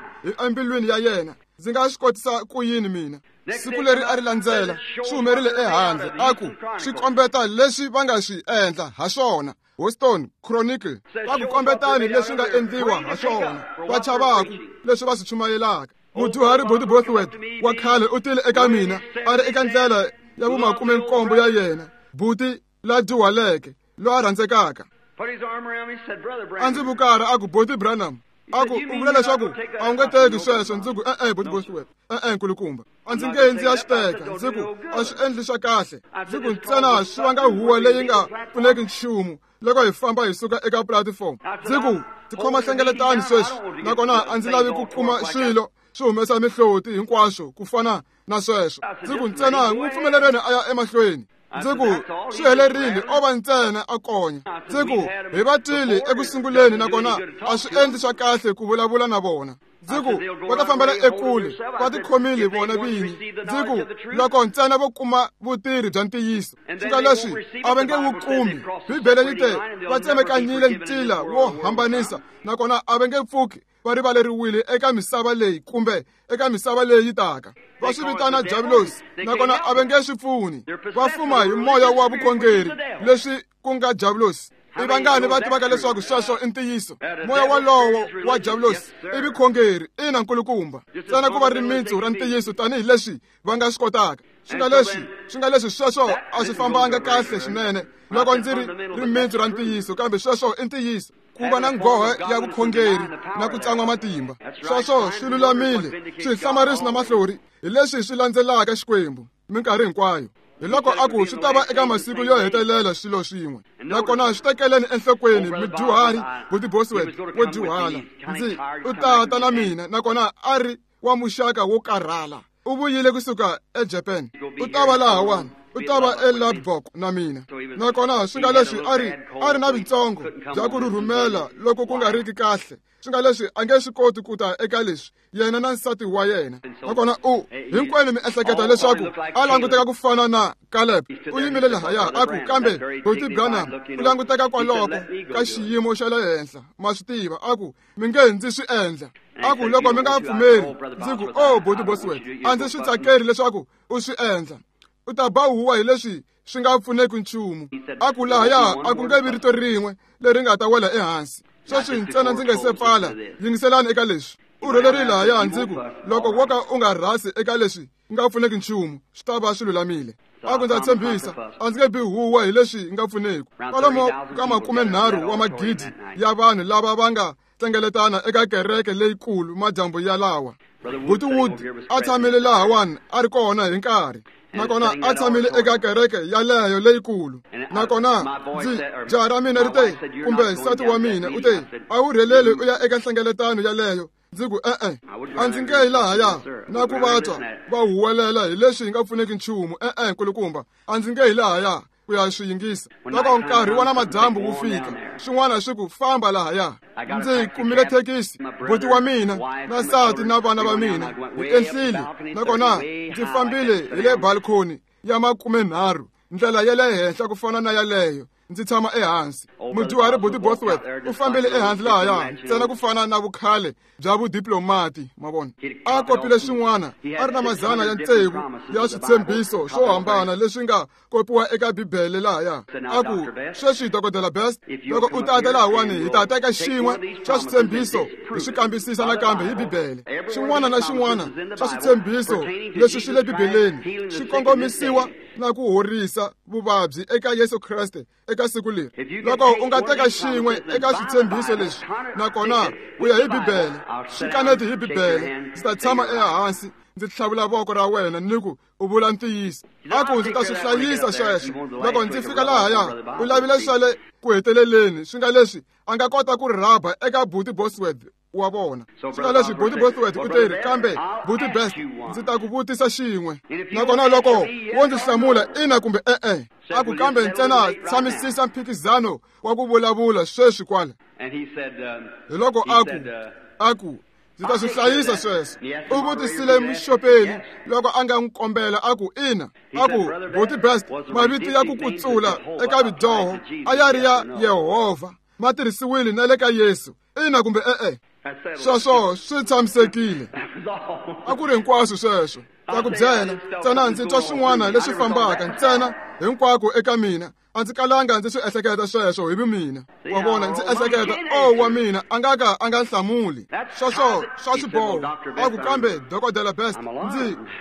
embilwini ya yena, ndzi nga swi kotisa ku yini mina? Siku leri a ri landzela, swi humerile ehandle, a ku swi kombeta leswi va nga swi endla ha swona. Houston Chronicle va ku kombetani leswi nga endliwa ha swona, va chavaku leswi va swi chumayelaka. Mudyuhari Buti Bosworth wa khale u tile eka mina a ri eka ndlela ya vu-17 ya yena, buti la dyuhaleke loyi a rhandzekaka. A ndzi vukara a ku, Buti Branham, a ku u vula leswaku a wu nge teki sweswo? Ndzi ku, e-e Buti Bosworth, e-e nkulukumba, a ndzi nge ndzi ya swi teka. Ndzi ku, a swi endli swa kahle. Ndzi ku, ntsena swi vanga huwa leyi nga pfuneki nchumu loko hi famba hi suka eka platform. Ndzi ku, ndzi khoma nhlengeletano sweswi, nakona a ndzi lavi ku kuma swilo swi humesa mihloti hinkwaswo ku fana na sweswo. Ndzi ku ntsena n'wi pfumeleleni a ya emahlweni. Ndzi ku swi helerile, o va ntsena a konya. Ndzi ku hi va twile eku sunguleni, nakona a swi endli swa kahle ku vulavula na vona. Ndzi ku va ta fambela ekule, va tikhomile vona vinyi. Ndzi ku loko ntsena vo kuma vutirhi bya ntiyiso, swi nga leswi a va nge wu kumi. Bibele yi te va tsemekanyile ntila wo hambanisa, nakona a va nge pfuki va rivaleriwile eka misava leyi kumbe eka misava leyi yi taka. Va swi vitana diabulosi, nakona a va nge swi pfuni. Va fuma hi moya wa vukhongeri, leswi ku nga diabulosi. I vangani va tivaka leswaku sweswo i ntiyiso? Moya walowo wa diabulosi i vukhongeri, ina nkulukumba, ntsena ku va rimitsu ra ntiyiso tanihileswi va nga swi kotaka. Swi nga leswi sweswo a swi fambanga kahle swinene loko ndzi ri rimitsu ra ntiyiso, kambe sweswo i ntiyiso. Ku va na nghohe ya vukhongeri na ku tsan'wa matimba, sweswo swi lulamile. Swihlamarisi na mahlori hi leswi swi landzelaka Xikwembu minkarhi hinkwayo. Hi loko a ku swi ta va eka masiku yo hetelela swilo swin'we, nakona swi tekeleni enhlokweni. Mudyuhari Buti Bosworth wo dyuhala, ndzi u tata na mina, nakona a ri wa muxaka wo karhala. U vuyile kusuka eJapan, u ta va lahawani, u ta va eLubbock na mina. Nakona swi nga leswi a ri na vitsongo bya ku rhurhumela loko ku nga riki kahle. Swi nga leswi a nge swi koti ku ta eka leswi, yena na nsati wa yena. Nakona u hinkwenu mi ehleketa leswaku a languteka ku fana na Caleb. U yimile lahaya a ku, kambe Buti Branham u languteka kwaloko ka xiyimo xa le henhla, ma swi tiva. A ku mi nge ndzi swi endla. A ku loko mi nga pfumeri. Ndzi ku o Buti Bosworth, a ndzi swi tsakeri leswaku u swi endla. U ta ba huwa hi leswi swi nga pfuneki nchumu. A ku lahaya a ku nge vi rito rin'we leri nga ta wela ehansi. Sweswi ntsena ndzi nge se pfala, yingiselani eka leswi. U rhelerile lahaya. Ndzi ku loko wo ka u nga rhasi eka leswi nga pfuneki nchumu, swi ta va swi lulamile. A ku ndza tshembisa, a ndzi nge bi huwa hi leswi nga pfuneki. Kwalomo ka 30 wa magidi ya vanhu lava va nga hlengeletana eka kereke leyikulu madyambu ya lawa. Buti Wood a tshamile lahawani a ri kona hi nkarhi, nakona a tshamile eka kereke yaleyo leyikulu. Nakona ndzi jaha ra mina ri te, kumbe nsati wa mina u te, a wu rheleli u ya eka nhlengeletano yaleyo. Ndzi ku e-e, a ndzi nge yi lahaya na ku va twa va huwelela hi leswi hi nga pfuneki nchumu. E-e nkulukumba, a ndzi nge yi lahaya ku ya swi yingisa. Loko nkarhi wa namadyambu wu fika, swin'wana swi ku famba lahaya. Ndzi kumile thekisi, buti wa mina na nsati na vana va mina hi enhlile, nakona ndzi fambile hi le balcony ya 30, ndlela ya le henhla ku fana na yaleyo. Ndzi tshama ehansi. Mudyuhari Buti Bosworth u fambile ehansi lahaya ntsena ku fana na vukhale bya vudiplomati, ma vona. A kopile swin'wana, a ri na mazana ya tsevu ya switshembiso swo hambana leswi nga kopiwa eka Bibele lahaya. A ku sweswi Dokodela Best, loko u tata lahawani hi ta teka xin'we xa switshembiso hi swi kambisisa nakambe hi Bibele. Xin'wana na xin'wana xa switshembiso leswi swi le Bibeleni swi kongomisiwa na ku horisa vuvabyi eka Yesu Kreste eka siku leri. Loko u nga teka xin'we eka switshembiso leswi, nakona u ya hi Bibele, swi kaneti hi Bibele, ndzi ta tshama ehansi ndzi tlhavula voko ra wena ni ku u vula ntiyiso. A ku ndzi ta swi hlayisa sweswo. Loko ndzi fika lahaya, u lavile swa le ku heteleleni, swi nga leswi a nga kota ku rhaba eka Buti Bosworth wa vona. Swi nga leswi Buti Bosworth u teri, kambe Buti Best, ndzi ta ku vutisa xin'we, nakona loko wo ndzi hlamula ina kumbe e-e. A ku kambe ntsena tshamisisa mphikizano wa ku vulavula sweswi kwala. Hi loko a ku ndzi ta swi hlayisa sweswo. U vutisile muxopeli loko a nga n'wi kombela, a ku ina. A ku Buti Best, mavito ya ku kutsula eka vidyoho a ya ri ya Yehovha, ma tirhisiwile na le ka Yesu, ina kumbe e-e. Sweswo swi tshamisekile. A ku ri hinkwaswo sweswo. Ta ku byela ntsena ndzi twa swin'wana leswi fambaka ntsena hinkwako eka mina. A ndzi kalanga ndzi swi ehleketa sweswo hi vumina. Wa vona, ndzi ehleketa, o wa mina a nga ka a nga hlamuli. Sweswo swa xiboho. A ku kambe Dokodela Best,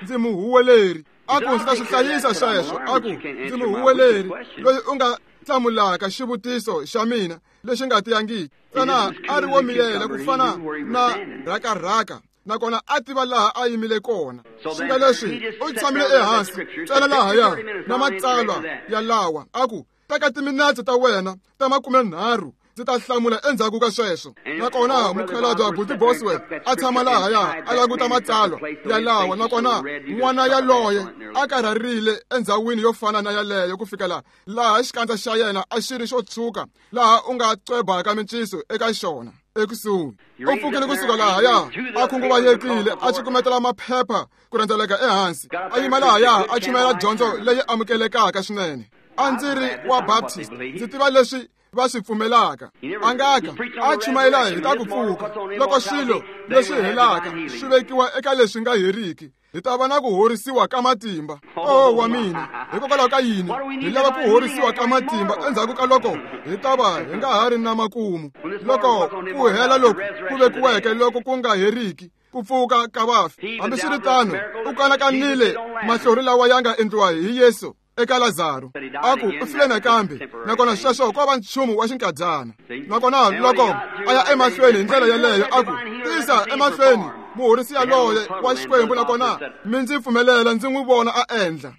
ndzi muhuweleri. A ku ndzi ta swi hlayisa sweswo. A ku ndzi muhuweleri loyi u nga hlamulaka xivutiso xa mina lexi nga tiyangiki. Ntsena a ri wo miyela ku fana na rhakarhaka, nakona a tiva laha a yimile kona. Swi nga leswi u tshamile ehansi ntsena lahaya na matsalwa ya lawa. A ku teka timinetse ta wena ta 30, Ndzi ta hlamula endzhaku ka sweswo. Nakona mukhalabye Buti Bosworth a tshama lahaya a languta matsalwa yalawa, nakona n'wana yaloye a karharile endzhawini yo fana na yaleyo ku fikela laha xikandza xa yena a xi ri xo tshuka laha u nga cwebaka minciso eka xona ekusuhi. U pfukile kusuka lahaya a khunguvanyekile a cukumetela maphepha ku rhendzeleka ehansi, a yima lahaya a chumayela dyondzo leyi amukelekaka swinene. A ndzi ri wa Baptist, ndzi tiva leswi va swi pfumelaka. A nga ka a chumayela hi ta ku pfuka loko swilo leswi helaka swi vekiwa eka leswi nga heriki, hi ta va na ku horisiwa ka matimba. Oh wa mina, hikokwalaho ka yini hi lava ku horisiwa ka matimba endzhaku ka loko hi ta va hi nga ha ri na makumu, loko ku hela loku ku vekiweke loko ku nga heriki ku pfuka ka vafi. Hambiswiritano, u kanakanile mahlori lawa ya nga endliwa hi Yesu eka Lazaro, a ku u file nakambe, nakona sweswo ko va nchumu wa xinkadyana. Nakona loko a ya emahlweni hi ndlela yeleyo, a ku tisa emahlweni muhorisi yaloye wa Xikwembu, nakona mi ndzi pfumelela ndzi n'wi vona a endla.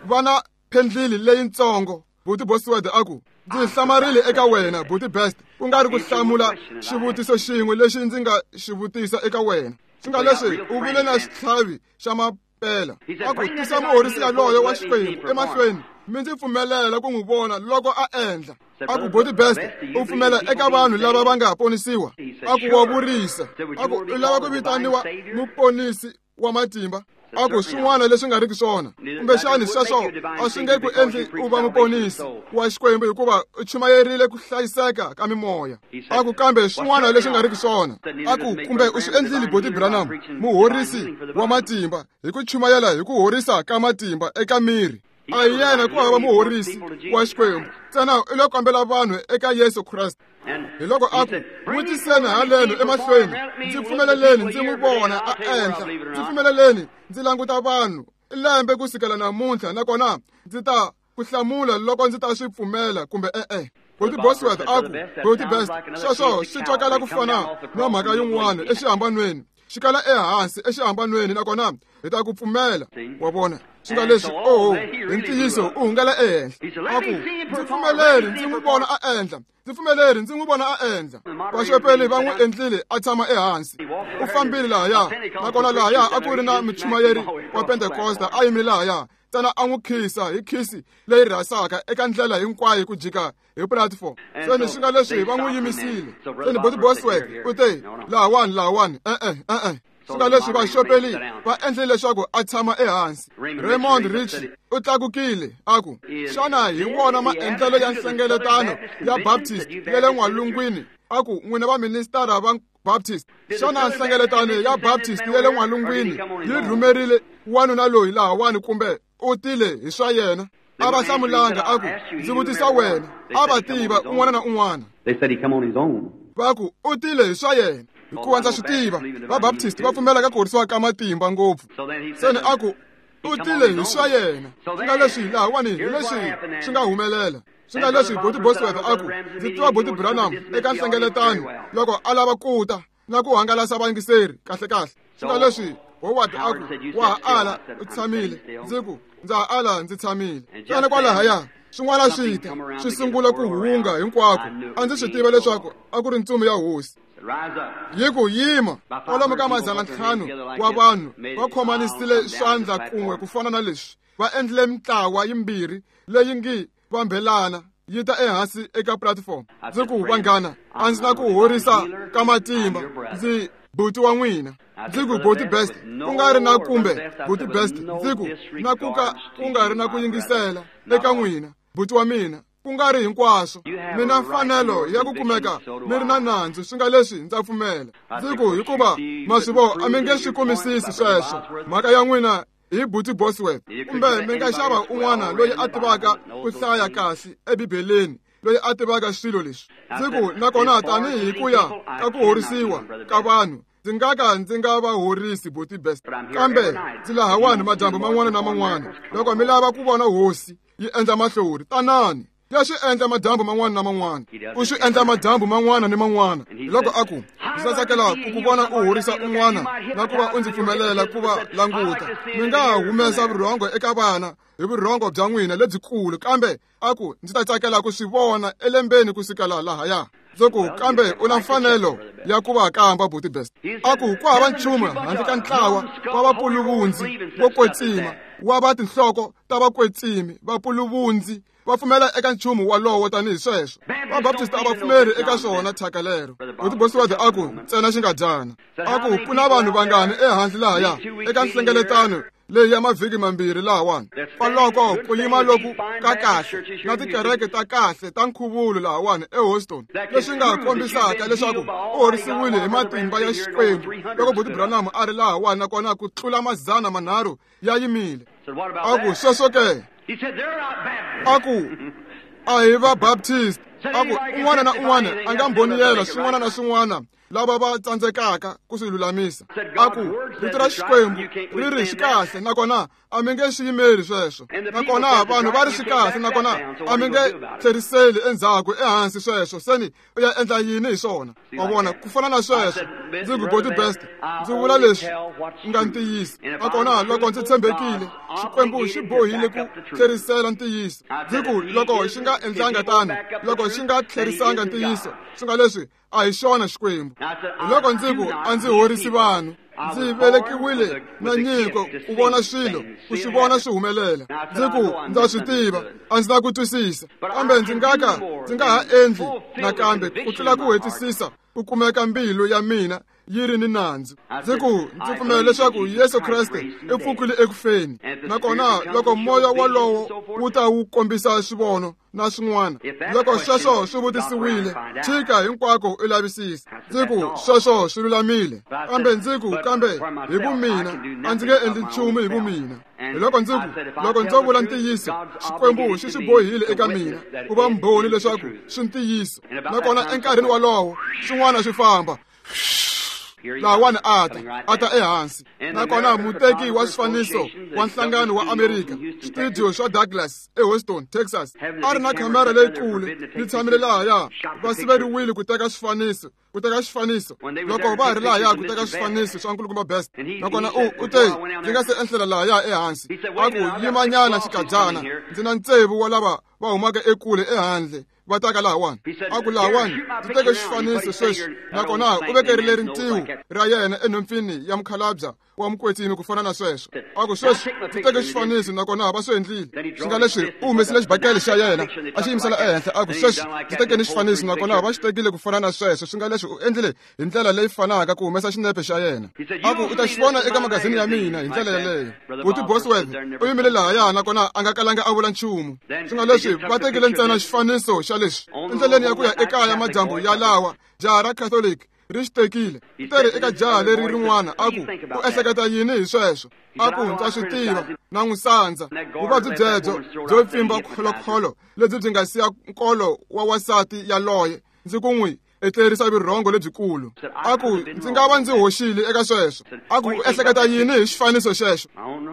Vana phendlili leyintsongo, Buti Bosworth a ku, ndzi hlamarile eka wena Buti Best, ku nga ri ku hlamula xivutiso xin'we lexi ndzi nga xi vutisa eka wena. Swi nga leswi u vile na xitlhavi xa mapela. A ku tisa muhorisi yaloye wa Xikwembu emahlweni, mi ndzi pfumelela ku n'wi vona loko a endla. A ku Buti Best, u pfumela eka vanhu lava va nga ponisiwa? A ku wa vurisa. A ku u lava ku vitaniwa muponisi wa matimba? A ku swin'wana leswi nga riki swona, kumbexani sweswo a swi nge ku endli u va muponisi wa Xikwembu hikuva u chumayerile ku hlayiseka ka mimoya. A ku kambe swin'wana leswi nga riki swona. A ku kumbe u swi endlile Buti Branham muhorisi wa matimba hi ku chumayela hi ku horisa ka matimba eka miri. A hi yena ku hava muhorisi wa Xikwembu, ntsena u lo kombela vanhu eka Yesu Kreste. Hi loko a ku n'wi tiseni haleno emahlweni, ndzi pfumeleleni ndzi n'wi vona a endla, ndzi pfumeleleni ndzi languta vanhu lembe ku sukela namuntlha, nakona ndzi ta ku hlamula loko ndzi ta swi pfumela kumbe e-e. Buti Bosworth a ku, Buti Best, sweswo swi twakala ku fana na mhaka yin'wana exihambanweni, xi kala ehansi exihambanweni, nakona hi ta ku pfumela. Wa vona, swi nga leswi, oho, hi ntiyiso u hungela ehenhla. A ku ndzi pfumeleri ndzi n'wi vona a endla, ndzi pfumeleri ndzi n'wi vona a endla. Vaxopeli va n'wi endlile a tshama ehansi. U fambile lahaya, nakona lahaya a ku ri na muchumayeri wa Pentekosta a yimile lahaya, ntsena a n'wi khisa hi khisi leyi rhasaka eka ndlela hinkwayo ku jika hi platform. Seni swi nga leswi va n'wi yimisile. Seni Buti Bosworth u te, lahawani, lahawani, e-e, e-e. Swi nga leswi vaxopeli va endlile leswaku a tshama ehansi. Raymond Richey u tlakukile a ku, xana hi wona maendlelo ya nhlengeletano ya Baptist ya le n'walungwini? A ku n'wina vaministara va Baptist, xana nhlengeletano ya Baptist ya le n'walungwini yi rhumerile wanuna loyi lahawani kumbe u tile hi swa yena? A va hlamulanga, a ku ndzi vutisa wena. A va tiva un'wana na un'wana. Va ku u tile hi swa yena, hikuva ndza swi tiva va Baptist va pfumela ka ku horisiwa ka matimba ngopfu. Seni a ku u tile hi swa yena. Swi nga leswi lahawani hi leswi swi nga humelela. Swi nga leswi Buti Bosworth a ku ndzi tiva Buti Branham eka nhlengeletano loko a lava ku ta na ku hangalasa vayingiseri kahle kahle. Swi nga leswi Howard a ku wa ha ala u tshamile, ndzi ku ndza ha ala ndzi tshamile. Tsana kwalahaya swin'wana swi ta swi sungula ku hunga hinkwako. A ndzi swi tiva leswaku a ku ri ntsumi ya Hosi. Yi ku yima, kwalomu ka 500 wa vanhu va khomanisile swandla kun'we ku fana na leswi, va endlile mintlawa yimbirhi leyi ngi vambelana yi ta ehansi eka platform. Ndzi ku vanghana, a ndzi na ku horisa ka matimba, ndzi buti wa n'wina. Ndzi ku Buti Best, ku nga ri na kumbe Buti Best, ndzi ku na ku ka ku nga ri na ku yingisela eka n'wina, buti wa mina, ku nga ri hinkwaswo. Mi na mfanelo ya ku kumeka mi ri na nandzu, swi nga leswi ndza pfumela. Ndzi ku hikuva ma swi vona a mi nge swi kumisisi sweswo, mhaka ya n'wina hi Buti Bosworth, kumbe mi nga xava un'wana loyi a tivaka ku hlaya kahle eBibeleni, loyi a tivaka swilo leswi. Ndzi ku nakona tanihi ku ya ka ku horisiwa ka vanhu, ndzi nga ka ndzi nga va horisi Buti Best, kambe ndzi lahawani madyambu man'wana na man'wana. Loko mi lava ku vona Hosi yi endla mahlori, tanani. Ya swi endla madyambu man'wana na man'wana. U swi endla madyambu man'wana ni man'wana. Loko a ku, ndzi tsakela ku ku vona u horisa un'wana na ku va u ndzi pfumelela ku va languta. Mi nga ha humesa vurhongo eka vana hi vurhongo bya n'wina lebyikulu, kambe a ku ndzi ta tsakela ku swi vona elembeni ku sukela lahaya. Ndzi ku, kambe u na mfanelo ya ku va kamba, Buti Best. A ku ku hava nchumu handle ka ntlawa wa vapuluvundzi vo kwetsima wa va tinhloko ta vakwetsimi vapuluvundzi va pfumela eka nchumu walowo tanihi sweswo. Vabaptist a va pfumeri eka swona thyaka lero. Buti Bosworth a ku ntsena xingadyana. A ku ku na vanhu vangani ehandle lahaya eka nhlengeletano leyi ya mavhiki mambirhi lahawani. Kwaloko ku yima loku ka kahle na tikereke ta kahle ta nkhuvulo lahawani eHouston, leswi nga kombisaka leswaku u horisiwile hi matimba ya Xikwembu loko Buti Branham a ri lahawani, nakona ku tlula 300 ya yimile. A ku sweswo ke? A ku a hi va Baptist. A ku un'wana na un'wana a nga mbhoniyela swin'wana na swin'wana lava va tsandzekaka ku swi lulamisa. A ku rito ra Xikwembu ri ri swi kahle, nakona a mi nge swi yimeli sweswo. Nakona vanhu va ri swi kahle, nakona a mi nge tlheriseli endzhaku ehansi sweswo. Seni u ya endla yini hi swona? Wa vona, ku fana na sweswo. Ndzi ku Buti Best, ndzi vula leswi nga ntiyiso. Nakona loko ndzi tshembekile, Xikwembu xi bohile ku tlherisela ntiyiso. Ndzi ku loko xi nga endlanga tano, loko xi nga tlherisanga ntiyiso, swi nga leswi a hi xona Xikwembu. Loko ndzi ku a ndzi horisi vanhu, ndzi velekiwile na nyiko ku vona swilo, ku swi vona swi humelela. Ndzi ku ndza swi tiva, a ndzi na ku twisisa, kambe ndzi nga ka ndzi nga ha endli nakambe ku tlula ku hetisisa ku kumeka mbilu ya mina yi ri ni nandzu. Ndzi ku ndzi pfumela leswaku Yesu Kreste i pfukile ekufeni, nakona loko moya walowo wu ta wu kombisa swivono na swin'wana, loko sweswo swi vutisiwile, tshika hinkwako u lavisisa. Ndzi ku sweswo swi lulamile, kambe ndzi ku kambe hi vumina a ndzi nge endli nchumu hi vumina. Hi loko ndzi ku loko ndzo vula ntiyiso, Xikwembu xi swi bohile eka mina ku va mbhoni leswaku swi ntiyiso. Nakona enkarhini walowo swin'wana swi famba lahawani a ta ehansi. Nakona muteki wa swifaniso wa nhlangano wa Amerika, studio swa Douglas eHouston, Texas, a ri na khamera leyikulu yi tshamile lahaya. Va siveriwile ku teka swifaniso, ku teka xifaniso. Loko va ha ri lahaya ku teka swifaniso swa Nkulukumba Best, nakona u te ndzi nga se enhlela lahaya ehansi. A ku yimanyana xikadyana, ndzi na ntsevu wa lava va humaka ekule ehandle va taka lahawani. A ku lahawani ndzi teke xifaniso sweswi, nakona u vekerile rintiho ra yena enhompfini ya mukhalabya wa mukwetsimi ku fana na sweswo. A ku sweswi ndzi teke xifaniso, nakona va swi endlile. Swi nga leswi u humesile xibakele xa yena a xi yimisela ehenhla. A ku sweswi ndzi tekeni xifaniso, nakona va xi tekile ku fana na sweswo. Swi nga leswi u endlile hi ndlela leyi fanaka ku humesa xinepe xa yena. A ku u ta xi vona eka magazini ya mina hi ndlela yeleyo. Buti Bosworth u yimile lahaya, nakona a nga kalanga a vula nchumu. Swi nga leswi va tekile ntsena xifaniso xa leswi endleleni ya ku ya ekaya madyambu ya lawa, jaha ra Catholic ri xi tekile. Teri eka jaha leri rin'wana a ku u ehleketa yini hi sweswo? A ku ndza swi tiva, na n'wi sandza. Vuvabyi byebyo byo pfimba kholokholo lebyi byi nga siya nkolo wa wansati yaloye, ndzi ku n'wi etlerisa vurhongo lebyikulu. A ku ndzi nga va ndzi hoxile eka sweswo. A ku u ehleketa yini hi xifaniso xexo?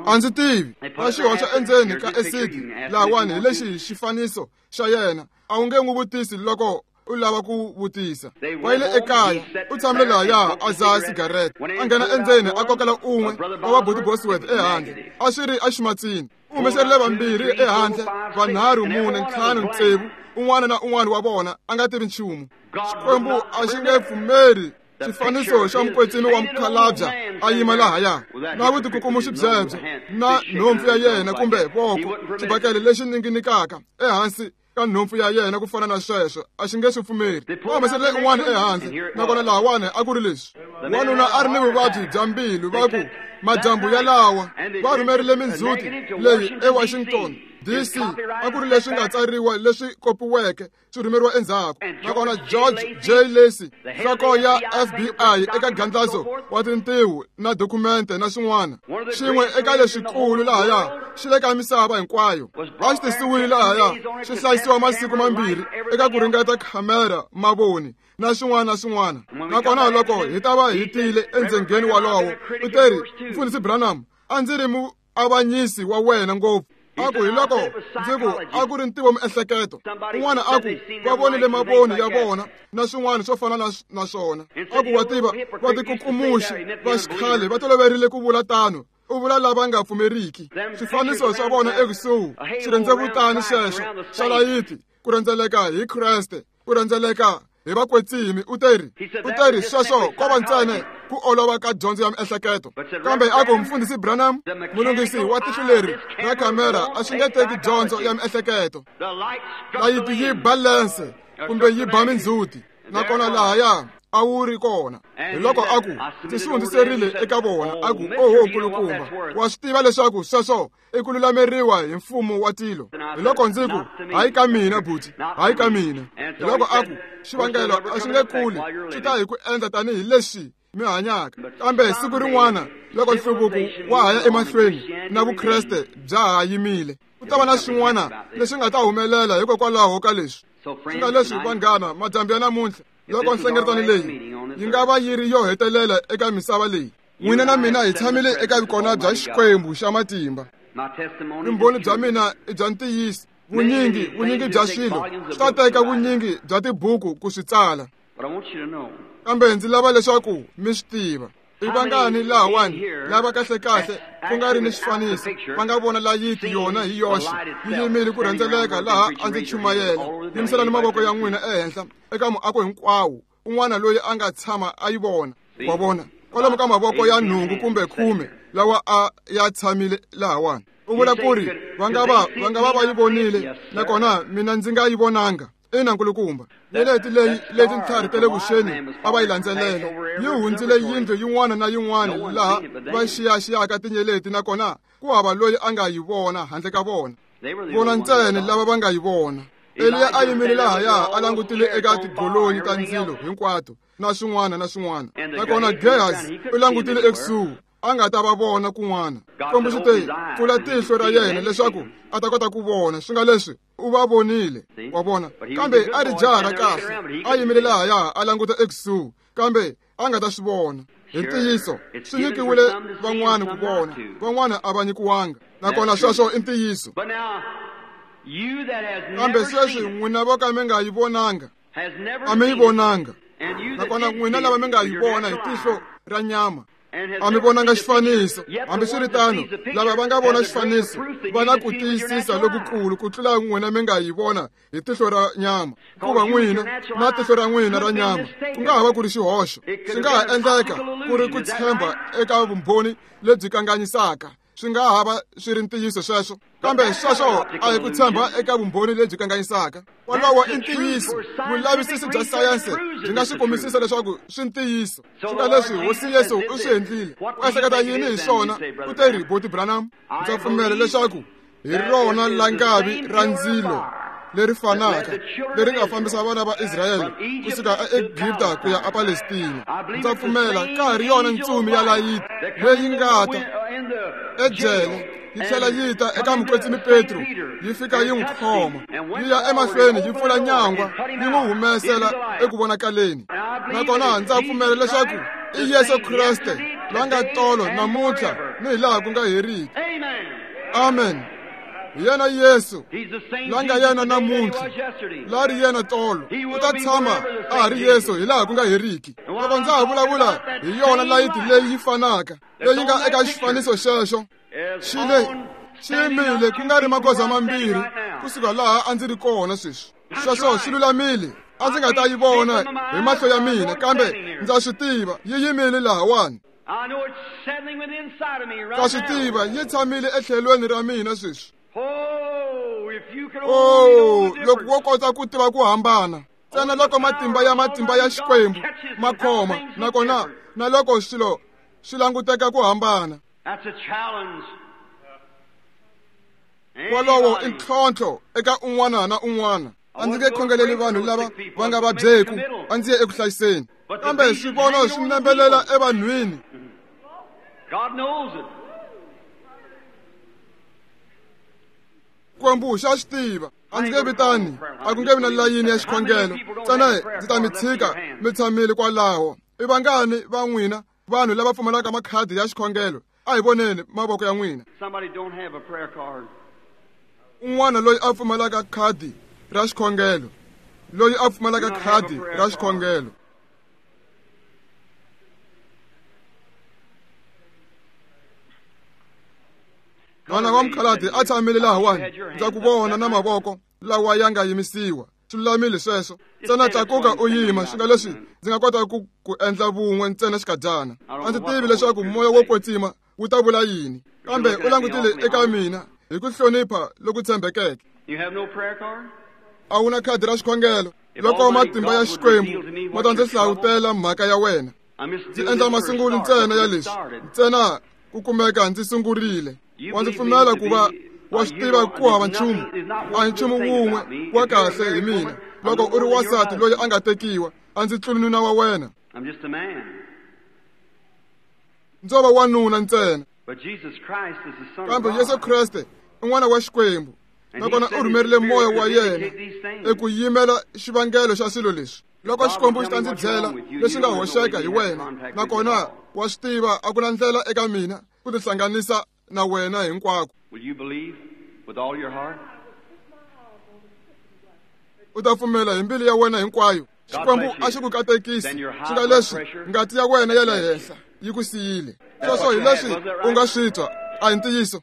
A ndzi tivi. Va xi hoxa endzeni ka esidi lahawani hi lexi xifaniso xa yena. A wu nge n'wi vutisi loko u lava ku vutisa. Va yile ekaya, u tshamile lahaya a dzaha sigarete. A nghena endzeni a kokela un'we wa va Buti Bosworth ehandle. A swi ri eximatsini. U humeserile vambirhi ehandle, vanharhu, mune, ntlhanu, tsevu. Un'wana na un'wana wa vona a nga tivi nchumu. Xikwembu a xi nge pfumeli xifaniso xa mukwetsimi wa mukhalabya a yima lahaya na vutikukumuxi byebyo na nhompfu ya yena kumbe voko, xibakele lexi ninginikaka ehansi ka nhompfu ya yena ku fana na sweswo, a xi nge swi pfumeri. Va humeserile un'wana ehandle, nakona lahawani a ku ri leswi. Wanuna a ri ni vuvabyi bya mbilu, va ku madyambu yalawa va rhumerile mindzhuti leyi eWashington DC, a ku ri leswi nga tsariwa leswi kopiweke swi rhumeriwa endzhaku. Nakona George J. Lacy, nhloko ya FBI eka gandlazo wa tintiho na dokumente na swin'wana, xin'we eka leswikulu lahaya xi le ka misava hinkwayo, a xi tisiwile lahaya xi hlayisiwa masiku mambirhi eka ku ringeta khamera, mavoni na swin'wana na swin'wana. Nakona loko hi ta va hi tile endzengeni walowo, u teri, Mfundhisi Branham, a ndzi ri muavanyisi wa wena ngopfu. A ku hi loko ndzi ku a ku ri ntivo miehleketo. Un'wana a ku va vonile mavoni ya vona na swin'wana swo fana na swona. A ku wa tiva va tikukumuxi va xikhale va toloverile ku vula tano. U vula lava nga pfumeriki. Swifaniso swa vona ekusuhi xirhendzevutani xexo xa layiti ku rhendzeleka hi Kreste, ku rhendzeleka hi vakwetsimi. U teri sweswo ko va ntsena ku olova ka dyondzo ya miehleketo. Kambe a ku mfundhisi Branham, mulunghisi wa tihlo leri ra khamera a swi nge teki dyondzo ya miehleketo. Layiti yi balense kumbe yi ba mindzhuti, nakona lahaya a wu ri kona. Hi loko a ku ndzi swi hundziserile eka vona. A ku oho nkulukumba, wa swi tiva leswaku sweswo i ku lulameriwa hi mfumo wa tilo. Hi loko ndzi ku hayi ka mina buti, hayi ka mina. Hi loko a ku xivangelo a xi nge kuli, swi ta hi ku endla tanihi leswi mi hanyaka. Kambe siku rin'wana loko nhluvuko wa ha ya emahlweni na Vukreste bya ha yimile, ku ta va na swin'wana leswi nga ta humelela hikokwalaho ka leswi. Swi nga leswi vanghana, madyambu ya namuntlha, loko nhlengeletano leyi yi nga va yi ri yo hetelela eka misava leyi, n'wina na mina hi tshamile eka vukona bya Xikwembu xa matimba. Vumbhoni bya mina i bya ntiyiso. Vunyingi bya swilo swi ta teka vunyingi bya tibuku ku swi tsala. Kambe ndzi lava leswaku mi swi tiva. I vangani lahawani lava kahlekahle ku nga ri ni xifaniso va nga vona layiti yona hi yoxe yi yimile ku rhendzeleka laha a ndzi chumayela. Yimiselani mavoko ya n'wina ehenhla eka muako hinkwawo, un'wana loyi a nga tshama a yi vona. Wa vona kwalomu ka mavoko ya 8 kumbe 10 lawa a ya tshamile lahawani. U vula ku ri va nga va va yi vonile, nakona mina ndzi nga yi vonanga. Ina nkulukumba, nyeleti leyi leti ntlhari ta le vuxeni a va yi landzelela yi hundzile yindlu yin'wana na yin'wana laha va xiyaxiyaka tinyeleti, nakona ku hava loyi a nga yi vona handle ka vona. Vona ntsena lava va nga yi vona. Eliya a yimile lahaya a langutile eka tigolonyi ta ndzilo hinkwato na swin'wana na swin'wana, nakona Gehazi u langutile ekusuhi a nga ta va vona kun'wana. Xikwembu xi te pfula tihlo ra yena leswaku a ta kota ku vona. Swi nga leswi u va vonile, wa vona. Kambe a ri jaha ra kahle, a yimile lahaya a languta ekusuhi, kambe a nga ta swi vona. Hi ntiyiso swi nyikiwile van'wana ku vona, van'wana a va nyikiwanga, nakona sweswo i ntiyiso. Kambe sweswi n'wina vo ka mi nga yi vonanga, a mi yi vonanga, nakona n'wina lava mi nga yi vona hi tihlo ra nyama a mi vonanga xifaniso. Hambiswiritano, lava va nga vona xifaniso va na ku tiyisisa lokukulu ku tlula n'wina mi nga yi vona hi tihlo ra nyama. Kuva n'wina na tihlo ra n'wina ra nyama ku nga ha va ku ri xihoxo, swi nga ha endleka ku ri ku tshemba eka vumbhoni lebyi kanganyisaka. Swi nga ha va swi ri ntiyiso sweswo, kambe sweswo a hi ku tshemba eka vumbhoni lebyi kanganyisaka. Wolowo i ntiyiso. Vulavisisi bya sayense byi nga swi kombisisa leswaku swi ntiyiso. Swi nga leswi Hosi Yesu u swi endlile. U ehleketa yini hi swona? U te ri Boti Branham, ndza pfumela leswaku hi rona langavi ra ndzilo leri fanaka leri nga fambisa vana va Israyele kusuka aEgipta ku ya aPalestina. Ndza pfumela ka ha ri yona ntsumi ya layiti leyi nga ta ejele yi tlhela yi ta eka mukwetsimi Petro, yi fika yi n'wi khoma, yi ya emahlweni yi pfula nyangwa yi n'wi humesela eku vonakaleni. Nakona ndza pfumela leswaku i Yesu Kreste la nga tolo namuntlha ni hi laha ku nga heriki. Amen. Hi yena Yesu la nga yena namuntlha, la ri yena tolo, u ta tshama a ha ri Yesu hi laha ku nga heriki. Loko ndza ha vulavula hi yona layiti leyi yi fanaka leyi nga eka xifaniso xexo, xi yimile ku nga ri magoza mambirhi kusuka laha a ndzi ri kona sweswi. Sweswo swi lulamile, a ndzi nga ta yi vona hi mahlo ya mina, kambe ndza swi tiva yi yimile lahawani. Ndza swi tiva yi tshamile etlhelweni ra mina sweswi. Oh, loko wo kota ku tiva ku hambana ntsena loko matimba ya matimba ya Xikwembu ma khoma, nakona na loko swilo swi languteka ku hambana. Wolowo i ntlhontlho eka un'wana na un'wana. A ndzi nge khongeleli vanhu lava va nga vabyeku, a ndzi ye eku hlayiseni. Kambe swivono swi nembelela evanhwini. Xikwembu xa swi tiva. A ndzi nge vitani, a ku nge vi na layini ya xikhongelo. Ntsena ndzi ta mi tshika mi tshamile kwalaho. I vangani va n'wina vanhu lava pfumalaka makhadi ya xikhongelo? A hi voneni mavoko ya n'wina. Un'wana loyi a pfumalaka khadi ra xikhongelo, loyi a pfumalaka khadi ra xikhongelo. N'wana wa mukhalabye a tshamile lahawani, ndza ku vona na mavoko lawa ya nga yimisiwa. Swi lulamile sweswo. Ntsena tlakuka u yima, swi nga leswi ndzi nga kota ku endla vun'we ntsena xikadyana. A ndzi tivi leswaku moya wo kwetsima wu ta vula yini, kambe u langutile eka mina hi ku hlonipha loku tshembekeke. A wu na khadi ra xikhongelo. Loko matimba ya Xikwembu ma ta ndzi hlavutela mhaka ya wena, ndzi endla masungulo ntsena ya leswi, ntsena ku kumeka ndzi sungurile. Wa ndzi pfumela ku va wa swi tiva ku hava nchumu, a hi nchumu wun'we wa kahle hi mina. Loko u ri wansati loyi a nga tekiwa, a ndzi tluli nuna wa wena. Ndzo va wanuna ntsena. Kambe Yesu Kreste i n'wana wa Xikwembu, nakona u rhumerile moya wa yena eku yimela xivangelo xa swilo leswi. Loko Xikwembu xi ta ndzi byela leswi nga hoxeka hi wena, nakona wa swi tiva a ku na ndlela eka mina ku tihlanganisa na wena hinkwako. U ta pfumela hi mbilu ya wena hinkwayo. Xikwembu a xi ku katekisi, swi nga leswi ngati ya wena ya le henhla yi ku siyile. Sweswo hi leswi u nga swi twa, a hi ntiyiso.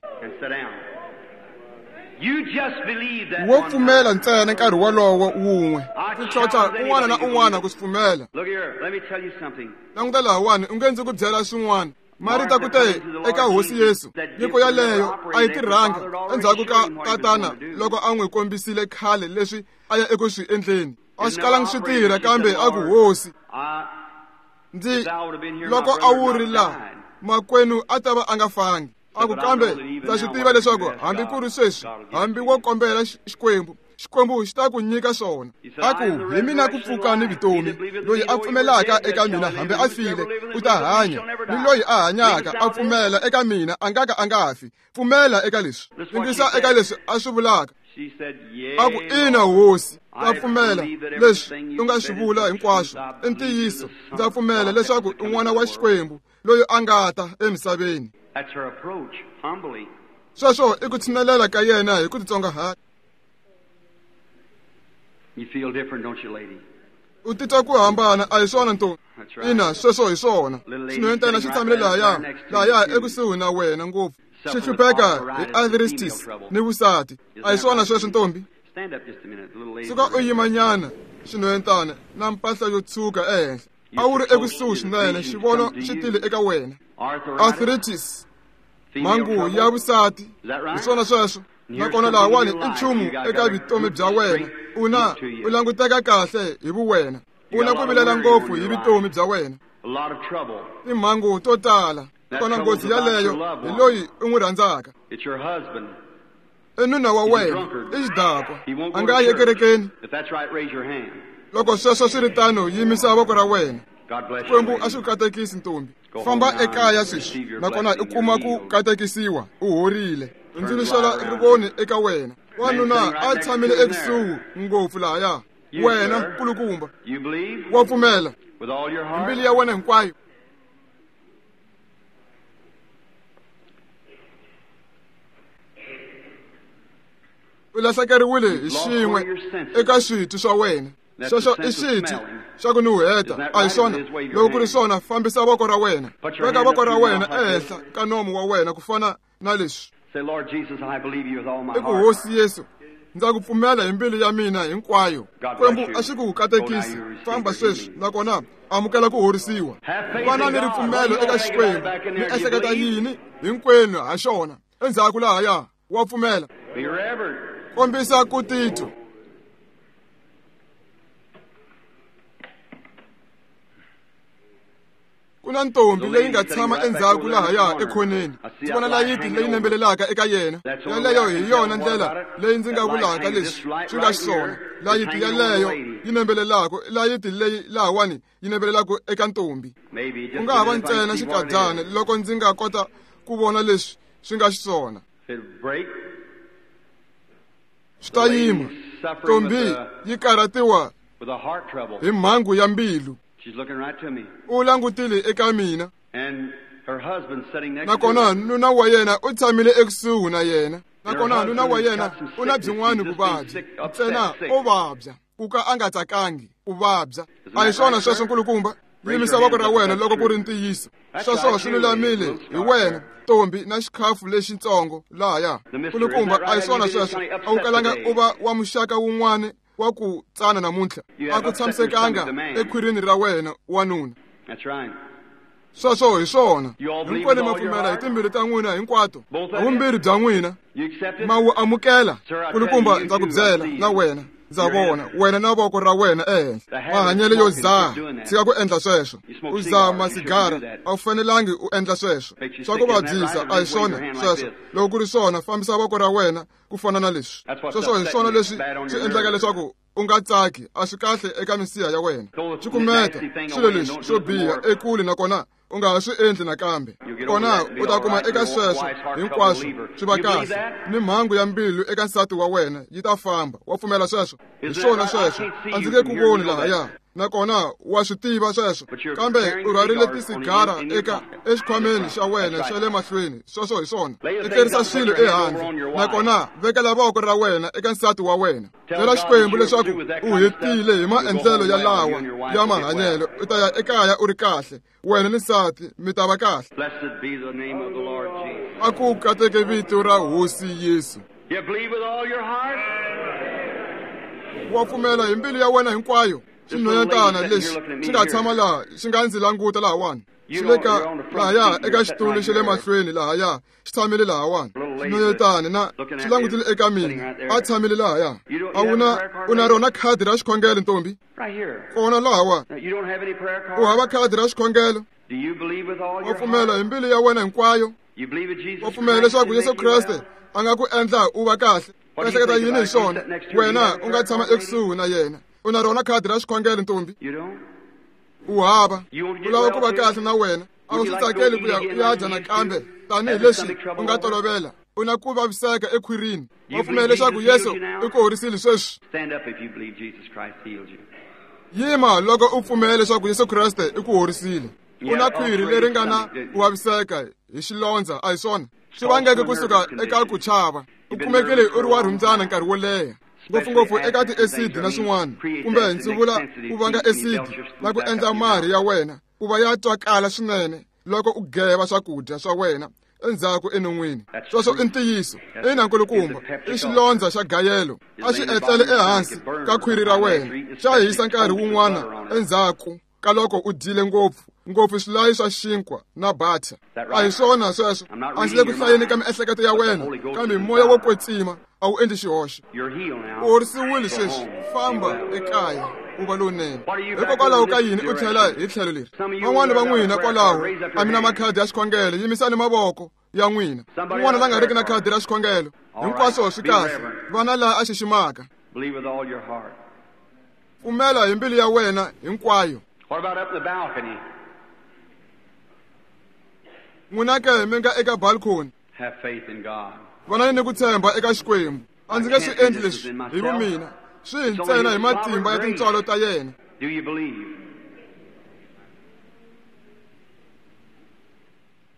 Wo pfumela ntsena nkarhi wolowo wun'we, ku tlhontlha un'wana na un'wana ku swi pfumela. Languta lahawani, u nge ndzi ku byela swin'wana. Marita ku te eka Hosi Yesu, nyiko yaleyo a yi tirhanga endzhaku ka tatana loko a n'wi kombisile khale leswi a ya eku swi endleni. A swi kalangi swi tirha, kambe a ku, Hosi, ndzi loko a wu ri laha makwenu a ta va a nga fangi. A ku, kambe ndza swi tiva leswaku hambi ku ri sweswi, hambi wo kombela Xikwembu, Xikwembu xi ta ku nyika swona. A ku, hi mina ku pfuka ni vutomi. Loyi a pfumelaka eka mina hambi a file u ta hanya, ni loyi a hanyaka a pfumela eka mina a nga ka a nga fi. Pfumela eka leswi. Yingisa eka leswi a swi vulaka. A ku, ina Hosi, ndza pfumela leswi u nga swi vula hinkwaswo i ntiyiso. Ndza pfumela leswaku i n'wana wa Xikwembu loyi a nga ta emisaveni. Sweswo i ku tshinelela ka yena hi ku titsongahata. U titwa ku hambana, a hi swona ntombi? Ina, sweswo hi swona. Xinhwentana xi tshamile lahaya ekusuhi na wena ngopfu, xi hlupheka hi arthritis ni vusati. A hi swona sweswo ntombi? Suka u yimanyana, xinhwentana na mpahla yo tshuka ehenhla. A wu ri ekusuhi swinene, xivono xi tile eka wena. Arthritis, mhangu ya vusati, hi swona sweswo. Nakona lahawani i nchumu eka vutomi bya wena. U na u languteka kahle hi vuwena. U na ku vilela ngopfu hi vutomi bya wena, timhangu to tala. Kona nghozi yaleyo hi loyi u n'wi rhandzaka. I nuna wa wena, i xidakwa, a nga yi ekerekeni. Loko sweswo swi ri tano, yimisa voko ra wena. Xikwembu a xi ku katekisi ntombi. Famba ekaya sweswi, nakona u kuma ku katekisiwa, u horile. Hundzuluxela rivoni eka wena. Wanuna a tshamile ekusuhi ngopfu lahaya. Wena kulukumba, wa pfumela hi mbilu ya wena hinkwayo. U lahlekeriwile hi xin'we eka switwi swa wena. Sweswo i xitwi xa ku nuheta, a hi swona? Loko ku ri swona, fambisa voko ra wena. Veka voko ra wena ehenhla ka nomu wa wena ku fana na leswi. I ku, Hosi Yesu, ndza ku pfumela hi mbilu ya mina hinkwayo. Xikwembu a xi ku katekisi. Famba sweswi, nakona amukela ku horisiwa. Vana ni ripfumelo eka Xikwembu. Mi ehleketa yini hinkwenu ha xona? Endzhaku lahaya, wa pfumela. Kombisa ku titwa. Ku na ntombi leyi nga tshama endzhaku lahaya ekhoneni. Ndzi vona layiti leyi nembelelaka eka yena. Yaleyo hi yona ndlela leyi ndzi nga vulaka leswi swi nga xiswona. Layiti yaleyo yi nembelelaka, layiti leyi lahawani yi nembelelaka eka ntombi. Ku nga ha va ntsena xikadyana loko ndzi nga kota ku vona leswi swi nga xiswona. Swi ta yima. Ntombi yi karhatiwa hi mhangu ya mbilu. U langutile eka mina. Nakona nuna wa yena u tshamile ekusuhi na yena. Nakona nuna wa yena u na byin'wana vuvabyi ntsena o vabya ku ka a nga tsakangi u vabya. A hi swona sweswo nkulukumba? Yimisa voko ra wena loko ku ri ntiyiso. Sweswo swi lulamile hi wena ntombi na xikhafu lexitsongo lahaya. Nkulukumba, a hi swona sweswo? A wu kalanga u va wa muxaka wun'wana wa ku tsana namuntlha. A ku tshamisekanga ekhwirini ra wena wanuna. Sweswo hi swona. Hinkwenu ma pfumela hi timbilu ta n'wina hinkwato, havumbirhi bya n'wina ma wu amukela. Nkulukumba, ndza ku byela na wena, ndza vona wena na voko ra wena ehenhla. Mahanyelo yo dzaha, tshika ku endla sweswo. U dzaha masigara, a wu fanelangi u endla sweswo. Swa ku vabyisa, a hi swona sweswo? Loko ku ri swona, fambisa voko ra wena ku fana na leswi. Sweswo hi swona leswi swi endlaka leswaku u nga tsaki. A swi kahle eka misiha ya wena. Cukumeta swilo leswi swo biha ekule, nakona u nga ha swi endli nakambe. Kona u ta kuma eka sweswo hinkwaswo swi va kahle, ni mhangu ya mbilu eka nsati wa wena yi ta famba. Wa pfumela sweswo? Hi swona sweswo. A ndzi nge ku voni lahaya, nakona wa swi tiva sweswo, kambe u rhwarile tisigara eka exikhwameni xa wena xa le mahlweni. Sweswo hi swona. Etlerisa swilo ehandle, nakona vekela voko ra wena eka nsati wa wena. Byela Xikwembu leswaku u hetile hi maendlelo ya lawa ya mahanyelo. U ta ya ekaya u ri kahle, wena ni nsati mi ta va kahle. A ku kateke vito ra Hosi Yesu. Wa pfumela hi mbilu ya wena hinkwayo? Xinhwanyatana lexi xi nga tshama laha xi nga ndzi languta lahawani, xi le ka lahaya eka xitulu xa le mahlweni lahaya, xi tshamile lahawani. Xinhwanyatana na xi langutile eka mina, a tshamile lahaya. A wu na u na rona khadi ra xikhongelo ntombi? Kona lahawa. U hava khadi ra xikhongelo? Wa pfumela hi mbilu ya wena hinkwayo? Wa pfumela leswaku Yesu Kreste a nga ku endla u va kahle? U ehleketa yini hi swona? Wena u nga tshama ekusuhi na yena. U na rona khadi ra xikhongelo ntombi? U hava. U lava ku va kahle na wena? A wu swi tsakeli ku ya u ya dya nakambe tanihileswi u nga tolovela? U na ku vaviseka ekhwirini. Wa pfumela leswaku Yesu i ku horisile sweswi? Yima loko u pfumela leswaku Yesu Kreste i ku horisile. U na khwiri leri nga na ku vaviseka hi xilondza, a hi swona? Swi vangeke kusuka eka ku chava. U kumekile u ri wa rhumbyana nkarhi wo leha, ngopfungopfu eka ti-acid na swin'wana, kumbe ndzi vula ku vanga acid na ku endla marhi ya wena ku va ya twakala swinene loko u geva swakudya swa wena endzhaku enon'wini. Sweswo i ntiyiso. Ina nkulukumba, i xilondza xa gayelo. A xi etlele ehansi ka khwiri ra wena, xa hisa nkarhi wun'wana endzhaku ka loko u dyile ngopfu ngopfu swilayi swa xinkwa na butter. A hi swona sweswo? A ndzi le ku hlayeni ka miehleketo ya wena, kambe moya wo kwetsima a wu endli xihoxo. U horisiwile sweswi, famba ekaya u va lowunene. Hikokwalaho ka yini u tlhela hi tlhelo leri? Van'wana va n'wina kwalaho a mi na makhadi ya xikhongelo, yimisani mavoko ya n'wina. Un'wana la nga riki na khadi ra xikhongelo, hinkwaswo swi kahle. Vana laha a xiximaka. Pfumela hi mbilu ya wena hinkwayo. N'wina ke mi nga eka balcony, vanani ni ku tshemba eka Xikwembu. A ndzi nge swi endli leswi hi vumina, swi hi ntsena hi matimba ya tintswalo ta yena.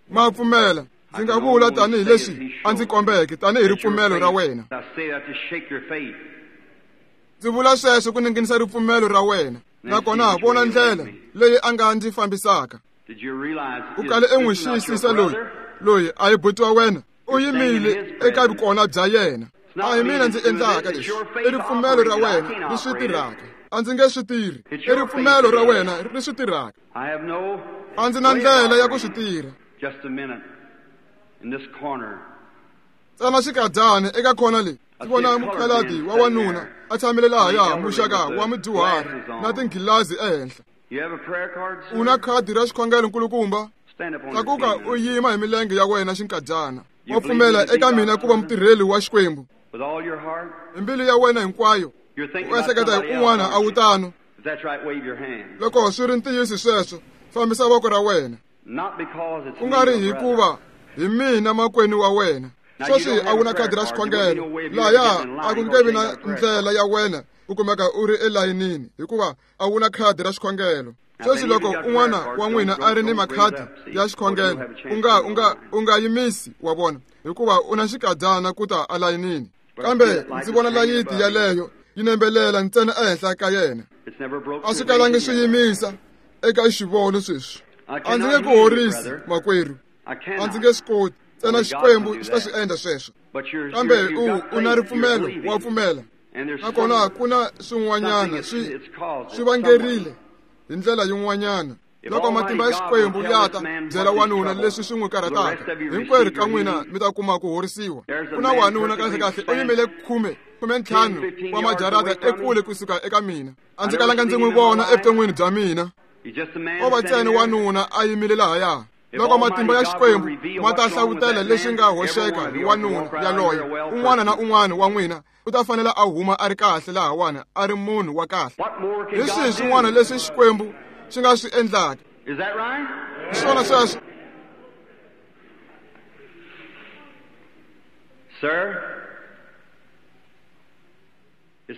Ma pfumela? Ndzi nga vula tanihileswi a ndzi kombeke, tanihi ripfumelo ra wena. Ndzi vula sweswo ku ninginisa ripfumelo ra wena, nakona vona ndlela leyi a nga ndzi fambisaka. U kale u n'wi xiyisisa loyi, loyi a hi buti wa wena, u yimile eka vukona bya yena. A hi mina ndzi endlaka leswi, i ripfumelo ra wena ri swi tirhaka. A ndzi nge swi tirhi, i ripfumelo ra wena ri swi tirhaka. A ndzi na ndlela ya ku swi tirha. Tsana xikadyana eka khona leyi, ndzi vona mukhaladi wa wanuna a tshamile lahaya, muxaka wa mudyuhari na tinghilazi ehenhla. U na khadi ra xikhongelo nkulukumba? Tlakuka u yima hi milenge ya wena xinkadyana. Wa pfumela eka mina ku va mutirheli wa Xikwembu? Hi mbilu ya wena hinkwayo. U ehleketa hi un'wana, a wu tano? Loko swi ri ntiyiso sweswo, fambisa voko ra wena. Ku nga ri hikuva hi mina makwenu wa wena. Sweswi a wu na khadi ra xikhongelo. Lahaya a ku nge vi na ndlela ya wena u kumeka u ri elayinini hikuva a wu na khadi ra xikhongelo. Sweswi loko un'wana wa n'wina a ri ni makhadi ya xikhongelo, u nga yimisi, wa vona. hikuva u na xikadyana ku ta alayinini. Kambe ndzi vona layiti yaleyo yi nembelela ntsena ehenhla ka yena. A swi kalangi swi yimisa eka xivono sweswi. A ndzi nge ku horisi, makwerhu. A ndzi nge swi koti. Ntsena Xikwembu xi ta swi endla sweswo. Kambe u na ripfumelo, wa pfumela. Nakona ku na swin'wanyana swi vangerile hi ndlela yin'wanyana. Loko matimba ya Xikwembu ya ta byela wanuna leswi swi n'wi karhataka, hinkwerhu ka n'wina mi ta kuma ku horisiwa. Ku na wanuna kahlekahle u yimele 15 wa majarata ekule kusuka eka mina. A ndzi kalanga ndzi n'wi vona evuton'wini bya mina. O va ntsena wanuna a yimile lahaya. Loko matimba ya Xikwembu ma ta hlavutela leswi nga hoxeka hi wanuna yaloye, un'wana na un'wana wa n'wina u ta fanela a huma a ri kahle lahawani, a ri munhu wa kahle. Hi swihi swin'wana leswi Xikwembu xi nga swi endlaka? Hi swona sweswo.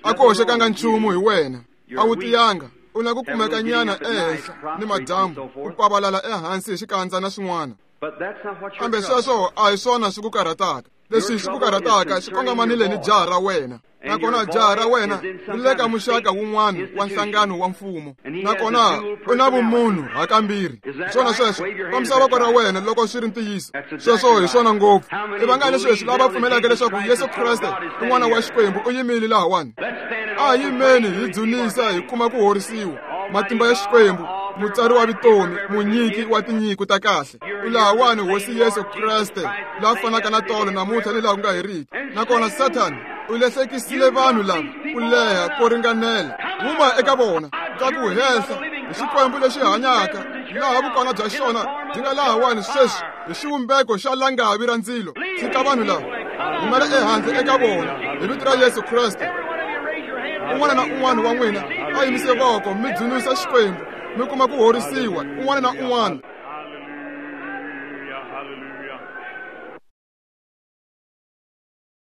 A ku hoxekanga nchumu hi wena. A wu tiyanga. U na ku kumeka nyana ehenhla ni madyambu, ku pavalala ehansi hi xikandza na swin'wana. Kambe sweswo a hi swona swi ku karhataka. Leswi swi ku karhataka swi kongomanile ni jaha ra wena. Nakona jaha ra wena ri le ka muxaka wun'wana wa nhlangano wa mfumo. Nakona u na vumunhu hakambirhi. Hi swona sweswo. Kombisa voko ra wena loko swi ri ntiyiso. Sweswo hi swona ngopfu. I vangani sweswi lava pfumelaka leswaku Yesu Kreste i N'wana wa Xikwembu u yimile lahawani? A hi yimeni hi dzunisa hi kuma ku horisiwa. Matimba ya Xikwembu, mutsari wa vutomi, munyiki wa tinyiko ta kahle. U lahawani Hosi Yesu Kreste, la fanaka na tolo namuntlha ni laha ku nga heriki. Nakona Sathana u lahlekisile vanhu lava ku leha ko ringanela. Huma eka vona ka ku hehla hi Xikwembu lexi hanyaka, laha vukona bya xona byi nga lahawani sweswi hi xivumbeko xa langavi ra ndzilo. Tshika vanhu lava, humela ehandle eka vona hi vito ra Yesu Kreste. Un'wana na un'wana wa n'wina a yimise voko mi dzunisa Xikwembu, mi kuma ku horisiwa, un'wana na un'wana.